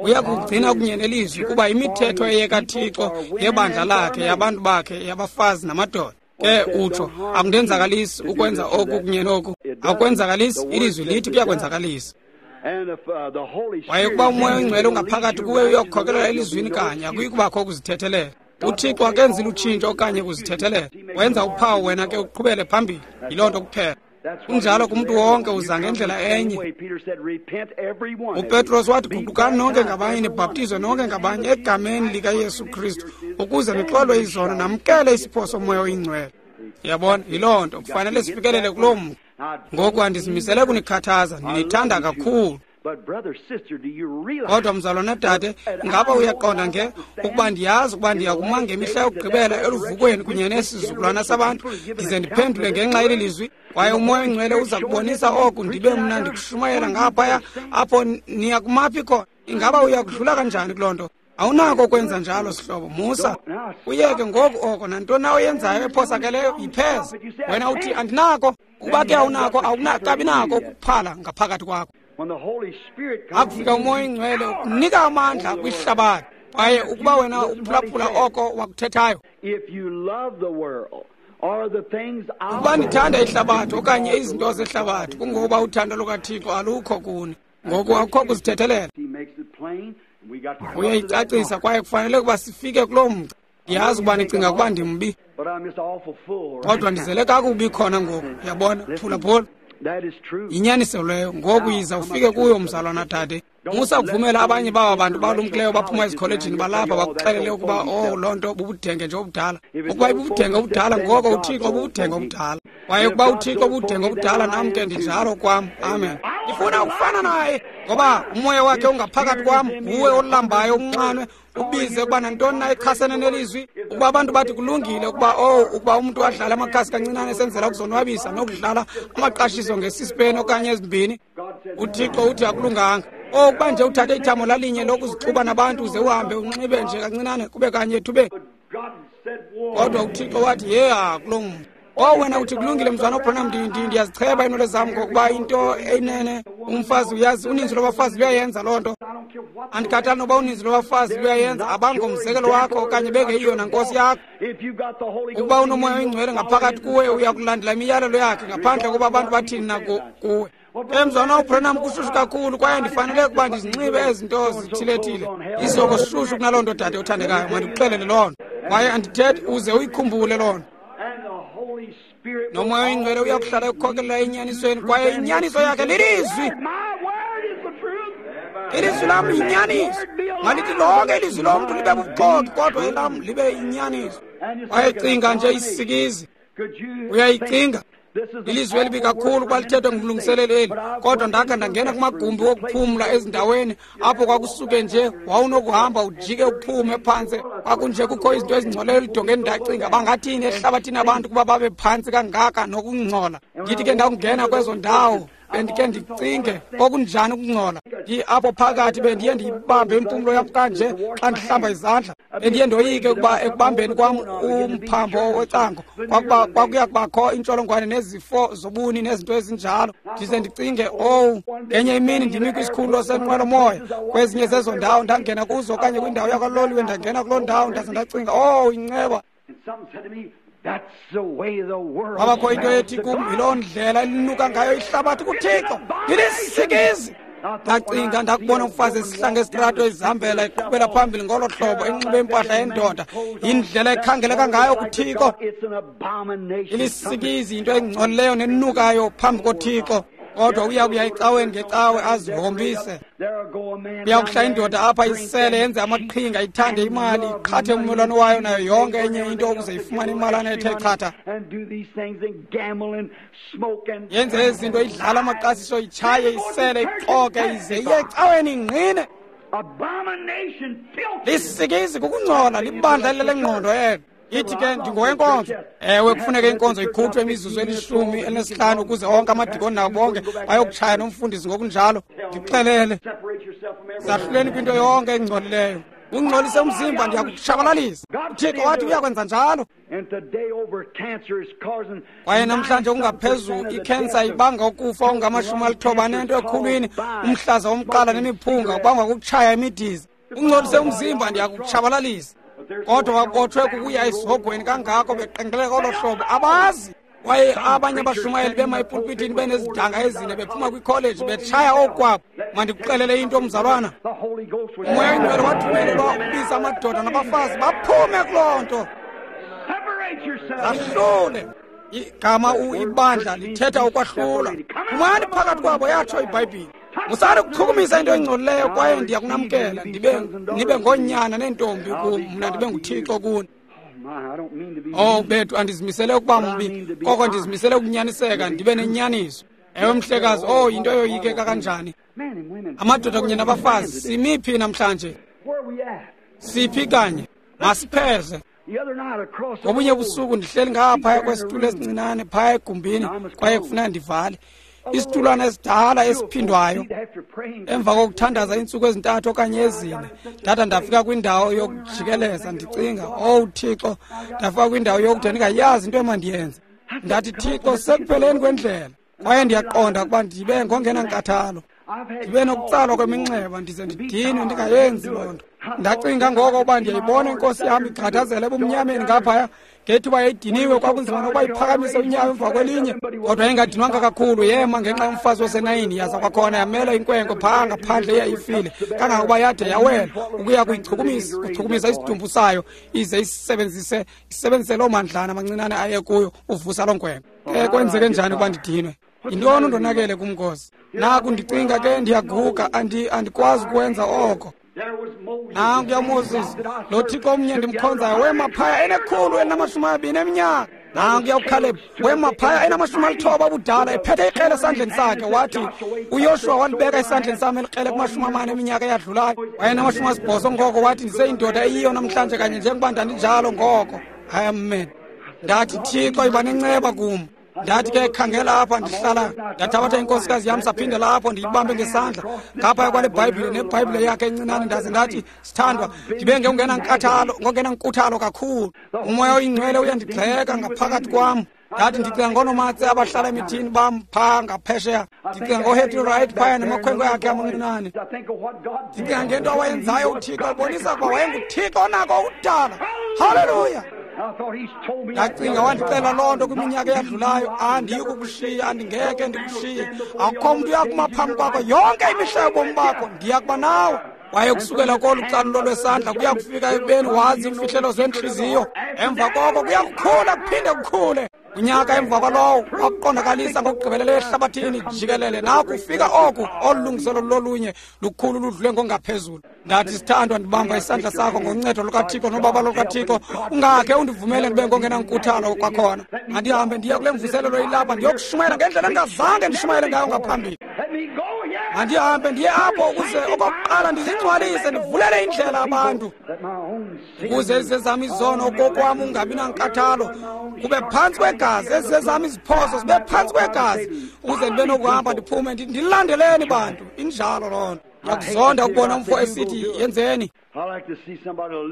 Uya kugcina kunye nelizwi, kuba imithetho eyekaThixo yebandla lakhe, yabantu bakhe, yabafazi namadoda. Ke utsho, akundenzakalisi ukwenza oku kunye noku. Akukwenzakalisi, ilizwi lithi kuyakwenzakalisa. Waye ukuba umoya oyingcwele ungaphakathi kuwe uyakukhokelela elizwini kanye, akuyi kubakho ukuzithethelela. UThixo akenzi lutshintsho okanye kuzithethelela. Wenza uphawu, wena ke uqhubele phambili. Yiloo nto kuphela. Kunjalo kumntu wonke, uza ngendlela enye. UPetros wathi, guqukani nonke ngabanye, nibhaptizwe nonke ngabanye egameni likaYesu Kristu, ukuze nixolwe izono, namkele isipho somoya oyingcwele. Yabona, yiloo nto. Kufanele sifikelele kuloo mntu. Ngoku andizimisele kunikhathaza, ndinithanda kakhulu. Kodwa mzalwana dade, ngaba uyaqonda nge ukuba ndiyazi ukuba ndiyakuma ngemihla yokugqibela eluvukweni kunye nesizukulwana sabantu, ndize ndiphendule ngenxa yeli lizwi, kwaye umoya oyingcwele uza kubonisa oku, ndibe mna ndikushumayela ngaphaya apho niyakumaphi khona. Ingaba uyakudlula kanjani kuloo nto? Awunako ukwenza njalo, sihlobo. Musa uyeke ngoku oko. Nantoni na oyenzayo ephosakeleyo, yipheze. Wena uthi andinako. Ukuba ke awunako, awunakabi nako ukuphala ngaphakathi kwakho. Akufika umoya oyingcwele ukunika amandla kwihlabathi. Kwaye ukuba wena uphulaphula oko wakuthethayo, ukuba nithanda ihlabathi okanye izinto zehlabathi, kungokuba uthando lukaThixo alukho kuni. Ngoku akukho kuzithethelela. Uyayicacisa kwaye kufanele ukuba sifike kuloo mgca. Ndiyazi ukuba nicinga ukuba ndimbi, kodwa ndizele kakubi khona ngoku. Uyabona? Phulaphula. Yinyaniso leyo. Ngoku yiza ufike kuyo, mzalwana dade. Musa ukuvumela abanye baba bantu balumkileyo baphuma ezikholejini balapha bakuxelele ukuba loo nto bubudenge nje obudala. Ukuba ibubudenge obudala, ngoko uThixo bubudenge obudala. Kwaye ukuba uThixo bubudenge obudala, nam ke ndinjalo kwam. Amen. Ndifuna ukufana naye, ngoba umoya wakhe ungaphakathi kwam. Nguwe olambayo umnxanwe, ubize ukuba nantoni na echasene nelizwi. Ukuba abantu bathi kulungile ukuba ukuba umntu adlale amakhasi kancinane esenzela ukuzonwabisa nokudlala amaqashiso ngesisipeni okanye ezimbini, uThixo uthi akulunganga. Ukuba nje uthathe ithamo lalinye lokuzixuba nabantu uze uhambe unxibe nje kancinane kube kanye ethubeni. Kodwa uThixo wathi yeha kuloo mntu. Wena uthi kulungile mzwana uBranham, ndiyazicheba iinwele zam ngokuba into eyinene umfazi uyazi, uninzi lwabafazi luyayenza loo nto. Andikhathali noba uninzi lwabafazi luyayenza, abangomzekelo wakho okanye bengeyiyo nankosi yakho. Ukuba unomoya oyingcwele ngaphakathi kuwe, uyakulandela imiyalelo yakhe ngaphandle kokuba abantu bathini na kuwe. Mzwana uBranham, kushushu kakhulu kwaye ndifanele ukuba ndizinxibe ezinto zithilethile. Isoko sishushu kunaloo nto, dade othandekayo, mandikuxelele loo nto. Kwaye andithethi uze uyikhumbule loo nto. Nomoya oyingcwele uyakuhlala ekukhokelela enyanisweni, kwaye inyaniso yakhe lilizwi. Ilizwi lam yinyaniso. Malithi lonke ilizwi lomntu libe bubuxoki, kodwa elam libe yinyaniso. Wayecinga nje isikizi. Uyayicinga. Ilizwi elibi kakhulu kwalithethwa ngumlungiseleli eli, kodwa ndakha ndangena kumagumbi wokuphumla ezindaweni apho kwakusuke nje wawunokuhamba ujike uphume phantse. Kwakunje kukho izinto ezingcoleyo elidongeni. Ndacinga bangathini ehlabathini abantu kuba babe phantsi kangaka nokungcola. Ndithi ke ndakungena kwezo ndawo bendike ndicinge okunjani ukungcola. Apho phakathi bendiye ndiyibambe impumlo yam kanje xa ndihlamba izandla. Bendiye ndoyike ukuba ekubambeni kwam umphambo wecango kwakuya kubakho intsholongwane nezifo zobuni nezinto ezinjalo. Ndize ndicinge, ngenye imini ndimi kwisikhululo senqwelomoya kwezinye zezo ndawo ndangena kuzo, okanye kwindawo yakwaloliwe ndangena kuloo ndawo, ndaze ndacinga, inceba. Kwabakho into ethi kum, yiloo ndlela elinuka ngayo ihlabathi kuThixo. Ndilisikizi. Ndacinga ndakubona umfazi esihlanga esitrato ezihambela eqhubela phambili ngolo hlobo, enxibe impahla yendoda. Yindlela ekhangeleka ngayo kuThixo. Ilisikizi, into engcolileyo nenukayo phambi koThixo. Kodwa uya kuya ecaweni ngecawe azihombise. Uyakuhla indoda apha isele, yenze amaqhinga, ithande imali, iqhathe ummelwane wayo nayo yonke enye into ukuze ifumane imalana ethe chatha. Yenze ezinto, idlala amaqasiso, itshaye, isele, ixoke, ize iye ecaweni ingqine. Lisikizi kukungcola, libandla lelengqondo elo. Ithi ke ndingowenkonzo. Ewe, kufuneka inkonzo ikhutshwe imizuzu eli-15 ukuze onke amadikoni nabo bonke bayokutshaya nomfundisi ngokunjalo. Ndixelele, zahluleni kwinto yonke engcolileyo. Ungcolise umzimba, ndiyakutshabalalisa. uThixo wathi uyakwenza njalo. Kwaye namhlanje kungaphezulu ikhensa ibanga ukufa okungama-98 ekhulwini, umhlaza womqala nemiphunga ubangwa kukutshaya imidiza. Ungcolise umzimba, ndiyakutshabalalisa. Kodwa babotshwe kukuya esihogweni kangako beqengeleka olo hlobo, abazi. Kwaye abanye abashumayeli bema epulpitini benezidanga ezine bephuma kwikholeji betshaya okwabo. Mandikuxelele into, mzalwana, umoya oyingcwele wathumelelwa ukubiza amadoda nabafazi baphume kuloo nto. Zahlule. Igama ibandla lithetha ukwahlula. Phumani phakathi kwabo, yatsho iBhayibhile. Musani ukuchukumisa into engcolileyo, kwaye ndiyakunamkela, nibe ngoonyana neentombi kum, mna ndibe nguThixo kuni. Bethu, andizimisele ukuba mbi, koko ndizimisele ukunyaniseka, ndibe nenyaniso. Ewe mhlekazi, yinto eyoyikeka kanjani. Amadoda kunye nabafazi, simiphi namhlanje? Siphi kanye? Masipheze. Ngobunye busuku ndihleli ngaphaya kwesitulo esincinane phaya egumbini, kwaye kufuneka ndivale isitulwana esidala esiphindwayo. Emva kokuthandaza iintsuku ezintathu okanye ezine, ndada ndafika kwindawo yokujikeleza ndicinga, Thixo, ndafika kwindawo yokude ndingayazi into emandiyenze. Ndathi, Thixo, sekupheleni kwendlela, kwaye ndiyaqonda ukuba ndibe ngongenankathalo, ndibe nokutsalwa kweminxeba, ndize ndidinwe ndingayenzi loo nto. Ndacinga ngoko uba ndiyayibona inkosi yam igqathazela ebumnyameni ngaphaya ngethuba yayidiniwe, kwakunzima nokuba iphakamise unyawo emva kwelinye, kodwa yayingadinwanga kakhulu. Yema ngenxa yomfazi wasenayini, yaza kwakhona yamela inkwenkwe phaa ngaphandle eyayifile kangangokuba yade yawela ukuya kuchukumisa isidumbu sayo, ize isebenzise loo mandlana amancinane aye kuyo uvusa loo nkwenkwe. Ke kwenzeke njani ukuba ndidinwe? Yintoni undonakele kumnkosi? Naku ndicinga ke ndiyaguga, andikwazi ukwenza oko. Nankuya uMoses, lo Thixo omnye ndimkhonzayo wema phaya ene-120 eminyaka. Nankuya uKhaleb wema phaya ena-90 ubudala, ephethe ikrele esandleni sakhe. Wathi uYoshuwa walibeka esandleni sam elikrele kuma-40 eminyaka eyadlulayo. Wayena-80 ngoko, wathi ndiseyindoda eyiyo namhlanje kanye njengoba ndandinjalo ngoko. Amen. Ndathi, Thixo, yiba nenceba kum. Ndathi ke khangela apha ndihlala, ndathabatha inkosikazi yam saphindela apho ndiyibambe ngesandla ngaphaya kwale Bhayibhile nebhayibhile yakhe encinane. Ndaze ndathi, sithandwa, ndibe ngongenankuthalo kakhulu. Umoya oyingcwele uyandigxeka ngaphakathi kwam. Ndathi ndicinga ngoonomatse abahlala emithini bam phaa ngaphesheya. Ndicinga ngoHetty Wright phaya namakhwenkwe akhe amancinane. Ndicinga ngento awayenzayo uThixo, ebonisa ukuba wayenguThixo onako ukudala. Haleluya! Ndacinga wandixela loo nto kwiminyaka eyadlulayo. Andiyi kukushiya, andingeke ndikushiye. Akukho mntu uyakuma phambi kwakho yonke imihla yobomi bakho, ndiya kuba nawe. Kwaye kusukela kolu calulo lwesandla kuya kufika ekubeni wazi iimfihlelo zentliziyo. Emva koko kuya kukhula kuphinde kukhule. Unyaka emva kwalowo wakuqondakalisa ngokugqibeleleyo ehlabathini jikelele. Naku kufika oku, olu lungiselo lolunye lukhulu ludlule ngongaphezulu. Ndathi, sithandwa, ndibamba isandla sakho ngoncedo lukaThixo nobabalo lukaThixo. Ungakhe undivumele ndibe ngongenankuthalo kwakhona. Mandihambe ndiye kule mvuselelo ilapha ndiyokushumayela ngendlela endingazange ndishumayele ngayo ngaphambili. Mandihambe ndiye apho ukuze okokuqala ndizingcwalise, ndivulele indlela abantu, ukuze ezezam izono okokwam ungabi nankathalo kube phantsi kwegazi, ezezam iziphoso zibe phantsi kwegazi, ukuze ndibe nokuhamba ndiphume ndilandeleni bantu. Injalo loo nto. Ndiyakuzonda ukubona umfo esithi yenzeni.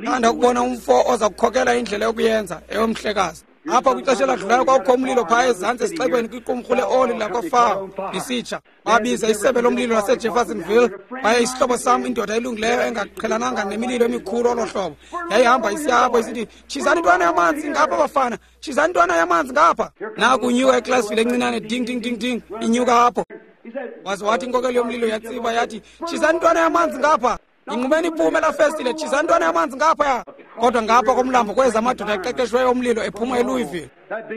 Thanda ukubona umfo oza kukhokela indlela yokuyenza eyomhlekazi. Apha kwixesha eladlulayo kwakukho umlilo phaa ezantsi esixekweni kwiqumrhu leoli lakwaFaro lisitsha. Babiza isebe lomlilo laseJeffersonville. Kwaye isihlobo sam, indoda elungileyo engaqhelananga nemililo emikhulu olo hlobo, yayihamba isiya apho isithi, tshizani intwana yamanzi ngapha bafana, tshizani intwana yamanzi ngapha. Naku inyuka eklasville encinane, ding ding ding ding, inyuka apho. Waze wathi inkokeli yomlilo yatsiba yathi, tshizani intwana yamanzi ngapha. Ingqubeni iphume laa festile, tshizani intwana yamanzi ngapha. Kodwa ngapha komlambo kweza amadoda aqeqeshweyo omlilo ephuma eLouisville.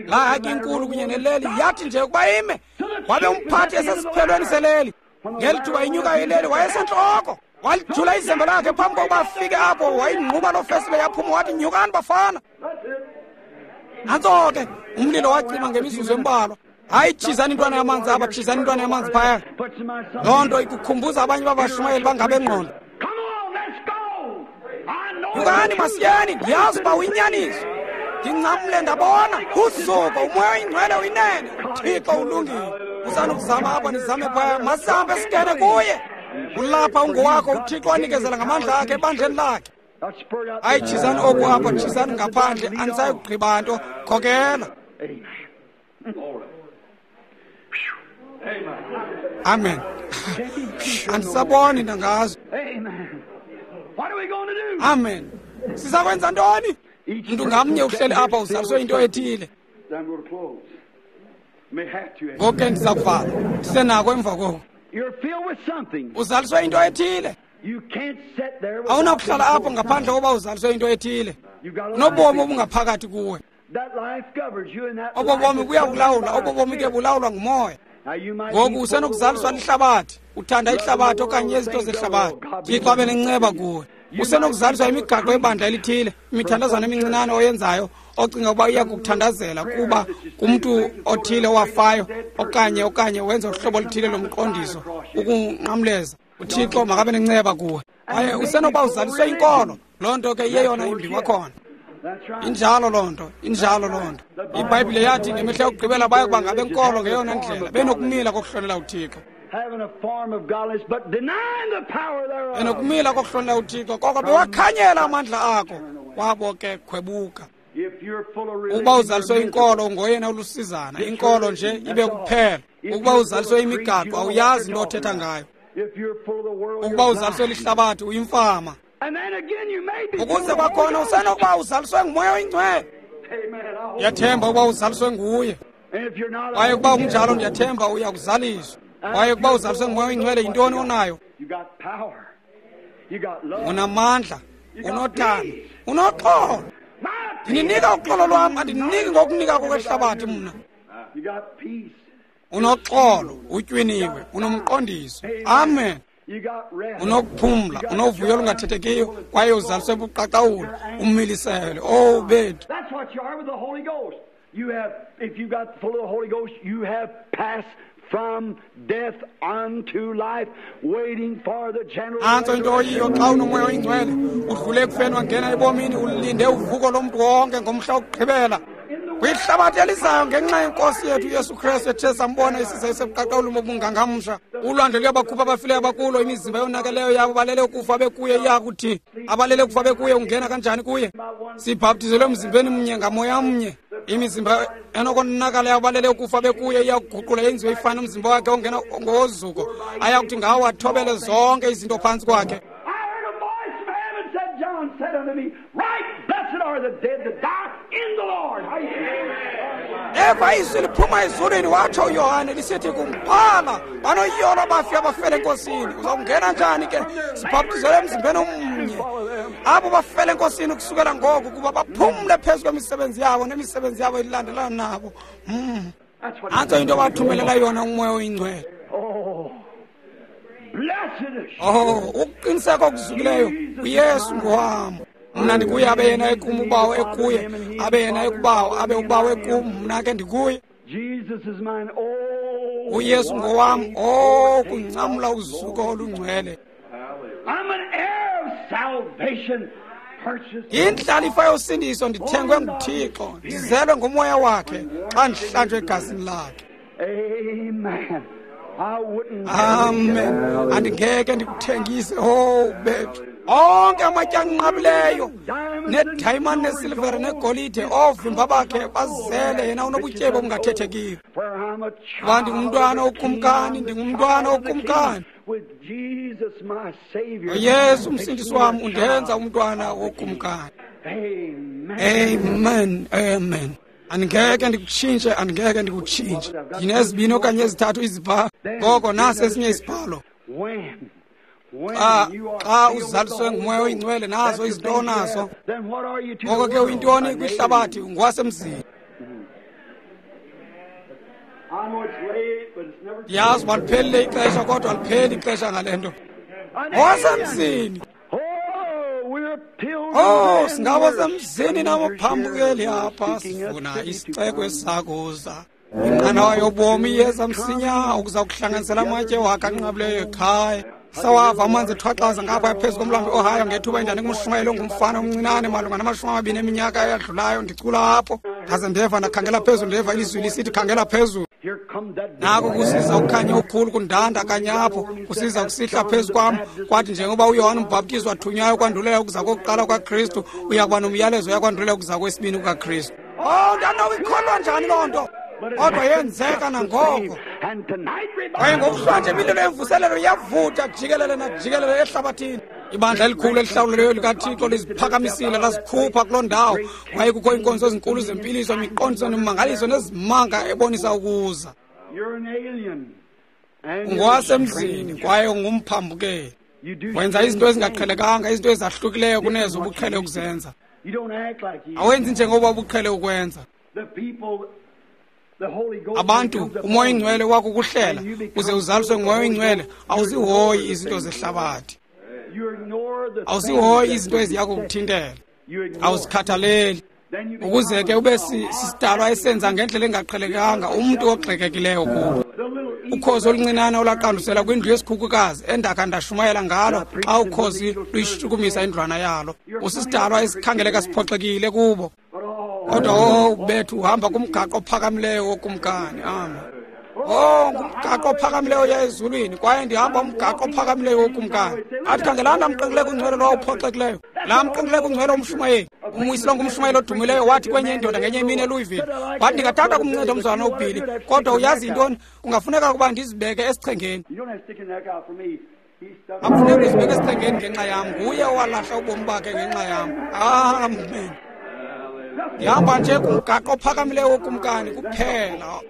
Laa haki inkulu kunye neleli yathi nje ukuba ime, wabe umphathi esesiphelweni seleli. Ngeli thuba inyuka ileli wayesentloko. Walijula izembe lakhe phambi kokuba afike apho, wayingquba loo festile yaphuma, wathi nyukani bafana. Nantso ke umlilo wacima ngemizuzu embalwa. Hayi, tshizani intwana yamanzi apha, tshizani intwana yamanzi phaya. Loo nto ikukhumbuza abanye babashumayeli bangabengqondo. Nyukani masiyeni, ndiyazi uba uyinyaniso. Ndingcamle ndabona uzuko, umoya oyingcwele uyinene, uThixo ulungile. Usanukuzama apha ndizame phaya, masihambe singene kuye. Ulapha ungowakho, uThixo wanikezela ngamandla akhe ebandleni lakhe. Hayi, tshizani oku apha, tshizani ngaphandle, andisayi kugqiba nto, khokela. Amen. Andisaboni ndangazo. Amen. Sizakwenza ntoni? Mntu ngamnye uhleli apha uzaliswe into ethile. Ngoku ke ndiza kuvala. Ndisenako emva koko. Uzaliswe into ethile. Awunakuhlala apho ngaphandle koba uzaliswe into ethile. Unobomi obungaphakathi kuwe. Obo bomi buyakulawula, obo bomi ke bulawulwa ngumoya. Ngoku usenokuzaliswa lihlabathi, uthanda ihlabathi okanye izinto zehlabathi. Thixo abe nenceba kuwe. Usenokuzaliswa imigaqo yebandla elithile, imithandazwana emincinane oyenzayo ocinga ukuba iya kukuthandazela kuba kumntu othile owafayo okanye wenza uhlobo oluthile lomqondiso ukunqamleza. uThixo makabe nenceba kuwe. Kwaye usenokuba uzaliswe inkolo, loo nto ke iyeyona imbi kwakhona. Injalo loo nto, injalo loo nto. IBhayibhile yathi ngemihla yokugqibela baya kuba ngabenkolo ngeyona ndlela, benokumila kokuhlonela uThixo. Benokumila kokuhlonela uThixo, koko bewakhanyela amandla akho, kwabo ke khwebuka. Ukuba uzaliswe inkolo ungoyena ulusizana, inkolo nje ibe kuphela. Ukuba uzaliswe imigaqo awuyazi into othetha ngayo. Ukuba uzaliswe lihlabathi uyimfama. Ukuze kwakhona usenokuba uzaliswe nguMoya oyiNgcwele. Ndiyathemba ukuba uzaliswe nguye. Kwaye ukuba unjalo, ndiyathemba uyakuzaliswa. Kwaye ukuba uzaliswe nguMoya oyiNgcwele, yintoni onayo? Unamandla, unothando, unoxolo. Ndininika uxolo lwam, andiniki ngokunika kokwehlabathi mna. Unoxolo, utywiniwe, unomqondiso. Amen. Unokuphumla, unovuyo olungathethekiyo, kwaye uzaliswe buqaqawuli, umiliselwe. Oh, bethu. That's what you are with the Holy Ghost. You have, if you got full of the Holy Ghost, you have passed from death unto life, waiting for the general. Nantso into oyiyo xa unoMoya oyiNgcwele, udlule ekufeni wangena ebomini, ulinde uvuko lomntu wonke ngomhla wokugqibela. Kwihlabathi elizayo ngenxa yenkosi yethu uYesu Kristu ethe sambona isiza esebuqaqawuli bobungangamsha. Ulwandle luyabakhupha abafileyo abakulo, imizimba yonakeleyo yabo balele ukufa bekuye iyakuthi. Abalele ukufa bekuye ungena kanjani kuye? Sibhaptizelwe emzimbeni mnye ngamoya mnye. Imizimba enokonakala yabo balele ukufa bekuye iyakuguqula yenziwe ifane nomzimba wakhe ongena ngozuko. Ayakuthi ngawo athobele zonke izinto phantsi kwakhe. I heard a voice from heaven said, John said unto me, Right, blessed are the dead that die in the Lord. Eva izwi liphuma ezulwini, watsho uYohane lisithi kumphala, banoyolo abafi abafele enkosini. Uzawungena njani ke? Sibhaptizelwe emzimbeni omnye. Abo bafele enkosini kusukela ngoku kuba baphumle phezu kwemisebenzi yabo nemisebenzi yabo ilandelana nabo. That's what. Nantso into bathumelela yona uMoya oyiNgcwele. Oh, blessed assurance. Oh, ukuqiniseka okuzukileyo, uYesu ngowam. Mna ndikuye, abe yena ekum, uBawo ekuye, abe yena ekuBawo, abe uBawo ekum, mna ke ndikuye. Jesus is mine. Oh, uYesu ngowam. Oh, kungcamla uzuko olungcwele. I'm an heir of salvation, purchased. Yindlalifa yosindiso, ndithengwe nguThixo, ndizelwe nguMoya wakhe xa ndihlanjwe egazini lakhe. Amen. I wouldn't. Amen. Andingeke ndikuthengise. Oh, bethu. Onke amatye anqabileyo nedayimani nesilivere negolide, oovimba bakhe bazele yena unobutyebi obungathethekiyo. For I'm a Kuba child ndingumntwana of the King, wokumkani, I'm the ndingumntwana child of the wokumkani. King. With Jesus my Savior. Yesu umsindisi wam undenza umntwana wokumkani. Amen. Amen. Amen. Andingeke ndikutshintshe, andingeke ndikutshintshe. Ndinezibini okanye ezithathu izibhalo. Ngoko nasi esinye isibhalo. When? When Xa you are xa filled with the uzaliswe Holy nguMoya Ghost, oyiNgcwele, nazo that's the izinto thing you onazo. have. Then what are you to Ngoko the ke world? uyintoni An kwihlabathi? alien. Ungowasemzini. I know it's late, but it's never too Ndiyazi uba late. liphelile ixesha, kodwa alipheli ixesha ngale nto. An alien. Ngowasemzini. Oh, we're pilgrims Oh, and singabo we're semzini strangers nabaphambukeli here. We're apha, seeking a sifuna city to isixeko come. esisakuza. Inqanawa yobomi iyeza msinya ukuza kuhlanganisela amatye wakhe anqabileyo ekhaya. Sawava amanzi ethwaxaza ngapha phezu komlambo iOhio ngethuba enjani kumshumayeli ongumfana omncinane malunga nama-20 eminyaka eyadlulayo, ndicula apho. Ndaze ndeva, ndakhangela phezulu, ndeva ilizwi lisithi, khangela phezulu. Here comes that Nako kusiza ukukhanya okukhulu kundanda kanye apho, kusiza kusihla phezu kwam. Kwathi njengoba uYohane umbhaptizi wathunywayo kwandulela ukuza kokuqala kwaKristu, uya kuba nomyalezo uyakwandulela ukuza kwesibini kukaKristu. Oh, ndanowikholwa njani loo nto? Kodwa yenzeka nangoko. And tonight, Kwaye ngokuhlwanje imililo yemvuselelo iyavutha jikelele najikelele ehlabathini. Ibandla elikhulu elihlawulelweyo likaThixo liziphakamisile lazikhupha kuloo ndawo. Kwaye kukho iinkonzo ezinkulu zempiliso, imiqondiso nemimangaliso nezimanga ebonisa ukuza. You're an alien. And you're a Ungowasemzini stranger. kwaye ungumphambukeli. You do Wenza izinto ezingaqhelekanga, izinto ezahlukileyo kunezo ubuqhele ukuzenza. You don't act like you. Awenzi njengoba ubuqhele ukwenza. The people, the Holy Ghost Abantu, comes upon uMoya you. oyiNgcwele wakukuhlela uze uzaliswe nguMoya oyiNgcwele, awuzihoyi izinto zehlabathi. You ignore the Awuzihoyi things izinto that eziya kukuthintela. You ignore. Awuzikhathaleli. Then you become Ukuze ke ube a sisidalwa esenza ngendlela engaqhelekanga, umntu ogxekekileyo kubo. The little Ukhozi oluncinane olaqandusela kwindlu yesikhukukazi endakha ndashumayela ngalo xa ukhozi luyishukumisa indlwana yalo. Usisidalwa esikhangeleka siphoxekile kubo. But oh, Kodwa oh, bethu uhamba kumgaqo ophakamileyo wokumkani. Amen. Oh, ngumgaqo ophakamileyo oya ezulwini, kwaye ndihamba umgaqo ophakamileyo wokumkani. Athi khangelani laa mqengileko ungcwele lowo uphoxekileyo, laa mqengileko ungcwele umshumayeli. Umwisilo ngumshumayeli odumileyo wathi kwenye indoda ngenye imini eLouisville, wathi ndingathanda kumnceda umzalwana uBilly, kodwa uyazi yintoni, kungafuneka ukuba ndizibeke esichengeni. You don't have to stick your neck out for me. Akufuneki uzibeke esichengeni ngenxa yam, nguye owalahla ubomi bakhe ngenxa yam. Amen. Ndihamba nje kumgaqo ophakamileyo wokumkani kuphela.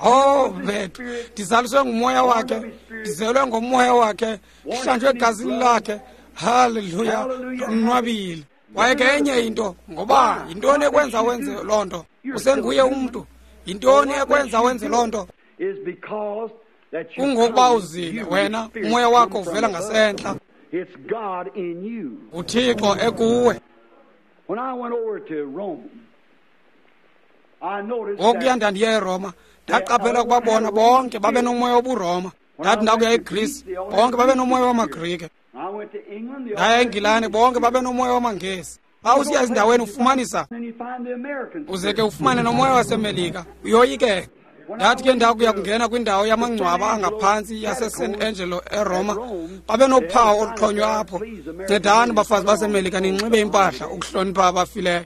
Oh bethu, ndizaliswe ngumoya wakhe, ndizelwe ngomoya wakhe, ndihlanjwe egazini lakhe. Haleluya, ndonwabile. Kwaye ke enye into, ngoba yintoni ekwenza wenze loo nto? Usenguye umntu. Yintoni ekwenza wenze loo nto? Kungokuba uzile wena, umoya wakho uvela ngasentla. UThixo ekuwe. Ngokuya ndandiye eRoma, ndaqaphela ukuba bona bonke babe nomoya wobuRoma. Ndathi ndakuya eGreece, bonke babe nomoya wamaGrike. Ndaya eNgilane, bonke babe nomoya wamaNgesi. Xa usiya ezindaweni ufumanisa, uze ke ufumane nomoya waseMelika, uyoyikeka. Ndathi ke ndakuya kungena kwindawo yamangcwaba angaphantsi yaseSan Angelo eRoma, babe nophawu oluxhonywe apho. Ncedani bafazi baseMelika ninxibe impahla ukuhlonipha abafileyo.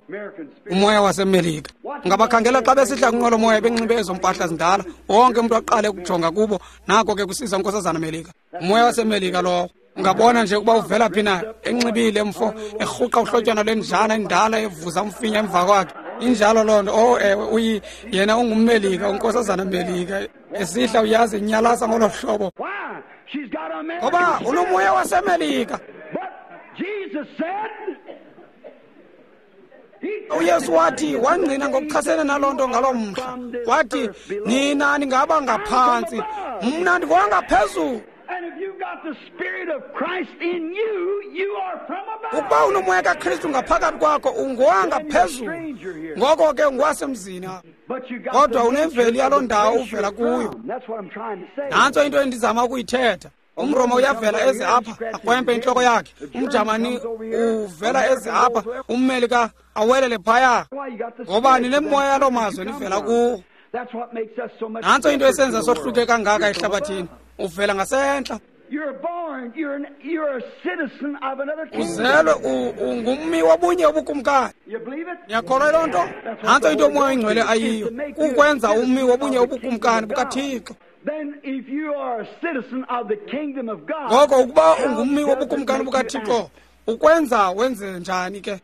Umoya waseMelika. Ungabakhangela xa besihla kwinqwelomoya benxibe ezo mpahla zindala, wonke umntu aqale ukujonga kubo. Nako ke kusiza uNkosazana Melika. Umoya waseMelika lowo. Ungabona nje ukuba uvela phi na, enxibile mfo, erhuqa uhlotyana lwenjana endala evuza umfinya emva kwakhe. Injalo loo nto. Oh ewe, yena ungummelika, uNkosazana Melika. Esihla uyazi inyalasa ngolo hlobo. Ngoba unomoya waseMelika. uYesu wathi, wangqina ngokuchasene naloo nto ngaloo mhla. Wathi, nina ningaba ngaphantsi, mna ndingowangaphezulu. Ukuba unomoya kaKristu ngaphakathi kwakho, ungowangaphezulu. Ngoko ke ungowasemzini apha. Kodwa unemveli yaloo ndawo uvela kuyo. Nantso into endizama ukuyithetha. UmRoma uyavela eze apha, akrwempe intloko yakhe. UmJamani uvela eze apha, umMelika awelele phaya. Ngoba ninemoya yaloo mazwe nivela kuwo. Nantso into esenza sohluke kangaka ehlabathini. Uvela ngasentla. Uzelwe ungummi wobunye ubukumkani. Niyakholwa loo nto? Nantso into uMoya oyiNgcwele ayiyo, kukwenza ummi wobunye ubukumkani bukaThixo. Ngoko ukuba ungummi wobukumkani bukaThixo, ukwenza wenze njani ke?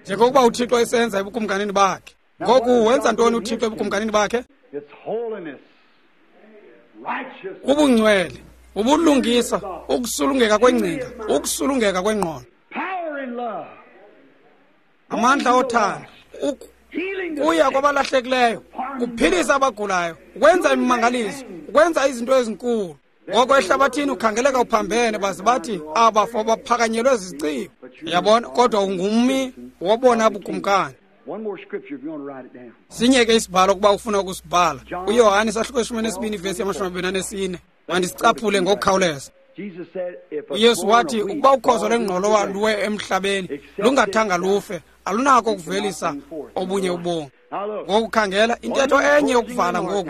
Njengokuba uThixo esenza ebukumkanini bakhe. Ngoku wenza ntoni uThixo ebukumkanini bakhe? Ubungcwele, ubulungisa, ukusulungeka kwengcinga, ukusulungeka kwengqondo, amandla othando, kuya kwabalahlekileyo, kuphilisa abagulayo, ukwenza imimangaliso, ukwenza izinto ezinkulu. Ngoko ehlabathini ukhangeleka uphambene, baze bathi abafo baphakanyelwe zizicibo. Yabona, kodwa ungummi wobona bukumkani. Sinye ke isibhalo ukuba ufuna ukusibhala. UYohane isahluko 12 vesi 24. Mandisicaphule ngokukhawuleza. uYesu wathi ukuba ukhozo lwengqolowa luwe emhlabeni lungathanga lufe, alunako ukuvelisa obunye ubomi. Ngokukhangela intetho enye yokuvala ngoku.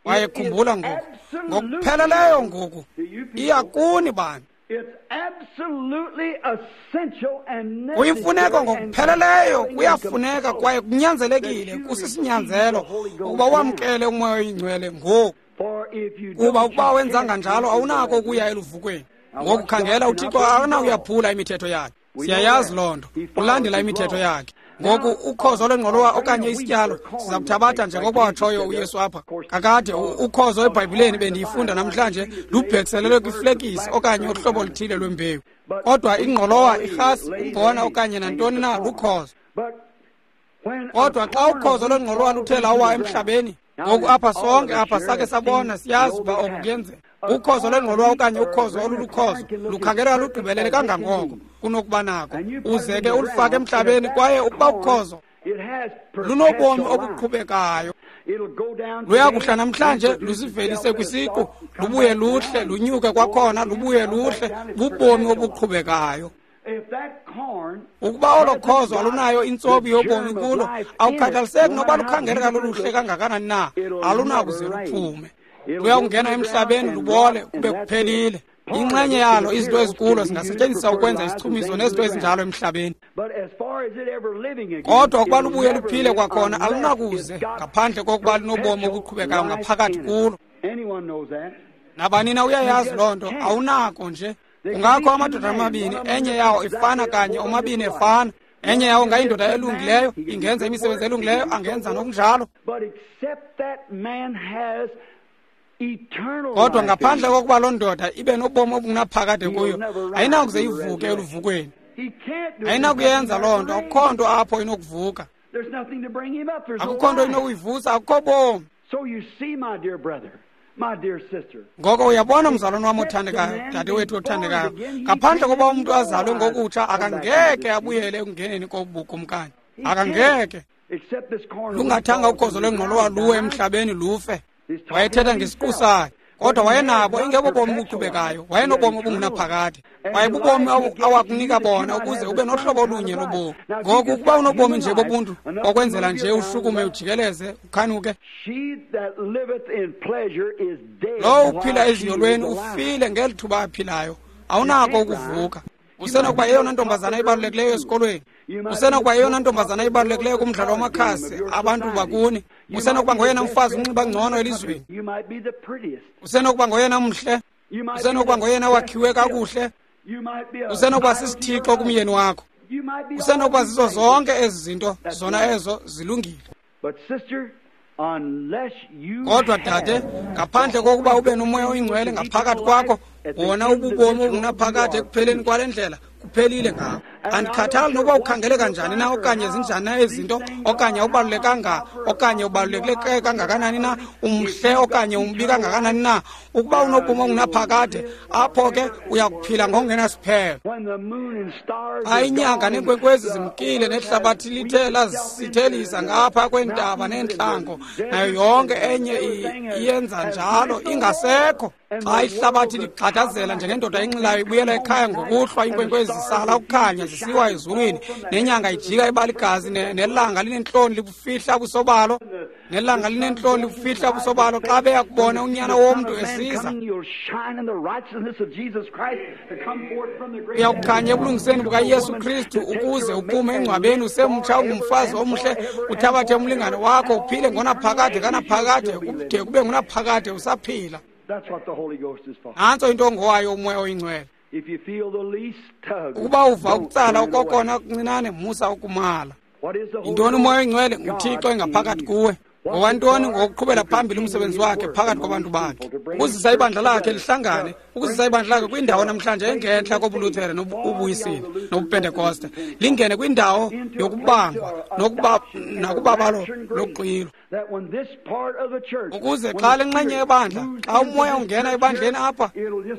Wayekhumbula ngoku, ngokupheleleyo ngoku, iya kuni bantu. Kuyimfuneko ngokupheleleyo, kuyafuneka kwaye kunyanzelekile, kusisinyanzelo ukuba wamkele uMoya oyiNgcwele ngoku. Kuba ukuba wenzanga njalo awunako ukuya eluvukweni. Ngokukhangela uThixo akanawuyaphula imithetho yakhe. Siyayazi loo nto, ulandela imithetho yakhe. Ngoku ukhozo lwengqolowa okanye isityalo siza kuthabatha njengokuba watshoyo uYesu apha. Kakade ukhozo eBhayibhileni bendiyifunda namhlanje lubhekiselelwe kwiflekisi okanye uhlobo oluthile lwembewu. Kodwa ingqolowa, irhasi, umbona okanye nantoni na lukhozo. Kodwa xa ukhozo lwengqolowa luthe lawa emhlabeni, ngoku apha sonke apha sake sabona, siyazi uba oku kuyenzeka. Ukhozo lwengqolowa okanye ukhozo olulukhozo lukhangeleka lugqibelele kangangoko kunokuba nako, uze ke ulufake emhlabeni, kwaye ukuba ukhozo lunobomi obuqhubekayo, luyakuhla namhlanje luzivelise kwisiqu, lubuye luhle, lunyuke kwakhona, lubuye luhle, bubomi obuqhubekayo. Ukuba olo khozo alunayo intsobi yobomi kulo, awukhathaliseki noba lukhangeleka loluhle kangakanani na, alunakuze luphume. Luyakungena emhlabeni lubole kube kuphelile. Inxenye yalo, izinto ezikulo zingasetyenziswa ukwenza isichumiso nezinto ezinjalo emhlabeni. Kodwa ukuba lubuye luphile kwakhona, alunakuze ngaphandle kokuba linobomi obuqhubekayo ngaphakathi kulo. Nabanina uyayazi loo nto, awunako nje. Kungakho amadoda amabini, enye yawo ifana kanye, omabini efana. Enye yawo ngayindoda elungileyo, ingenza imisebenzi elungileyo, angenza nokunjalo. Kodwa ngaphandle kokuba loo ndoda ibe nobomi obungunaphakade kuyo, ayinakuze ivuke eluvukweni. Ayinakuyenza loo nto, akukho nto apho inokuvuka. Akukho nto inokuyivusa, akukho bomi. Ngoko uyabona, mzalwane wam othandekayo, dadewethu othandekayo, ngaphandle kokuba umntu azalwe ngokutsha, akangeke abuyele ekungeneni kobukumkani. Akangeke. Lungathanga ukhozo lwengqolowa luwe emhlabeni lufe. Wayethetha ngesiqu sakhe, kodwa wayenabo ingebobomi obuqhubekayo, wayenobomi obungunaphakade. Wayebubomi awakunika bona ukuze ube nohlobo olunye lobomi. Ngoku ukuba unobomi nje bobuntu, okwenzela nje ushukume ujikeleze, ukhanuke. Lowo uphila eziyolweni ufile ngeli thuba aphilayo, awunako ukuvuka. Usenokuba yeyona ntombazana ibalulekileyo esikolweni. Usenokuba yeyona ntombazana ibalulekileyo kumdlalo wamakhasi abantu bakuni. Usenokuba ngoyena mfazi unxiba ngcono elizweni. Usenokuba ngoyena mhle. Usenokuba ngoyena wakhiwe kakuhle. Usenokuba sisithixo kumyeni wakho. Usenokuba zizo zonke ezi zinto, zona ezo zilungile. Kodwa dade, ngaphandle kokuba ube nomoya oyingcwele ngaphakathi kwakho, wona ububomi obungunaphakade ekupheleni kwale ndlela, kuphelile ngawo. Andikhathali nokuba ukhangele kanjani na, okanye zinjani na ezi zinto, okanye ubalulekanga, okanye ubalulekile kangakanani na, umhle okanye umbi kangakanani na. Ukuba unobomi obungunaphakade, apho ke uyakuphila ngokungenasiphelo. Xa inyanga neenkwenkwezi zimkile, nehlabathi lithe lazisithelisa ngapha kweentaba neentlango, nayo yonke enye iyenza njalo, ingasekho. Xa ihlabathi ligxadazela njengendoda enxilayo ibuyela ekhaya ngokuhlwa, iinkwenkwezi zisala ukukhanya zisiwa ezulwini, nenyanga ijika ibaligazi, nelanga linentloni libufihla ubuso balo, nelanga linentloni libufihla ubuso balo xa beya kubona unyana womntu esiza. Uyakukhanya ebulungiseni bukaYesu Kristu ukuze uphume engcwabeni usemtsha, ungumfazi omhle, uthabathe umlingane wakho, uphile ngonaphakade kanaphakade, kude kube ngunaphakade usaphila. Nantso into ongowayo umoya oyingcwele. Ukuba uva ukutsala okokona kuncinane, musa ukumala. Yintoni umoya oyingcwele? NguThixo engaphakathi kuwe. Ngowantoni? Ngokuqhubela phambili umsebenzi wakhe phakathi kwabantu bakhe, ukuzisa ibandla lakhe lihlangane, ukuzisa ibandla lakhe kwindawo namhlanje engentla kobuLuthere nobuyisile nobuPentekoste, lingene kwindawo yokubangwa nakubabalo loxwilo, ukuze xa le nxenye yebandla, xa umoya ungena ebandleni apha,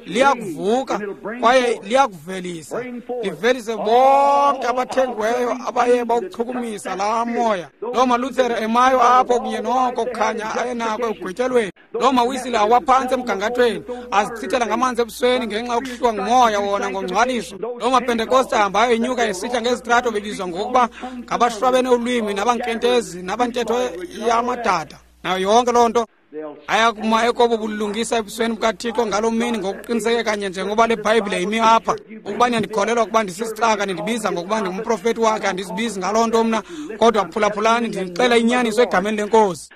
liyakuvuka kwaye liyakuvelisa, livelise bonke abathengiweyo abaye bawuchukumisa laa moya. Loo maLuthere emayo apho kunye noko kukhanya ayenako ekugwetyelweni, loo mawisile awaphantsi emgangathweni, azichithela ngamanzi ebusweni ngenxa yokuhluwa ngumoya wona ngongcwaliso. Loo maPentekoste ahambayo enyuka esihla ngezitrato bebizwa ngokuba ngabashwabene ulwimi nabankentezi nabantetho yamadada, nayo yonke loo nto. Ayakuma ekobo bulungisa ebusweni bukaThixo ngaloo mini ngokuqiniseke kanye njengoba le Bhayibhile imi apha. Ukuba niyandikholelwa ukuba ndisisicaka, nindibiza ngokuba ndingumprofeti wakhe, andizibizi ngaloo nto mna, kodwa phulaphulani, ndinixela inyaniso egameni leNkosi.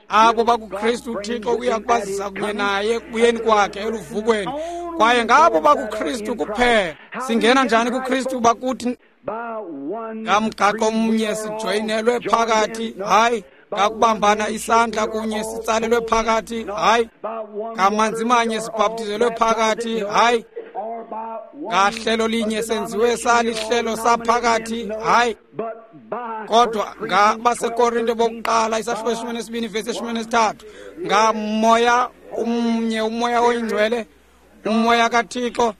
Abo bakuKristu uThixo uya kubazisa kunye naye ekubuyeni kwakhe eluvukweni, kwaye ngabo bakuKristu kuphela. Singena njani kuKristu? Bakuthi ngamgaqo omnye sijoyinelwe phakathi, hayi ngakubambana isandla kunye sitsalelwe phakathi, hayi ngamanzi manye sibhaptizelwe phakathi, hayi ngahlelo linye senziwe salihlelo saphakathi, hayi. Kodwa ngabaseKorinte bokuqala isahluko 12 vesi 13, ngamoya umnye, umoya oyingcwele, umoya kaThixo,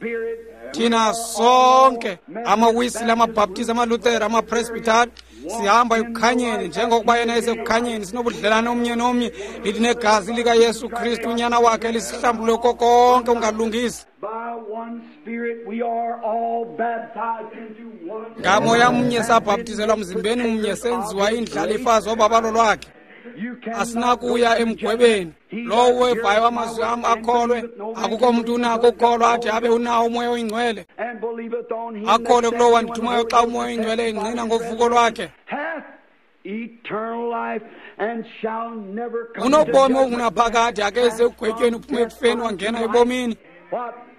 thina sonke amaWisile, amaBhaptizi, amaLuthere, amaPresbytari, sihamba ekukhanyeni njengokuba yena esekukhanyeni, sinobudlelane omnye nomnye, lithi negazi likaYesu Kristu unyana wakhe lisihlambulule konke ungalungisi. Ngamoya mnye sabhaptizelwa mzimbeni mnye, senziwa indlalifa zobabalo lwakhe. Asinakuya emgwebeni. Lowo wevayo amazwi am akholwe, akukho mntu unako ukukholwa athi abe unawo uMoya oyiNgcwele. Akholwe kulowo wandithumayo xa uMoya oyiNgcwele engqina ngovuko lwakhe. Unobomi obungunaphakade, akeze ekugwetyweni, uphume ekufeni wangena ebomini.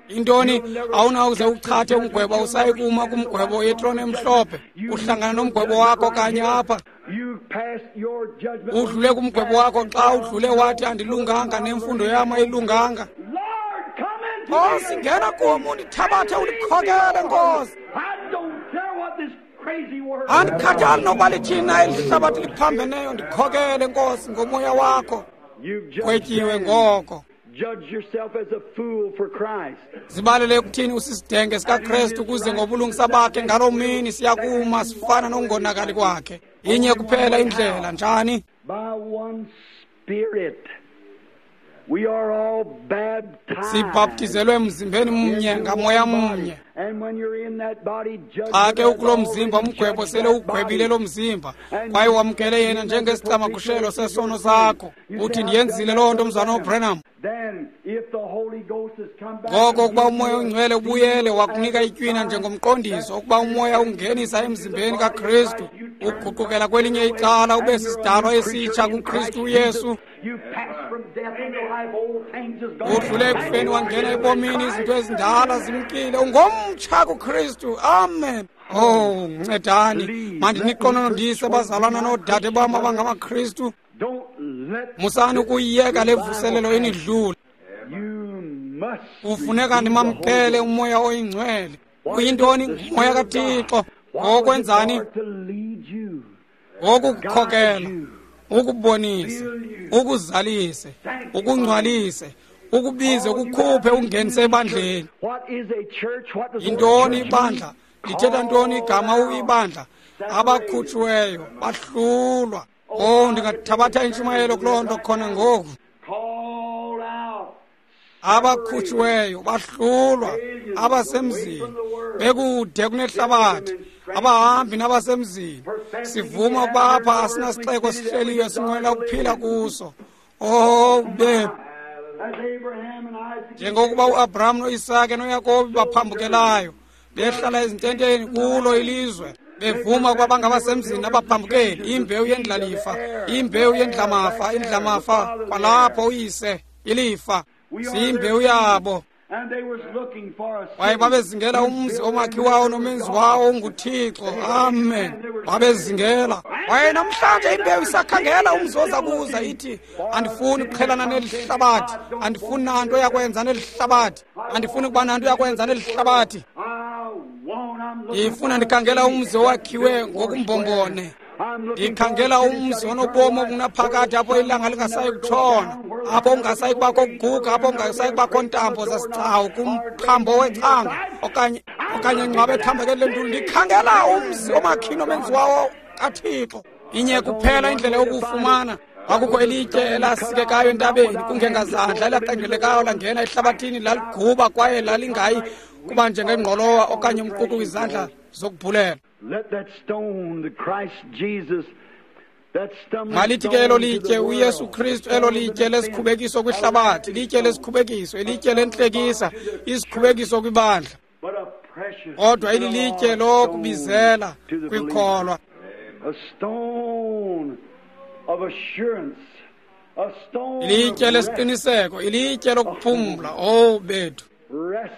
Intoni? Awunawuze uchathe umgwebo, awusayi kuma kumgwebo yetrone emhlophe. Uhlangana nomgwebo wakho kanye apha. Udlule kumgwebo wakho xa udlule wathi andilunganga nemfundo yam ayilunganga. Nkosi, ngena kum undithabathe undikhokele, Nkosi. Andikhathali nokuba lithina eli hlabathi liphambeneyo, ndikhokele, Nkosi, ngomoya wakho. Gwetyiwe ngoko. Zibalele ekuthini usisidenge sikaKrestu ukuze ngobulungisa bakhe ngaloo mini siyakuma sifana nokungonakali kwakhe. Inye kuphela indlela, njani? Sibhaptizelwe emzimbeni mnye ngamoya mnye. Xa ke ukulo mzimba umgwebo sele ugwebile lo mzimba, kwaye wamkele yena njengesicamagushelo sesono sakho. Uthi ndiyenzile loo nto, mzana uBranham. Ngoko ukuba uMoya oNgcwele ubuyele wakunika itywina njengomqondiso, ukuba uMoya ungenisa emzimbeni kaKristu, uguqukela kwelinye icala ube sisidalwa esitsha kuKristu uYesu. Udlule ekufeni wangena ebomini, izinto ezindala zimkile, ungomtsha kuKristu. Amen. Oh, ncedani mandiniqononondise bazalwana noodade bam abangamaKristu. Musani ukuyiyeka le mvuselelo inidlule. Kufuneka ndimamkele uMoya oyiNgcwele. Uyintoni? Ngumoya kaThixo. Ngokwenzani? Ngokukukhokela, ukubonise, ukuzalise, ukungcwalise, ukubize, ukukhuphe, ungenise ebandleni. Yintoni ibandla? Lithetha ntoni igama ibandla? Abakhutshiweyo bahlulwa. Oh, ndingathabatha intshumayelo kuloo nto khona ngoku. Abakhutshiweyo bahlulwa, abasemzini bekude kunehlabathi, abahambi nabasemzini. Sivuma ukuba apha asinasixeko sihleliyo sinqwenela ukuphila kuso. Oh, bethu, njengokuba uAbraham noIsake noYakobi baphambukelayo behlala ezintenteni kulo ilizwe, bevuma ukuba bangabasemzini abaphambukeli, imbewu yendlalifa, imbewu yendlamafa, indlamafa kwalapho uyise ilifa, siyimbewu yabo. Kwaye babezingela umzi omakhiwayo nomenzi wawo unguThixo. Amen. Babezingela. Kwaye namhlanje imbewu isakhangela umzi oza kuza, ithi andifuni ukuqhelana neli hlabathi, andifuni nanto yakwenza neli hlabathi, andifuni ukuba nanto yakwenza neli hlabathi. Ndifuna ndikhangela umzi owakhiwe ngokumbombone. Ndikhangela umzi onobomi obungunaphakade, apho ilanga lingasayi kutshona, apho ungasayi kubakho kuguga, apho ungasayi kubakho ntambo zasicawu kumphambo wecanga okanye ingcwaba ethambekele lentulu. Ndikhangela umzi omakhini omenzi wawo kaThixo. Inye kuphela indlela yokuwufumana. Kwakukho elitye elasikekayo entabeni, kungengazandla elaqengelekayo langena ehlabathini, laliguba kwaye lalingayi kuba njengengqolowa okanye umququ kwizandla zokubhulela. Malithi ke elo litye, uYesu Kristu, elo litye lesikhubekiso kwihlabathi, litye lesikhubekiso, ilitye lentlekisa, isikhubekiso kwibandla, kodwa ililitye lokubizela kwikholwa. Ilitye lesiqiniseko, ilitye lokuphumla. Oh bethu,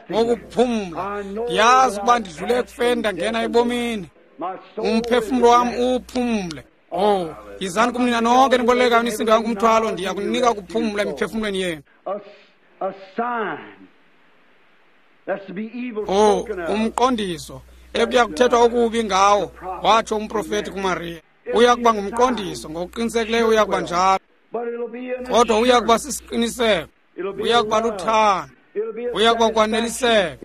ukuphumla. Ndiyazi ukuba ndidlule ekufeni ndangena ebomini. Umphefumlo wam uphumle. Oh, yizani kum nina nonke nibolekayo nisindwayo ngumthwalo, ndiya kuninika ukuphumla emiphefumlweni yenu. Oh, umqondiso ekuya kuthethwa okubi ngawo, watsho umprofeti kuMariya. Uya kuba ngumqondiso, ngokuqinisekileyo uya kuba njalo, kodwa uya kuba sisiqiniseko, uya kuba luthando, uya kuba kwaneliseka,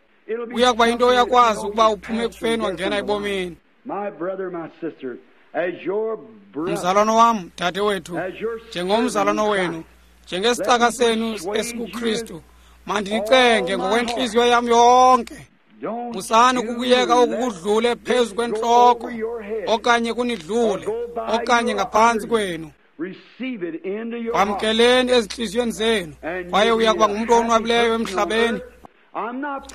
uya kuba into oyakwazi ukuba uphume ekufeni wangena ebomini. Mzalwana wam, dade wethu, njengomzalwana wenu, njengesicaka senu esikuKristu, mandinicenge ngokwentliziyo yam yonke. Musani ukukuyeka oku kudlule phezu kwentloko, okanye kunidlule, okanye ngaphantsi kwenu. Wamkeleni ezintliziyweni zenu, kwaye uya kuba ngumntu owonwabileyo emhlabeni.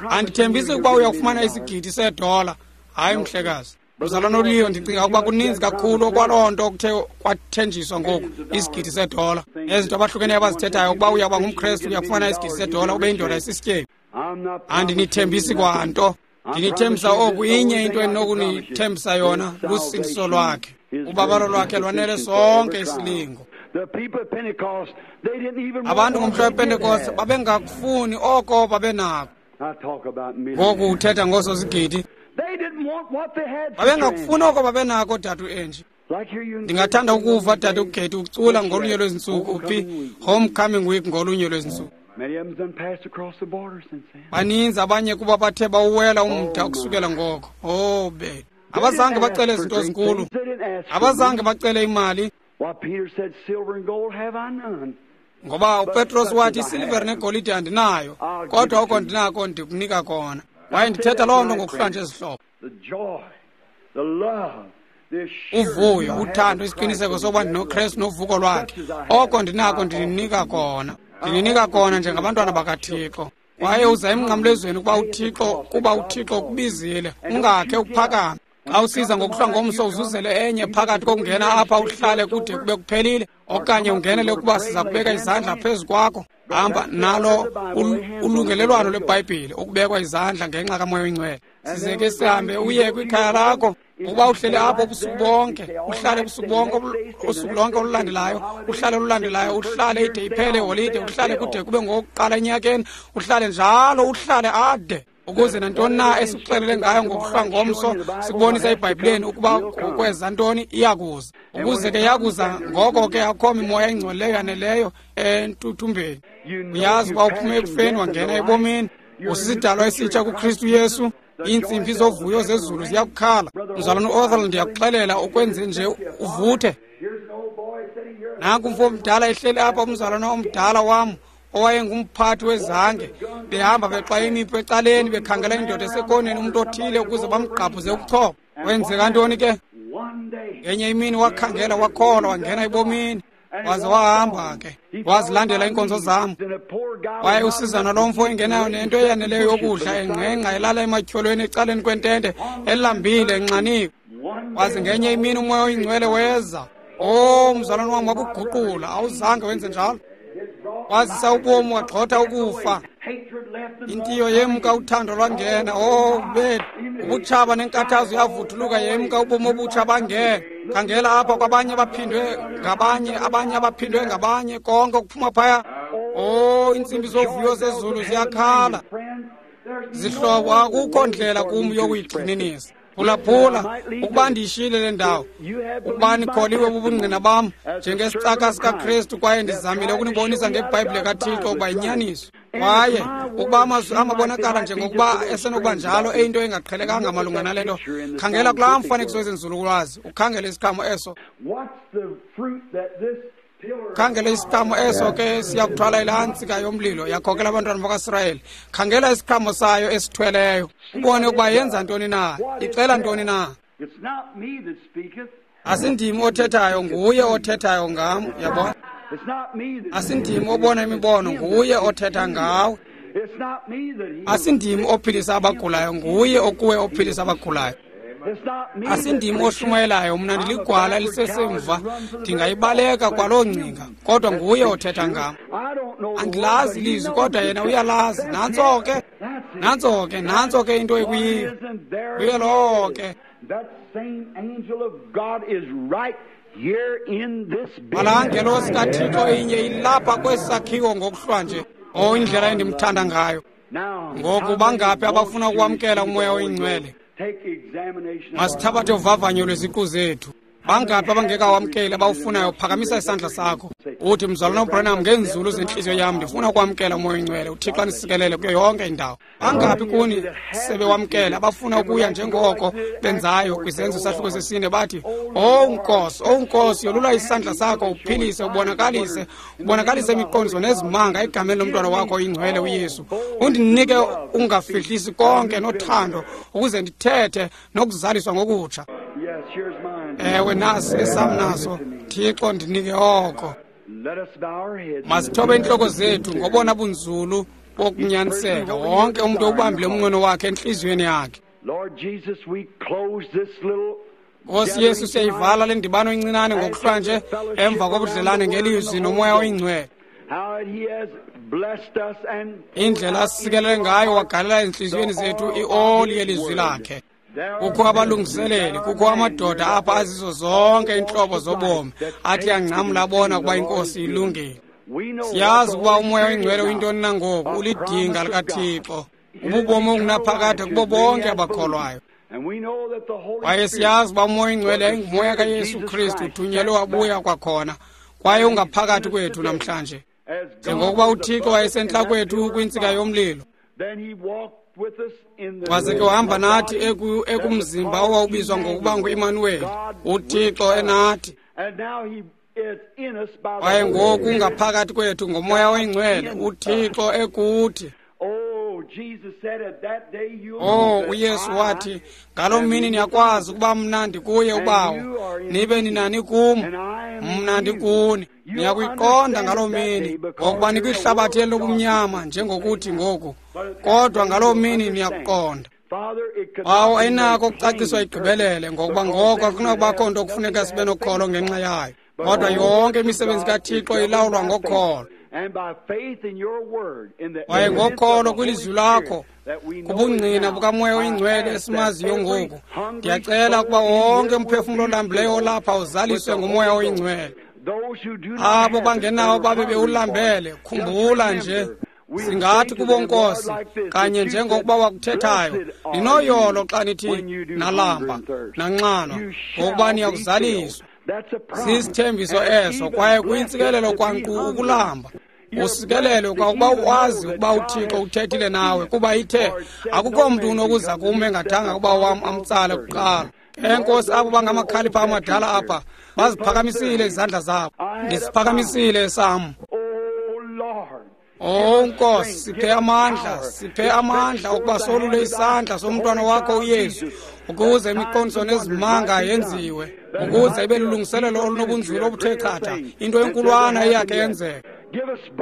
Andithembisi ukuba uya kufumana isigidi seedola. Hayi, mhlekazi. Mzalwana uLeo, ndicinga ukuba kuninzi kakhulu okwaloo nto okuthe kwathenjiswa ngoku, isigidi seedola. Nezinto abahlukeneyo abazithethayo, ukuba uya kuba ngumKrestu uya kufumana isigidi seedola, ube yindoda esisityebi. Andinithembisi kwanto. Ndinithembisa oku, inye into endinokunithembisa yona lusindiso lwakhe. Ubabalo lwakhe lwanele sonke isilingo. Abantu ngomhla wePentekoste babengakufuni oko babenako. Ngoku uthetha ngoosozigidi. Babengakufuni oko babenako, dade uAngie. Ndingathanda ukuva dade uGetty ucula ngolunye lwezintsuku uphi Homecoming Week ngolunye lwezintsuku. Baninzi abanye kuba bathe bawuwela umda ukusukela ngoko. Oh, bethu. Abazange bacele izinto ezinkulu. Abazange bacele imali. Ngoba uPetros wathi, isilivere negolide andinayo, kodwa oko ndinako ndikunika kona. Kwaye ndithetha loo nto ngokuhlanje ezihlobo. Uvuyo, uthando, isiqiniseko sokuba ndinoKrestu novuko lwakhe. Oko ndinako ndininika kona. Ndininika kona njengabantwana bakaThixo. Kwaye uza emnqamlezweni kuba uThixo ukubizile, ungakhe uphakame. Xa usiza ngokuhlwa ngomso uzuzele enye phakathi kokungena apha uhlale kude kube kuphelile, okanye ungenele ukuba siza kubeka izandla phezu kwakho. Hamba nalo ulungelelwano lweBhayibhile, ukubekwa izandla ngenxa kaMoya oyiNgcwele. Size ke sihambe uye kwikhaya lakho. Ukuba uhlele apho ubusuku bonke, uhlale ubusuku bonke, usuku lonke olulandelayo, uhlale olulandelayo, uhlale ide iphele iholide, uhlale kude kube ngokuqala enyakeni, uhlale njalo, uhlale ade. Ukuze nantoni na esikuxelele ngayo ngokuhlwa ngomso sikubonisa eBhayibhileni ukuba ukweza ntoni iyakuza. Ukuze ke yakuza, ngoko ke akho mimoya ingcolileyo yaneleyo entuthumbeni. Uyazi uba uphume ekufeni wangena ebomini. Usisidalwa esitsha kuKristu Yesu. Iintsimbi zovuyo zezulu ziyakukhala. Mzalwana uOthel, ndiyakuxelela ukwenze nje uvuthe. Nanku umfo omdala ehleli apha, umzalwana omdala wam owayengumphathi wezange, behamba bexwaya imiphu ecaleni, bekhangela indoda esekoneni, umntu othile ukuze bamgqabhuze ubuchopho. Wenzeka ntoni ke? Ngenye imini wakhangela, wakholwa, wangena ebomini, waze wahamba ke, wazilandela iinkonzo zam. Kwaye usizana lo mfo engenayo nento eyaneleyo yokudla, engqengqa elala ematyholweni ecaleni kwentente, elambile, enxaniwe. Waze ngenye imini uMoya oyiNgcwele weza. Oh, mzalwana wam, wakuguqula. Awuzange wenze njalo. Wazisa ubomi, wagxotha ukufa. Intiyo yemka, uthando lwangena. Oh, bethu, ubutshaba nenkathazo yavuthuluka, yemka, ubomi obutsha bangena. Khangela apha kwabanye abaphindwe ngabanye, abanye abaphindwe ngabanye, konke okuphuma phaya. Oh, iintsimbi zovuyo zezulu ziyakhala. Zihlobo, akukho ndlela kum yokuyigxininisa. Phulaphula, ukuba ndiyishiyile le ndawo, ukuba nikholiwe bubungqina bam njengesicaka sikaKrestu, kwaye ndizamile ukunibonisa ngeBhayibhile kaThixo ukuba yinyaniso. Kwaye ukuba amazwi am abonakala njengokuba esenokuba njalo eyinto engaqhelekanga malunga nale nto, khangela kulaa mfanekiso wezenzululwazi, ukhangele isiqhamo eso. Khangela isiqhamo eso ke siyakuthwala ilaa ntsika yomlilo yakhokela abantwana bakaSirayeli. Khangela isiqhamo sayo esithweleyo, ubone ukuba yenza ntoni na, ixela ntoni na. Asindim othethayo, nguye othethayo ngam, uyabona. Asindim obona imibono, nguye othetha ngawe. Asindim ophilisa abagulayo, nguye okuwe ophilisa abagulayo. Asindim oshumayelayo, mna ndiligwala elisesemva, ndingayibaleka kwaloo ngcinga, kodwa nguye othetha ngam. Andilazi ilizwi, kodwa yena uyalazi. Nantso ke, nantso ke, nantso ke into ekuyiyo. Nguye lowo ke. Kwalaa ngelosi kaThixo inye ilapha kwesi sakhiwo ngokuhlwa nje. Oh, indlela endimthanda ngayo. Ngoku bangaphi abafuna ukwamkela uMoya oyiNgcwele? Masithabathe uvavanyo lweziqu zethu. Bangaphi abangekawamkeli abawufunayo? Phakamisa isandla sakho uthi, mzalwana uBranham, ngeenzulu zentliziyo yam ndifuna ukwamkela uMoya oyiNgcwele. uThixo anisikelele kuyo yonke indawo. Bangaphi kuni sebewamkele abafuna ukuya njengoko benzayo kwiZenzo isahluko sesine, bathi, owu Nkosi, owu Nkosi, yolula isandla sakho uphilise, ubonakalise, ubonakalise imiqondiso nezimanga egameni lomntwana wakho oyingcwele uYesu. Undinike ungafihlisi konke nothando ukuze ndithethe nokuzaliswa ngokutsha. Ewe, nasi esam naso. Thixo, ndinike oko. Masithobe iintloko zethu ngobona bunzulu bokunyaniseka. Wonke umntu ubambile umnqweno wakhe entliziyweni yakhe. Nkosi Yesu, siyayivala le ndibano incinane ngokuhlwanje emva kobudlelane ngelizwi noMoya oyiNgcwele. Indlela asisikelele ngayo wagalela ezintliziyweni zethu ioli yelizwi lakhe. Kukho abalungiseleli, kukho amadoda apha azizo zonke iintlobo zobomi athi angcamla abona ukuba iNkosi ilungile. Siyazi ukuba uMoya oyiNgcwele uyintoni na ngoku, ulidinga likaThixo, ububomi obungunaphakade kubo bonke abakholwayo. Kwaye siyazi uba uMoya oyiNgcwele yayinguMoya kaYesu Kristu uthunyelwe wabuya kwakhona, kwaye ungaphakathi kwethu namhlanje. Njengokuba uThixo wayesentla kwethu kwintsika yomlilo, waze ke wahamba nathi ekumzimba owawubizwa ngokuba ngu-Imanuweli, uThixo enathi. Kwaye ngoku ungaphakathi kwethu ngoMoya oyiNgcwele, uThixo ekuthi. Oh, uYesu wathi, ngaloo mini niyakwazi ukuba mna ndikuye uBawo, nibe nina nikum, mna ndikuni. Niyakuyiqonda ngaloo mini, ngokuba nikwihlabathi elobumnyama njengokuthi ngoku, kodwa ngaloo mini niyakuqonda. Bawo, ayinako ukucaciswa igqibelele, ngokuba ngoko akunakubakho nto kufuneka sibe nokholo ngenxa yayo. Kodwa yonke imisebenzi kaThixo ilawulwa ngokholo. Kwaye ngokholo kwilizwi lakho, kubungqina bukaMoya oyiNgcwele esimaziyo ngoku, ndiyacela ukuba wonke umphefumlo olambileyo olapha uzaliswe nguMoya oyiNgcwele. Abo bangenawo babe bewulambele, khumbula nje, singathi kubo Nkosi, kanye njengokuba wakuthethayo, ninoyolo xa nithi nalamba, nanxanwa, ngokuba niyakuzaliswa. Sisithembiso eso, kwaye kuyintsikelelo kwankqu ukulamba. Usikelelwe kwakuba wazi ukuba uThixo uthethile nawe, kuba ithe akukho mntu unokuza kum engathanga ukuba wam amtsale kuqala. Enkosi, abo bangamakhalipha amadala apha baziphakamisile izandla zabo. Ndisiphakamisile esam. Oh Nkosi, siphe amandla, siphe amandla ukuba solule isandla somntwana wakho uYesu, ukuze imiqondiso nezimanga yenziwe, ukuze ibe lulungiselelo olunobunzulu obuthe chatha, into enkulwana eyakhe yenzeka.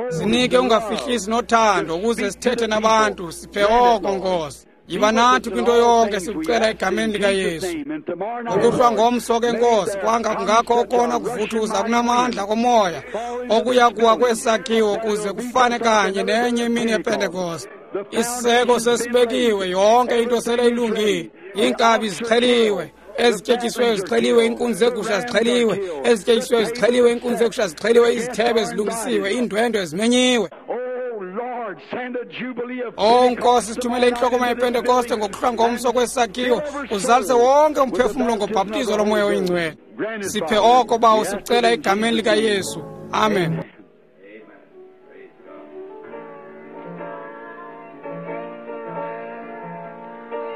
Sinike ungafihlisi nothando ukuze sithethe nabantu, siphe oko Nkosi. Yiba nathi kwinto yonke, sikucela egameni likaYesu. Ngokuhlwa ngomso ke Nkosi, kwanga kungakho okona kuvuthuza kunamandla komoya okuya kuwa kwesakhiwo kuze kufane kanye nenye imini yePentekoste. Isiseko sesibekiwe, yonke into sele ilungile. Iinkabi zixheliwe, ezityetyisiweyo zixheliwe, iinkunzi zegusha zixheliwe, ezityetyisiweyo zixheliwe, iinkunzi zegusha zixheliwe, izithebe zilungisiwe, iindwendwe zimenyiwe. Oh Nkosi, sithumele intlokoma yePentekoste ngokuhlwa ngomso kwesakhiwo, uzalise wonke umphefumlo ngobhaptizo loMoya oyiNgcwele. Siphe oko Bawo, sikucela egameni likaYesu. Amen.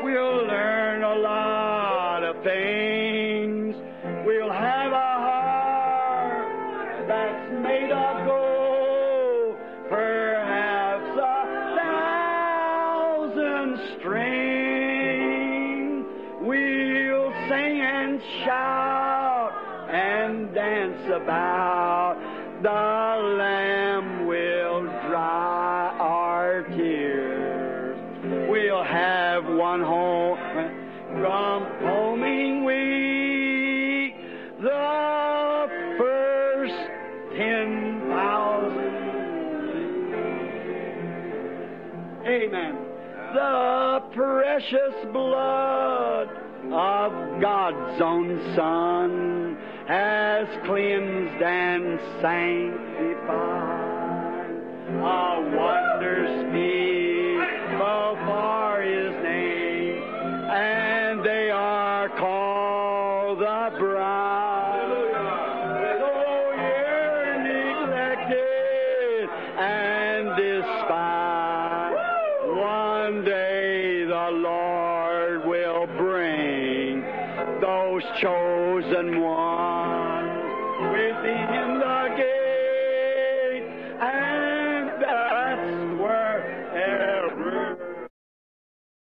We'll learn a lot of things. We'll have a heart that's made of gold, perhaps 1,000 strings. We'll sing and shout and dance about. The Lamb will dry our tears. We'll have one home from homing week, the first 10,000. Amen. The precious blood of God's own Son has cleansed and sanctified. A wonder speakable for His name, and they are called the bride. Though you're neglected and despised, one day the Lord will bring those chosen ones with Him.